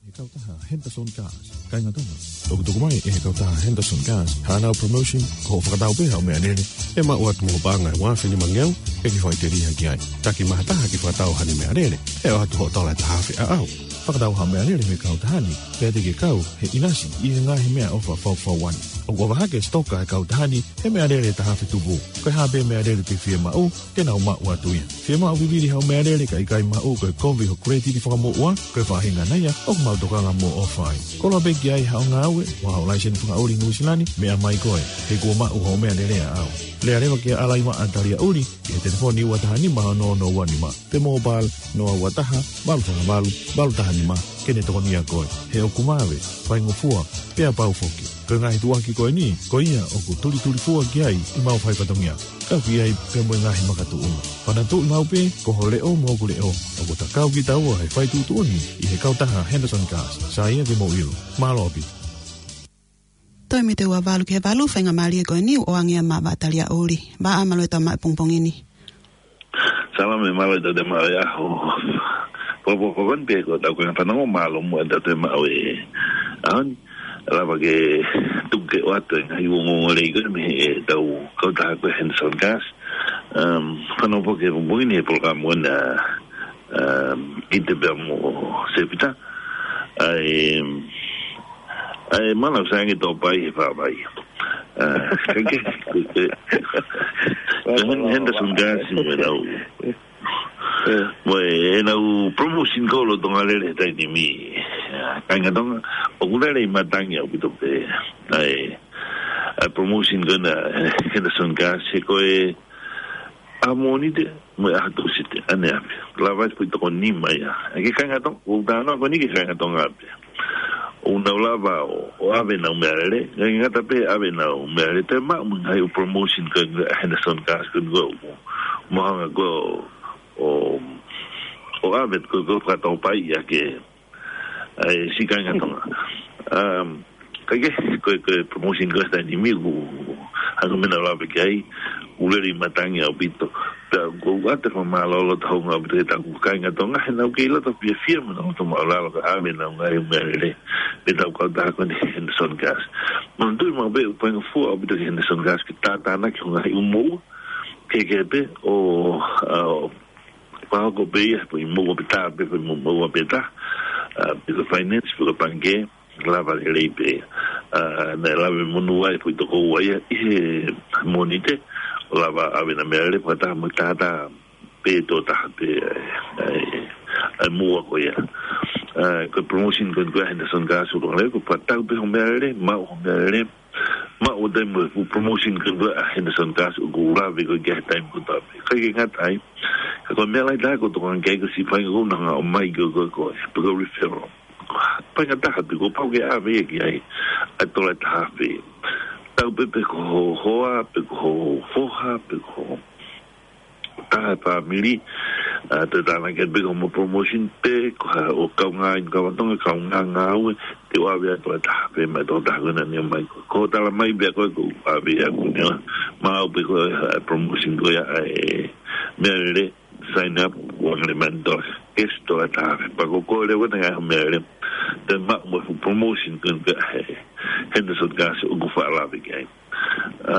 He kautaha Henderson Cars, kāinga Tonga. ʻOku tuku mai ʻe he kautaha Henderson Cars haʻanau promotion, ko hoʻo fakatau pē haʻo meʻalele, ʻe maʻu atu mo e paʻanga ʻe ua afe nima ngeau, ʻe ke faʻiteliha ki ai. Taki mai ha taha ke fakatau haʻane meʻalele, ʻe ʻoatu hoʻo tola ʻe taha afe ʻaʻau. Fakatau haʻo meʻalele mei he kautaha ni, pea te ke kau he ʻinasi ʻi he ngaahi meʻaʻofa faufaua ni. ʻOku ʻofa hake e sitoka ʻa e kautaha ni he meʻalele ʻe taha afe tupu. Ko e hā pē meʻalele te ke fie maʻu, te nau maʻu atu ia. Fie maʻu vivili haʻo meʻalele kae ʻikai maʻu, ko e kovi ho credit fakamoʻua, ko e faʻahinga ia ʻoku mau tokanga mo ʻofa ai. Koloa pē ki ai haʻo ngāue, mo haʻo laiseni fakaʻuli Nuʻusila ni, meʻa mai koe. He kuo maʻu hoʻo meʻalele ʻaʻau. Lea leva kia Alaiva ʻa Taliaʻuli, ʻi he telefoni ua taha nima ono ono ua nima. Pe mobile, noa ua taha, valu fā valu, valu taha nima, ke ne tokonia koe. He ʻoku vave, faingofua, pea pau foki. Ko e ngaahi tuʻuaki ko eni, ko ia ʻoku tulitulifua ki ai ʻemau fai fatongia. Kau ki ai pea mo e ngaahi makatuʻunga. Fanauʻi maʻu pē, ko ho leʻo mo hoku leʻo, ʻoku ta kau kitaua he fai tuʻutuʻuni, ʻi he kautaha Henderson Gas. Sai ia ke mou ʻilo. Mālō ʻaupito. Toe mite ua valu ki he valu, faingamālie ko eni, ʻoange ia maʻa Taliaʻuli. Vaʻa, mālō e tau maʻu pongipongi ni. Salame, mālō e tau toe maʻu e ʻaho. Popo, popo, pē ko e tau ko e fanongo, mālō muʻa e tau toe maʻu e ʻaho ni. Lava ke tuku ke ʻoatu e ngaahi ongoongo lelei ko ē mei he tau kautaha ko e Henderson Gas. Um, fanongo pē ki he pongipongi ni he polokalama ko ena, um, ʻi te pea mo Sepita. ʻAi, um, ʻAi, mālō, sai ange tō pai he fāvai. Ah, ke, ke, ke. Ko e Hen-, Henderson Gas mo ʻenau. Mo ʻenau promotion ko ē ʻoku lolotonga lele he taimi ni. Ah, kāinga Tonga, ʻoku lele ʻi matangi ʻaupito pē. ʻAi, ʻa e promotion ko ena, Henderson Gas, he ko e ʻaho Mōnite, mo e ʻaho Tūsite, ʻaneafi. Lava ai e foʻi toko nima ia. ʻE kāinga Tonga, ʻoku ou talanoa ko eni ki he kāinga Tonga pē. ʻOku nau lava ʻo, ʻo ʻave ʻenau meʻalele, ngata pē ʻave ʻenau meʻalele, toe maʻu mo e ngaahi ʻū promotion ko ē ʻa Henderson Gas ko eni ʻoku mau hanga ko ē ʻo, ʻo, ʻo ʻave ko ē, ko e fakatau pai ia ke, ʻai, siʻi kāinga Tonga. Um, kae kehe, ko e, ko e promotion ko ē he taimi ni ʻoku, hangē ko e meʻa naʻa ku lave ki ai, ʻoku lele ʻi matangi ʻaupito. Pea ʻoku ou ʻoatu e fakamālō loto houngaʻia ʻaupito ki he tau kāinga Tonga, he naʻa nau kei loto fiefia mo nau loto māʻulalo kae ʻave ʻenau ngaahi meʻalele mei he tau kautaha ko eni Henderson Gas. Manatuʻi maʻu pē ʻoku faingofua ʻaupito ki he Henderson Gas ke tātānaki hoʻo ngaahi ʻū moʻua, kehekehe pē ʻo, ʻa, ʻo, pea ko e pē ia, pē ʻi he moʻua pē taha, pē, pē mo-, moʻua pē taha, ʻa, pē ko e finance, pē ko e pangikē, lava lelei pē. ʻA, naʻe lave monū ai e foʻi toko ua ia ʻi he Mōnite, ʻo lava ʻave ʻena meʻalele fakataha mo e taha pē tō taha pē, ʻa e, ʻa e, ʻa e moʻua ko ia. ʻA, ko e promotion ko eni ko ē ʻa Henderson Gas ʻoku lele, ko e fakatau pē hoʻo meʻalele, maʻu hoʻo meʻalele, maʻu ʻo taimi mo e fuʻu promotion ko eni ko ē ʻa Henderson Gas ʻoku lave ko ē ki ai he taimi kotoa pē. Kae ʻikai ke ngata ai, ka ko e meʻa lahi taha ʻoku ou tokanga ki ai ko e siʻi faʻahinga ko ē ʻoku nau hanga ʻo ʻomai ko ē ko e, pē ko e referral. Faʻahinga taha pē ʻoku pau ke ʻave ia ki ai ʻa e tola ʻe taha afe. Tau pē pe ko ho hoa, pe ko ho foha, pe ko ho taha e fāmili, ʻa, toe tānaki pē ko hoʻomo promotion pē, ko ha ʻo kaungā inu kava Tonga, kaungā ngāue, te u ʻave atu ʻa e taha pē mai toko taha ko ena naʻe ʻomai ko ē. Ko e tala mai pē ko ē ʻoku ʻave ʻe au ko eni, maʻu pē ko e, ʻa, promotion ko ia ʻa e meʻalele, sign up, ua ngale mani tola, cash tola ʻe taha pē. Pea ko e kole ko ē ʻa e ngaahi meʻalele, te maʻu mo e fuʻu promotion ko eni ʻa e Henderson Gas ʻoku faʻa lave ki ai. ʻA,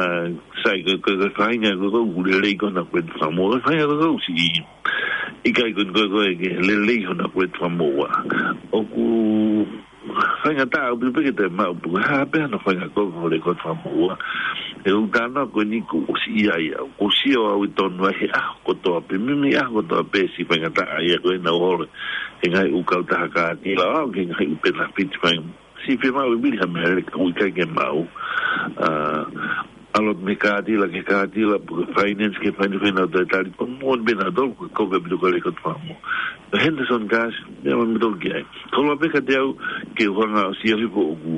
sai, ko e, ko e, ko e faʻahinga ko ē ʻoku lelei ko ē hono credit fakamoʻua, faʻahinga ko ē ʻoku siʻi ʻikai ko ē ko ē ke lelei hono credit fakamoʻua. ʻOku faingataʻa ʻaupito pē ke toe maʻu pe ko e hā pē hano faʻahinga ko ē hono credit fakamoʻua. He ʻoku ou talanoa ko eni kuo u ʻosi ʻi ai au, kuo u sio au ʻi tonu ai he ʻaho kotoa pē, meimei ʻaho kotoa pē siʻi faingataʻa ia ko ē naʻa nau holo he ngaahi ʻū kautaha kātila, ʻo aʻu ki he ngaahi ʻū penefiti fai. Siʻi fiemaʻu e vili ha meʻalele ka ʻoku ʻikai ke maʻu. ʻA, ʻalu mei he kātila ki he kātila, pe ko e finance ki he finance, pea nau toe tali, ko e moʻoni pē naʻa nau tolu, ko e kovi ʻaupito ko e credit fakamoʻua. Henderson Gas, meʻa mai mautolu ki ai. Koloa pē kiate au ke u hanga ʻo sio hifo ʻoku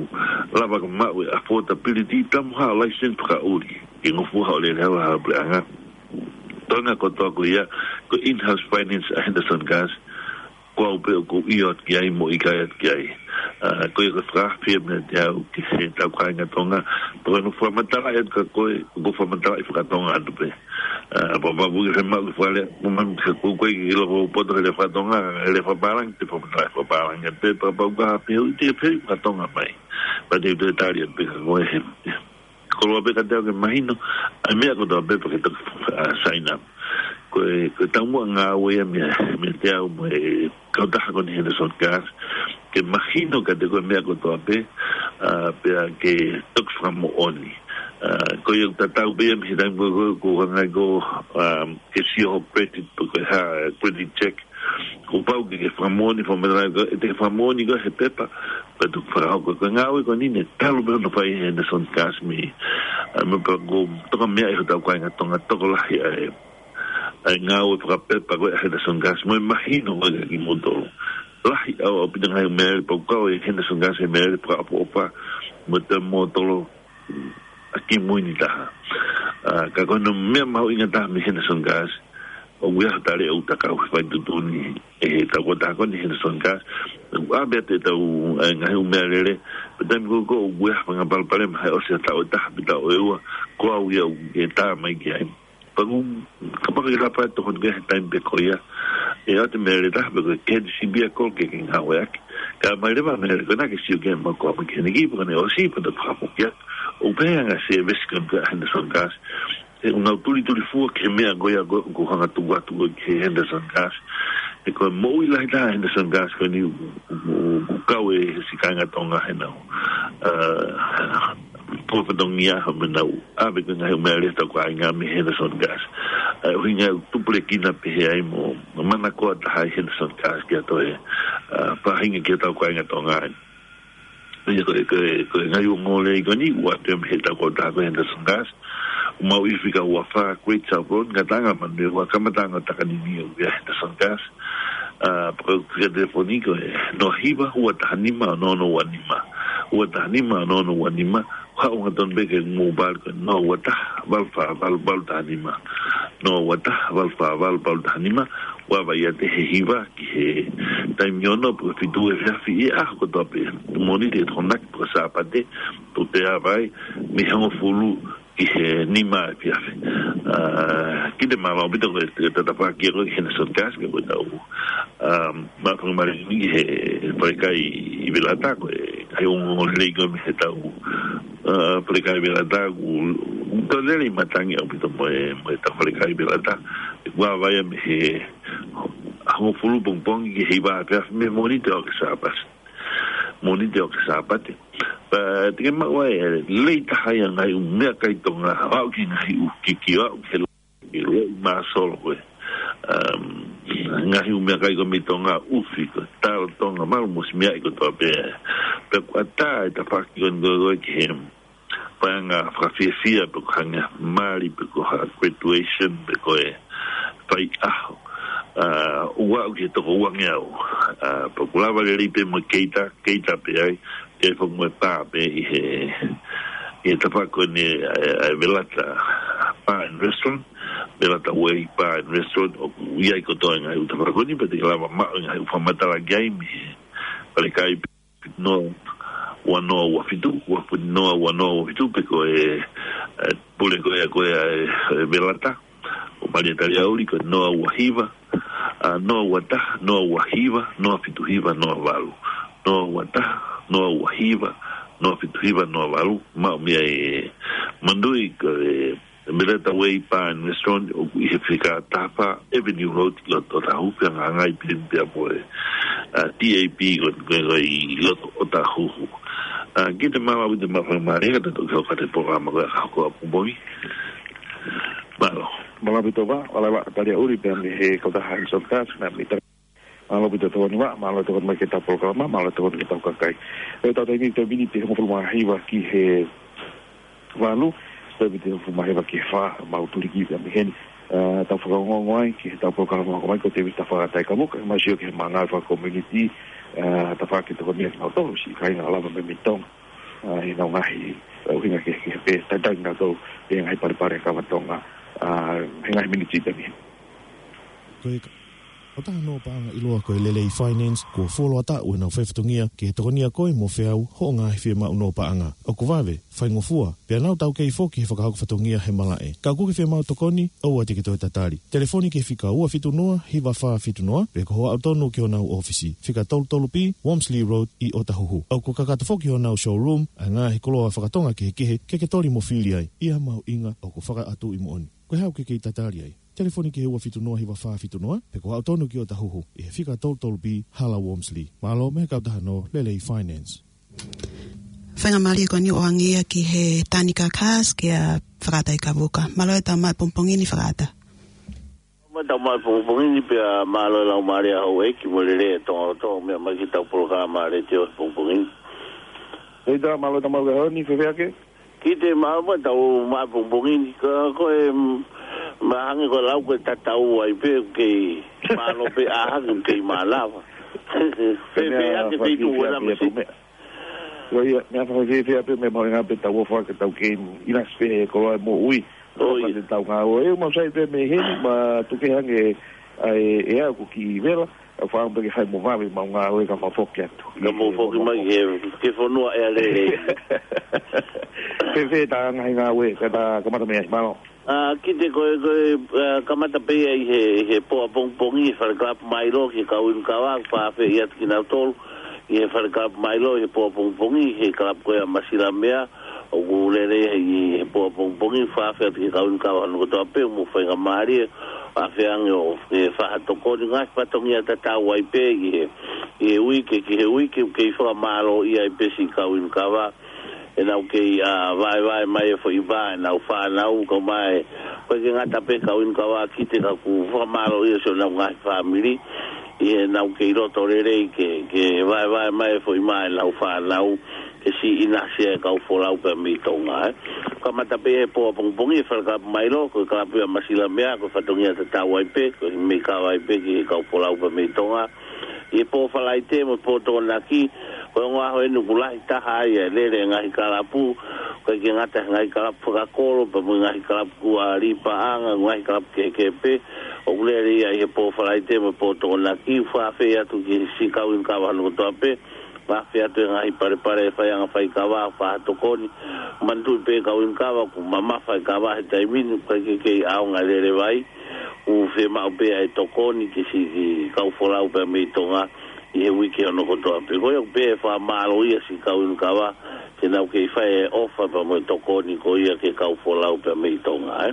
lava ke maʻu e affordability, tamu haʻo laiseni fakaʻuli, ke ngofua haʻo lele hau ha puleʻanga. Toenga kotoa ko ia, ko e in-house finance ʻa Henderson Gas, ko au pē ʻoku ou ʻio atu ki ai mo ʻikai atu ki ai. ʻA, ko ia ko e fakafie meiate au ki he tau kāinga Tonga. Pea ko ʻeku fakamatala atu kia koe, ʻoku ou fakamatala fakatonga atu pē. ʻA, pea, pea ʻoku ke maʻu ke fakalea, mo mami ke ʻoku ʻikai ke ʻilo ʻoku ou poto he lea fakatonga, he lea fakapālangi, te u fakamatala fakapālangi atu pē, pea kapau ʻoku ke fehuʻi, te u fehuʻi fakatonga mai. Pea te u toe tali atu pē kia koe he, he koloa pē kiate au ke mahino ʻa e meʻa kotoa pē pea ke toki, ʻa, sign up. Ko e, ko e taumuʻa ngāue ia mei, meiate au mo e kautaha ko eni Henderson Gas. ke mahino kiate koe e meʻa kotoa pē, ā, pea ke toki fakamoʻoni. Ā, ko ia ʻoku tatau pē ia mei he taimi ko ē ʻoku hanga ai ko ē, ā, ke sio ho credit, pe ko e hā, credit check. Kuo pau ke ke fakamoʻoni, fakamoʻoni ko ē, ʻe te ke fakamoʻoni ko ē he pepa, pea toki fakahoko. Ko e ngāue ko eni ne talu pē hono fai ʻe Henderson Gas mei, ā, meʻa pē ʻoku toka meaʻi ʻe hotau kāinga Tonga tokolahi ʻa e, ʻa e ngāue fakapepa ko ē ʻa Henderson Gas, mo e mahino ko ē kiate kimoutolu. Lahi ʻaupito, ʻaupito ngaahi meʻalele pau kau ʻe Henderson Gas he meʻalele fakaʻofoʻofa mo e toe mōtolo ʻa kimui ni taha. Ā, ka ko hono meʻa mahuʻinga taha mei Henderson Gas, ʻoku ʻi ai ha tali ʻoku takau he fai tuʻutuʻuni ʻe he taʻu ko ē ʻoku taha ko eni Henderson Gas, ʻoku ʻave atu ʻetau, ē, ngaahi ʻū meʻalele, pea taimi ko ē ʻoku ʻi ai ha fanga palopalema, ʻe ʻosi ha taʻu ʻe taha pe taʻu ʻe ua, ko au ia ʻoku ʻe tā mai ki ai. Pea ʻoku, kapau ʻe hapa atu hono ke he taimi pē ko ia, ʻe ʻoatu e meʻalele ʻe taha pē ko e K T C vehicle ke ke ngāueʻaki. Kae ʻomai leva e meʻalele ko ena ke sio ki ai maʻu koā mai ki heni ki, pea ko ʻene ʻosi pea toki fakafoki atu. ʻOku pehē ʻa e ngaahi service ko ē ʻa Henderson Gas, he ʻoku nau tulitulifua ki he meʻa ko ia ʻoku, ʻoku hanga atu atu ko ē ki he Henderson Gas. He ko e moʻui lahi taha ʻa Henderson Gas ko eni ʻoku, ʻoku, ʻoku kau ʻe he siʻi kāinga Tonga heʻenau, ā, ko e fatongia hoʻomo nau ʻave ko ē ngaahi ʻū meʻalele ʻa hotau kāinga mei Henderson Gas. Ā, ʻuhinga ia ʻoku tupulekina pehē ai mo, mo manakoa taha ʻa Henderson Gas ki ha toe, ā, faʻahinga ki hotau kāinga Tonga. Ia ko e, ko e, ko e ngaahi ongoongolelei ko eni, ʻoku ʻoatu ia mei he taʻu ko ē ʻoku taha ko ē Henderson Gas. ʻOku maʻu ʻi he fika ua fā Great South Road, ngataʻanga Manurewa, kamataʻanga ʻo Takanini ʻoku ʻi ai e Henderson Gas. Ā, pea ko e fika telefoni ko e noa hiva, ua taha nima, ono ono ua nima. Ua taha nima, ono ono ua nima. Haʻu hangatonu pē ki he mobile ko e noa ua taha, valu fā valu, valu taha nima. Noa ua taha, valu fā valu, valu taha nima. ʻOku ʻave ia ʻi he hiva ki he taimi ono pe ko e fitu efiafi ʻi he ʻaho kotoa pē. Mōnite ki he Tokonaki pe ko e Sāpate, ʻoku toe ʻave ai mei he hongofulu ki he nima efiafi. Ā, kiate mālō ʻaupito ko e, ko e tafaʻaki ko ē ki Henderson Gas, pea ko e tau, ā, maʻu faingamālie ni ki he falekai ʻi Velata, ko e ngaahi ongoongolelei ko ē mei he tau, ā, falekai ʻi Velata, ʻoku, ʻoku tau lele ʻi matangi ʻaupito mo e, mo e tau falekai ʻi Velata. ʻOku ʻave ia mei he hongofulu pongipongi ki he hiva efiafi mei Mōnite ʻo aʻu ki he Sāpate. Mōnite ʻo aʻu ki he Sāpate. Pea te ke maʻu ai e lelei taha ia ʻa e ngaahi ʻū meʻakai Tonga, ʻo aʻu ki he ngaahi ʻū kiki, ʻo aʻu ki he lelei māsolo ko ē. Um, ngaahi ʻū meʻakai ko ē mei Tonga, ʻufi ko ē, talo Tonga, malu mo e siʻi meʻa kotoa pē. Pea ʻoku ʻatā e tafaʻaki ko eni ko ē ki he paʻanga fakafiefia pe ko e hangē ha mali pe ko ha graduation pe ko e faiʻaho. Ā, ʻo aʻu ki he toko uangeau. Ā, pea ʻoku lava lelei pē mo e keita, keita pē ai, ke fai mo e pā pē ʻi he, ʻi he tafaʻaki ko eni ʻa e, ʻa e Velata Bar and Restaurant, Velata Way Bar and Restaurant, ʻoku ʻi ai kotoa e ngaahi ʻū tafaʻaki ko eni, pea te ke lava maʻu e ngaahi ʻū fakamatala ki ai mei he falekai noa ua noa ua fitu, ua fitu noa ua noa ua fitu, pe ko e, e, pule ko ē, ko ē ʻa e, e Velata ʻo Malia Taliaʻuli ko e noa ua hiva, ā, noa ua taha, noa ua hiva, noa fitu hiva, noa valu. Noa ua taha, noa ua hiva, noa fitu hiva, noa valu. Maʻu mei ai e Manui ko e Velata Way Bar and Restaurant ʻoku ʻi he fika taha fā Avenue Road ʻi loto Ōtāhuhu, fehangahangai pē ia mo e, ā, T A P ko ē, ko ē, ko ē ʻi loto Ōtāhuhu. Ā, kiate mālō ʻaupito, mālō faingamālie ka tau toki hoko atu e polokalama ko ē ʻa e Kahaʻu Kuo Apu Moʻui. Mālō. Mālō ʻaupito Vā, ʻoku lava Taliaʻuli pea mei he kautaha Henderson Gas, pea mei Mālō ʻaupito Tokoni Vā, mālō e tokoni mai ki heʻetau polokalama, mālō e tokoni ki heʻetau kakai. ʻI heʻetau taimi, toe miniti ʻe hongofulu mā hiva ki he valu, toe miniti ʻe hongofulu mā hiva ki he fā, mau tuliki pē mei heni. Ā, tau fakaongoongo ai ki heʻetau polokalama hoko mai, ko Tēvita Fakataikamu, kae ʻumaʻā ʻa e sio ki he ngāue fakakomiunitī, ā, tafaʻaki tokoni kiate kinautolu, siʻi kāinga ʻoku lava mei Tonga. Ā, ʻi heʻenau ngaahi, ā, ʻuhinga ki he, ki he pē, talitali kinautolu, ʻi he ngaahi palepale ʻa e kāinga Tonga, ā, he ngaahi miniti pē mei heni. Ko e ka- ʻOku taha hono paʻanga ʻiloa ko e Lelei Finance, kuo fuoloa taʻu ʻenau faifatongia ki he tokonia koe mo feau hoʻo ngaahi fiemaʻu hono paʻanga. ʻOku vave, faingofua, pea nau taukei foki he fakahoko fatongia he malaʻe. Ka ʻoku ke fiemaʻu tokoni, ʻoua te ke toe tatali. Telefoni ki he fika ua fitu noa, hiva fā fitu noa, pe ko hoʻo aʻu tonu ki honau ʻōfisi, fika tolu tolu B, Wormsley Road, ʻi Ōtāhuhu. ʻOku kakato foki honau showroom ʻa e ngaahi koloa fakatonga kehekehe, ke ke toli mo fili ai, ʻi ha mahuʻinga ʻoku fakaʻatuʻi moʻoni. Ko e hā ʻoku ke kei tatali ai? Telefoni ki he ua fitu noa hiva fā fitu noa, pe ko haʻu tonu ki ʻOtahuhu, ʻi he fika tolu tolu B, Hala Walmsley. Mālō mo e kautaha no Lelei Finance. Faingamālie ko eni ʻo ʻange ia ki he Tanganyika Gas kia Fakaʻata Ikavuka. Mālō e tau maʻu pongipongi ni Fakaʻata. Mālō e tau maʻu pongipongi ni pea mālō e laumālie ʻa houʻeiki mo e lelei ʻa Tonga kotoa ʻoku meʻa mai ki heʻetau polokalama letiō he pongipongi ni. Hei tā, mālō e tau maʻu kahaoni, fēfē hake? Kiʻi mālō e tau maʻu pongipongi ni, ka ko e, mm, mahalo ko e lau ko e tatau ai pē, kei mālō pē ʻa hake, kei mānava. Fēfē hake, fēfē tuʻu ena masi. Ko ia, meʻa fakafiefia pē, meʻa mahuʻinga pē tau ʻofa ke tau kei ʻinasi pē he koloa e moʻui. ʻO ia. Pea te tau ngāue. ʻE, mau sai pē mei heni, ma tuke hange ai e au ko ki vela, ʻa fānau pē ke fai mo vave, mau ngāue ka mau foki atu. Ka mau foki mai ke, ke fonua ʻea lelei. Fēfē tā ngaahi ngāue, ka tā kamata mei ai, mālō. ʻA, kiʻi ko e, ko e, ʻa, kamata pē ia ʻi he, he pō ʻapongipongi, he Fale Kalapu Mailo, ki he kau inu kava, fakaafeʻi atu kinautolu ʻi he Fale Kalapu Mailo, he pō ʻapongipongi, he kalapu ko ia Masilamea, ʻoku lele ʻi he pō ʻapongipongi, fakaafeʻi atu ki he kau inu kava hono kotoa pē, mo e faingamālie, ʻa feange ʻo, ʻe fai ha tokoni ngaahi fatongia tatau ai pē, ʻi he, ʻi he uike, ki he uike, kei fakamālō ia ai pē siʻi kau inu kava, ʻenau kei, ʻa, vaevae mai e foʻi vā, ʻenau fānau, kau mai, ʻoku ʻikai ke ngata pē kau inu kava kiʻi ka ʻoku fakamālō ia siʻonau ngaahi fāmili, ʻi heʻenau kei loto lelei ke, ke vaevae mai e foʻi vā, ʻenau fānau, ke siʻi ʻinasi e kau folau pea mei Tonga, ē. Kamata pē he pō ʻapongipongi, he Fale Kalapu Mailo, ko e kalapu ia Masilamea, ko e fatongia tatau ai pē, ko e meʻa kava ai pē ki he kau folau pea mei Tonga, ʻi he pō Falaite mo e pō Tokonaki, ko e ongo ʻaho eni ʻoku lahi taha ai e lele e ngaahi kalapu, ʻoku ʻikai ke ngata he ngaahi kalapu fakakolo, pea mo e ngaahi kalapu kuo ʻi ai e paʻanga, ngaahi kalapu kehekehe pē, ʻoku lele ia ʻi he pō Falaite mo e pō Tokonaki, fakaafeʻi atu ki he siʻi kau inu kava hono kotoa pē, fakaafeʻi atu e ngaahi palepale e faiʻanga faikava, fai ha tokoni, manatuʻi pē kau inu kava, ʻoku mamafa e kava he taimi ni, ʻoku ʻikai ke kei ʻaonga e lele vai, ʻoku fiemaʻu pē ʻa e tokoni ki siʻi kau folau pea mei Tonga ʻi he uike hono kotoa pē. Ko ia ʻoku pehē fakamālō ia siʻi kau inu kava, ke nau kei fai e ʻofa pea mo e tokoni ko ia ki he kau folau pea mei Tonga, ē.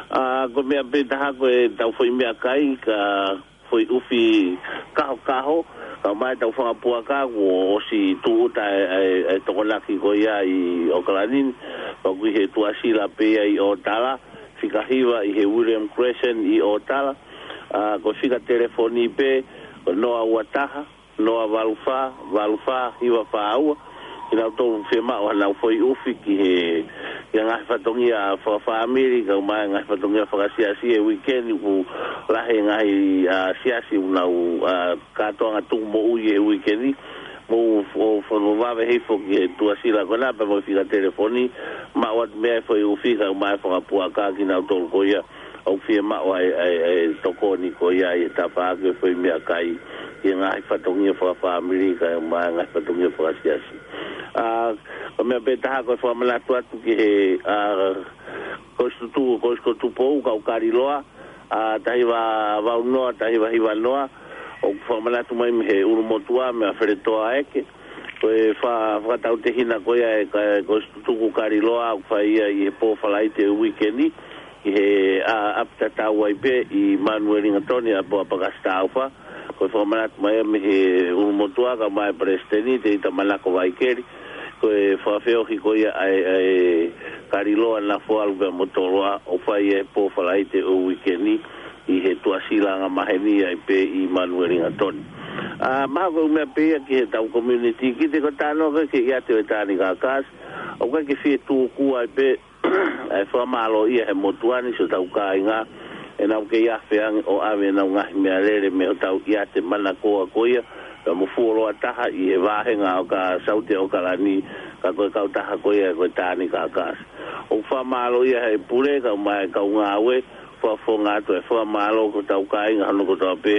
ʻA, ko e meʻa pē taha ko e tau foʻi meʻakai, ka foʻi ʻufi kahokaho, kau mai tau fanga puaka kuo ʻosi tūʻuta e, e, e Tokonaki ko ia ʻi ʻAokalani ni, pea ʻoku ʻi he tuʻasila pē ia ʻi ʻŌtala, fika hiva ʻi he William Crescent ʻi ʻŌtala, ʻa, ko e fika telefoni pē, ko e noa ua taha, noa valu fā, valu fā, hiva fā ua, kinautolu fiemaʻu haʻanau foʻi ʻufi ki he, ki he ngaahi fatongia fakafāmili, kau mai ngaahi fatongia fakasiasi he uike ni ʻoku lahi e ngaahi, ʻa, siasi ʻoku nau, ʻa, kātoanga tuʻu moʻui he uike ni, mo ʻo, ʻo, ʻo vave hifo ki he tuʻasila ko ena pea mo e fika telefoni, maʻu atu mei ai e foʻi ʻufi kau mai e fanga puaka kinautolu ko ia, ʻoku fiemaʻu ai, ai, ai tokoni ko ia ʻi he tafaʻaki e foʻi meʻakai, ʻi he ngaahi fatongia fakafāmili, kau mai ngaahi fatongia fakasiasi. ʻA, ko e meʻa pē taha ko e fakamanatu atu ki he, ʻa, Kolisi Tutuku, Kolisi ko Tupou, kau Kaliloa, ʻa, taha hiva valu noa, taha hiva hiva noa, ʻoku fakamanatu mai mei he ʻulumotuʻa, meia Feletoa Eke, ko e fa-, fakatautehina ko ia e ka-, Kolisi Tutuku Kaliloa, ʻoku fai ia ʻi he pō Falaite uike ni, ʻi he, ʻa, ʻapi tatau ai pē ʻi Manuelingatoni, ʻapi ʻa Pakasi Taufa, ko e fakamanatu mai mei he ʻulumotuʻa kau mai e Palesiteni, Tēvita Manako Vaikeli, ko e fakafeohi ko ia ʻa e, ʻa e Kaliloa Nafoalu pea mo Toloa, ʻoku fai ia he pō Falaite ʻo e uike ni, ʻi he tuʻasila angamaheni ai pē ʻi Manuelingatoni. ʻA, mahalo ko e meʻa pē ia ki heʻetau community, kiʻi ko e talanoa ko ē ki he ʻiate ʻo e Tanganyika Gas, ʻoku ʻikai ke fie tuku ai pē, ʻa e fakamālō ia he motuʻa ni siʻotau kāinga, ʻenau kei afe ange ʻo ʻave ʻenau ngaahi meʻalele mei hotau ʻiate manakoa ko ia, pea mo fuoloa taha ʻi he vāhenga ʻo ka Saute ʻAokalani, ka ko e kautaha ko ia ko e Tanganyika Gas. ʻOku fakamālō ia he pule, kau mai kau ngāue, fakafofonga atu e fakamālō ki hotau kāinga hono kotoa pē,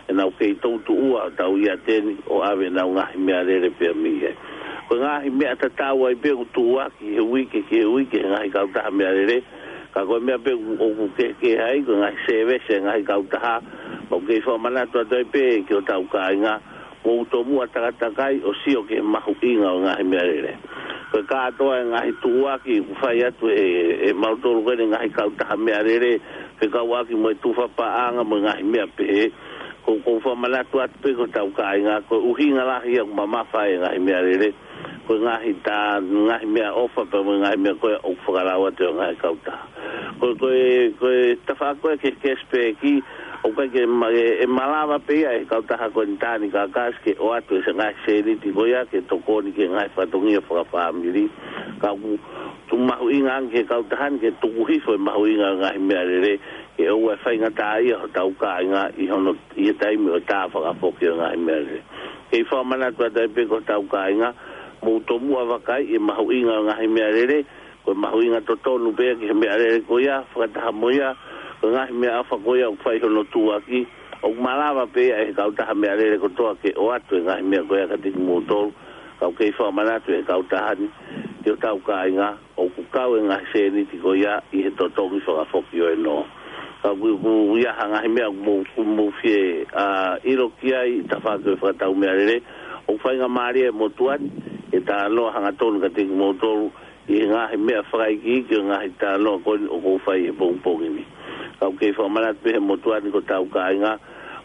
ʻenau kei toutuʻua hotau ʻiate ni ʻo ʻave ʻenau ngaahi meʻalele pea mei ai. Ko e ngaahi meʻa tatau ai pē ʻoku tuʻuaki he uike ki he uike he ngaahi kautaha meʻalele, ka ko e meʻa pē ʻoku, ʻoku kehekehe ai, ko e ngaahi sēvesi e ngaahi kautaha, ʻoku kei fakamanatu atu ai pē ki hotau kāinga, mou tomuʻa takatakai ʻo sio ki he mahuʻinga ʻo e ngaahi meʻalele. Ko e kātoa e ngaahi tuʻuaki ʻoku fai atu ʻe, ʻe mautolu ko eni ngaahi kautaha meʻalele, fekauʻaki mo e tufa paʻanga mo e ngaahi meʻa pehē. Ko, ʻoku ou fakamanatu atu pē ki hotau kāinga, ko e ʻuhinga lahi ia ʻoku mamafa ai e ngaahi meʻalele, ko e ngaahi tā, ngaahi meʻaʻofa pea mo e ngaahi meʻa ko ē ʻoku fakalau atu ʻe he ngaahi kautaha. Ko, ko e, ko e tafaʻaki ko ē ki he cashback, ʻoku ʻikai ke ma-, ʻe, ʻe malava pē ia ʻe he kautaha ko eni Tāni Kakasi ke ʻoatu e ngaahi sēniti ko ia ke tokoni ki he ngaahi fatongia fakafāmili. Ka ʻoku mahuʻinga ange ki he kautaha ni ke tuku hifo e mahuʻinga ʻo e ngaahi meʻalele, ke ʻoua ʻe faingataʻaʻia hotau kāinga ʻi hono, ʻi he taimi ʻo e tā fakafoki ʻo e ngaahi meʻalele. Kei fakamanatu atu ai pē ki hotau kāinga, mou tomuʻa vakaiʻi e mahuʻinga ʻo e ngaahi meʻalele, ko e mahuʻinga totonu pē ia ki he meʻalele ko ia, fakataha mo ia, ko e ngaahi meʻaʻofa ko ia ʻoku fai hono tuʻuaki, ʻoku malava pē ia ʻe he kautaha meʻalele kotoa ke ʻoatu e ngaahi meʻa ko ia kiate kimoutolu, ka ʻoku kei fakamanatu ʻe he kautaha ni ki hotau kāinga, ʻoku kau e ngaahi sēniti ko ia ʻi he totongi fakafoki ʻo e nō. Ka ʻoku, ʻoku ʻi ai ha ngaahi meʻa ʻoku mou, ʻoku mou fie, ʻa, ʻilo ki ai ʻi he tafaʻaki ʻo e fakatau meʻalele, ʻoku faingamālie e motuʻa ni ke talanoa hangatonu kiate kimoutolu ʻi he ngaahi meʻa fakaikiiki ʻo e ngaahi talanoa ko eni ʻoku ou fai he pongipongi ni. Ka ʻoku kei fakamanatu pē ʻe he motuʻa ni ki hotau kāinga,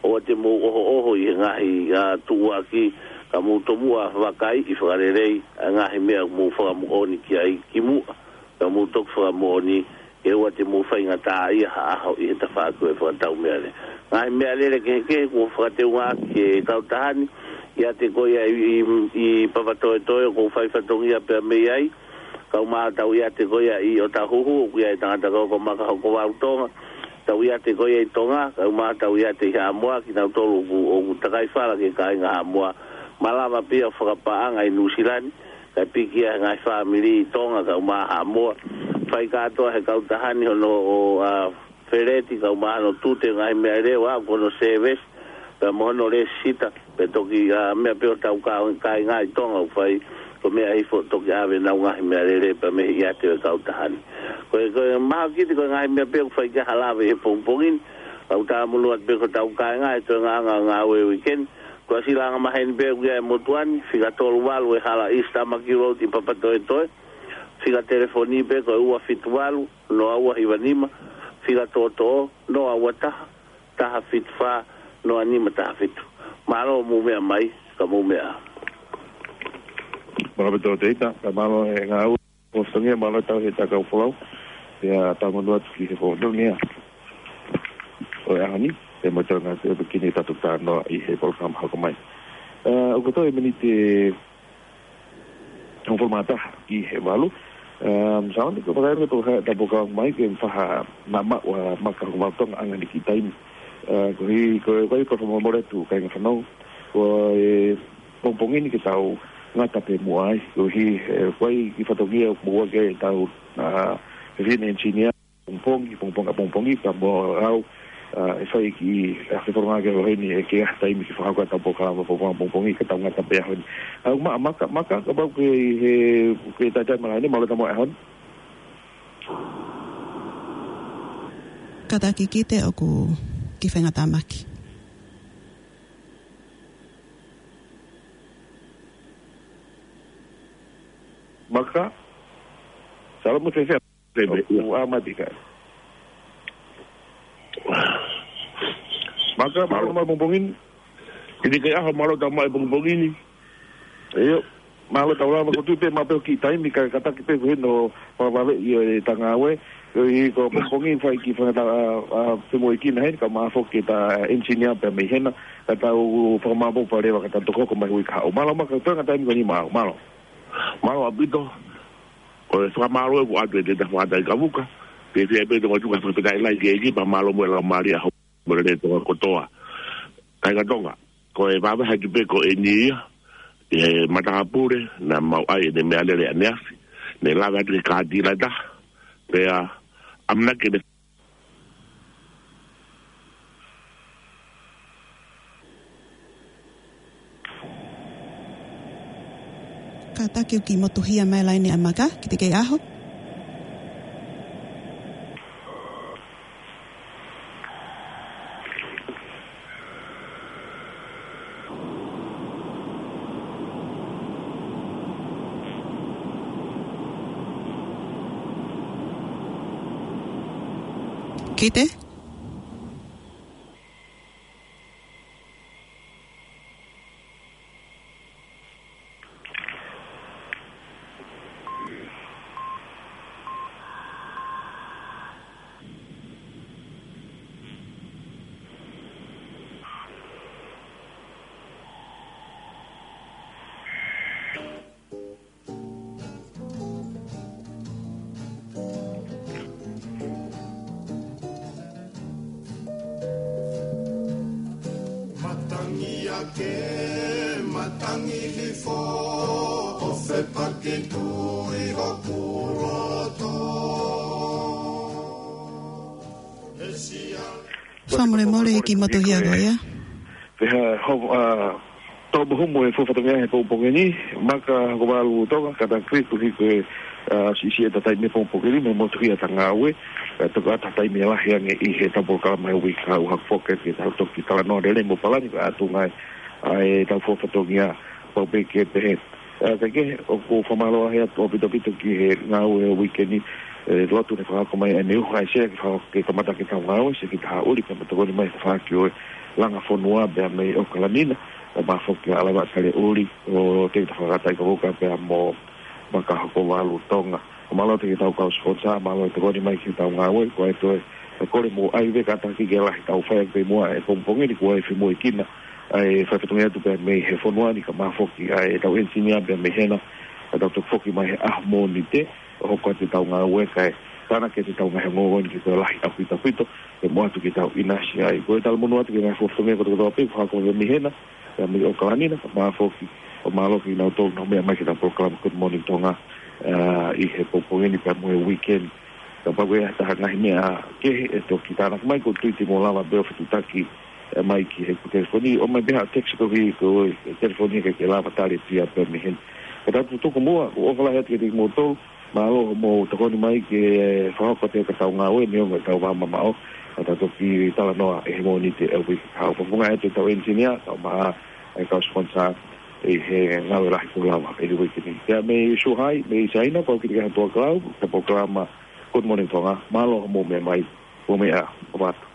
ʻoua te mou ʻohoʻoho ʻi he ngaahi, ʻa, tuʻuaki, ka mou tomuʻa vakaiʻi fakalelei ʻa e ngaahi meʻa ʻoku mou fakamoʻoni ki ai kimuʻa, ka mou toki fakamoʻoni ke ʻoua te mou faingataʻaʻia ha ʻaho ʻi he tafaʻaki ʻo e fakatau meʻalele. Ngaahi meʻalele kehekehe kuo fakateungaʻaki ʻe he kautaha ni, ʻiate ko ia ʻi, ʻi, ʻi Papatoetoe ʻoku ou fai fatongia pea mei ai, kae ʻumaʻā ʻetau ʻiate ko ia ʻi ʻŌtāhuhu, ʻoku ʻi ai e tangata ko ē ko Maka Hokovalu Tonga, ʻetau ʻiate ko ia ʻi Tonga, kae ʻumaʻā ʻetau ʻiate ʻi Haʻamoa, kinautolu ʻoku, ʻoku takai fala ki he kāinga Haʻamoa, malava pē ia ʻo fakapaʻanga ʻi Nuʻusila ni, kae piki ia ʻe he ngaahi fāmili ʻi Tonga kae ʻumaʻā Haʻamoa. Fai kātoa ʻe he kautaha ni hono, ʻo, ʻa, feleti kae ʻumaʻā hono tute ngaahi meʻalele, ʻo aʻu ki hono service, pea mo hono lēsisita, pea toki, ʻa, meʻa pē ʻo hotau kā-, kāinga ʻi Tonga ʻoku fai, ko e meʻa hifo toki ʻave ʻenau ngaahi meʻalele pea mei he ʻiate ʻo e kautaha ni. Ko e, ko e mahaki ko e ngaahi meʻa pē ʻoku fai ki ai ha lave he pongipongi ni, ka ʻoku tāmunu atu pē ki hotau kāinga he toengaʻanga ʻo e ngāue weekend, ko e siʻi langa maheni pē ʻoku ʻi ai e motuʻa ni, fika tolu valu ʻe Hala East Tamaki Road ʻi Papatoetoe, fika telefoni pē ko e ua fitu valu, noa ua hiva nima, fika toʻotoʻo, noa ua taha, taha fitu fā, noa nima taha fitu. Mālō hoʻomou meʻa mai, ka mou meʻa. Mālō pē Tōteita, ka mālō e ngāue. Ko Songia mālō tau he takau folau. Pea tāmunu atu ki he folau ni ia. ʻO e ʻaho ni, pea mo e toenga atu ʻe piki ni tatu tā noa ʻi he polokalama hoko mai. ʻA, ʻoku toe miniti hongofulu mā taha ki he valu. ʻA, Sauni, ko e pakairo to ha tapu ka mai ke faha na ma ua Maka Hokovalu Tonga anga ni ki taimi. ʻA, ko hi, ko e, ko e, ko e fakamolemole atu kāinga fānau. Ko e pongipongi ni ke tau ngata pē muʻa ai. Ko hi, e, ko e kiʻi fatongia muʻa ke tau, ʻa, he fine engineer. Pongipongi, pongipongi, pongipongi, ka mo au, ʻa, ʻe fai ki, ʻa, ke foronga ke ʻaho ni ʻe ke ʻi ai ha taimi ke fakahoko atu polokalama pongipongi, pongipongi, ka tau ngata pē ʻaho ni. ʻA, ʻumaʻā Maka, Maka, kapau ʻoku ke ʻi he, ke taitai malanga ni, mālō e tau moʻui ʻaho ni. Kātaki Kite ʻoku kiʻi faingatāmaki. Maka, salo mo fēfē. Fēfē, ʻoku ʻa Matika. Maka, mālō, mālō e pongipongi ni. Kiʻi kei ʻaho, mālō e tau moʻui pongipongi ni. ʻIo, mālō e tau lava ko tu pē ma peo ki taimi ka kātaki pē ko heno fakavave ʻi e tangāue. ʻIo, ʻi ko pongipongi fai ki fanga ta, ʻa, ʻa, femoʻuekina heni, kae ʻumaʻā foki e ta engineer pea mei hena, ka tau fakamāʻopoʻopo leva ka tau toki hoko mai hui kahaʻu. Mālō Maka, toenga taimi ko eni mālō, mālō. Mālō ʻaupito. Ko e fakamālō ʻoku ʻoatu ʻe Tēvita Fuata ʻIkavuka. Pea fēfē pē Tonga Tuʻi, fakafetaʻi lahi ki he ʻEiki pea mālō mo e laumālie ʻa e Houʻeiki mo e lele Tonga kotoa. Kāinga Tonga, ko e vāvāhi atu pē ko eni ia ʻi he matāpule naʻa mau ʻai ʻene meʻalele ʻaneafi. Ne lave atu ki he kātila ʻe taha. Pea ʻamanaki ke ne Kātaki ʻoku kiʻi motuhia mai e laine ʻa Maka, kiʻi teʻeki ai ʻaho. Kite? Matangi ake, matangi hifo, ʻo fepakitui hoku loto. Fakamolemole ki Matuhiaga ia. Pea ho, ʻa, tō mo humu e fuʻu fatongia he pongipongi ni, Maka Hokovalu Tonga, kātaki atu ki he, ʻa, siʻisiʻi ʻeta taimi he pongipongi ni, mei he motuhi ʻeta ngāue, ʻa, toki ʻata taimi lahi ange ʻi heʻetau polokalama he uike kahaʻu, hoko foki ki heʻetau toki talanoa lelei mo palani, kae ʻatu ange ʻa ʻetau fuʻu fatongia, pau pē ke pehē. ʻA, kae kehe, ʻoku ou fakamālō lahi atu ʻaupito ʻaupito ki he ngāue he uike ni, ʻe, lotu ne fakahoko mai ʻa e meʻa ʻoku ʻai ʻe Sea ke fakahoko ke kamata ke tau ngāue, Sea ki Tahaʻuli, kae tokoni mai he tafaʻaki ʻo e langa fonua pea mei ʻAokalani na, kae ʻumaʻā foki ʻa ʻAlava Taleʻuli, ʻo Tevita Fakataikavuka pea mo Maka Hokovalu Tonga. Fakamālō atu ki heʻetau kau siponsa, mālō e tokoni mai ki heʻetau ngāue, ko e toe, ʻe kole mo ʻai ʻa e kātaki ke lahi ʻetau fai ʻaki pē muʻa he pongipongi ni, kuo ʻi ai e fimuʻa ʻi Kina, ʻa e fai fatongia atu pē mei he fonua ni, kae ʻumaʻā foki ʻa ʻetau ʻenisinia pē mei hena, ʻa ʻetau toki foki mai he ʻaho Mōnite, ʻo hoko atu ʻetau ngāue kae tānaki atu ʻetau ngaahi ongoongo ni ke toe lahi ʻaupito ʻaupito, ke mou ʻatu ke tau ʻinasi ai. Ko e talamonū atu ki he ngaahi fuʻu fatongia kotoa kotoa pē, fakahoko mei hena, pea mei ʻAokalani na, kae ʻumaʻā foki, ʻo mālō kinautolu naʻa nau meʻa mai ki heʻetau polokalama Good Morning Tonga, ʻa, ʻi he pongipongi ni pea mo e weekend. Kapau ʻe ʻi ai ha taha ngaahi meʻa kehe ʻe toki tānaki mai, ko e tuʻutuʻuni mo lava pē ʻo fetuʻutaki, ʻe, mai ki heʻeku telefoni, ʻomai pē ha text ko ki, ko e telefoni ke, ke lava tali pē ia pē mei heni. Kae tau tuku muʻa, ʻoku ʻofa lahi atu kiate kimoutolu, mālō hoʻomou tokoni mai ke fakahoko atu ʻetau ngāue, neongo ʻetau vā mamaʻo, kae tau toki talanoa ʻi he Mōnite ʻo e uike kahaʻu. Fakafofonga atu ʻetau ʻenisinia, kae ʻumaʻā ʻa e kau siponsa ʻi he ngāue lahi kuo lava ʻi he uike ni. Pea mei Suhai, mei Saina, ko au Kite Kaihau Tuʻakalau, he polokalama Good Morning Tonga, mālō hoʻomou meʻa mai, mou meʻa ā, ʻofa atu.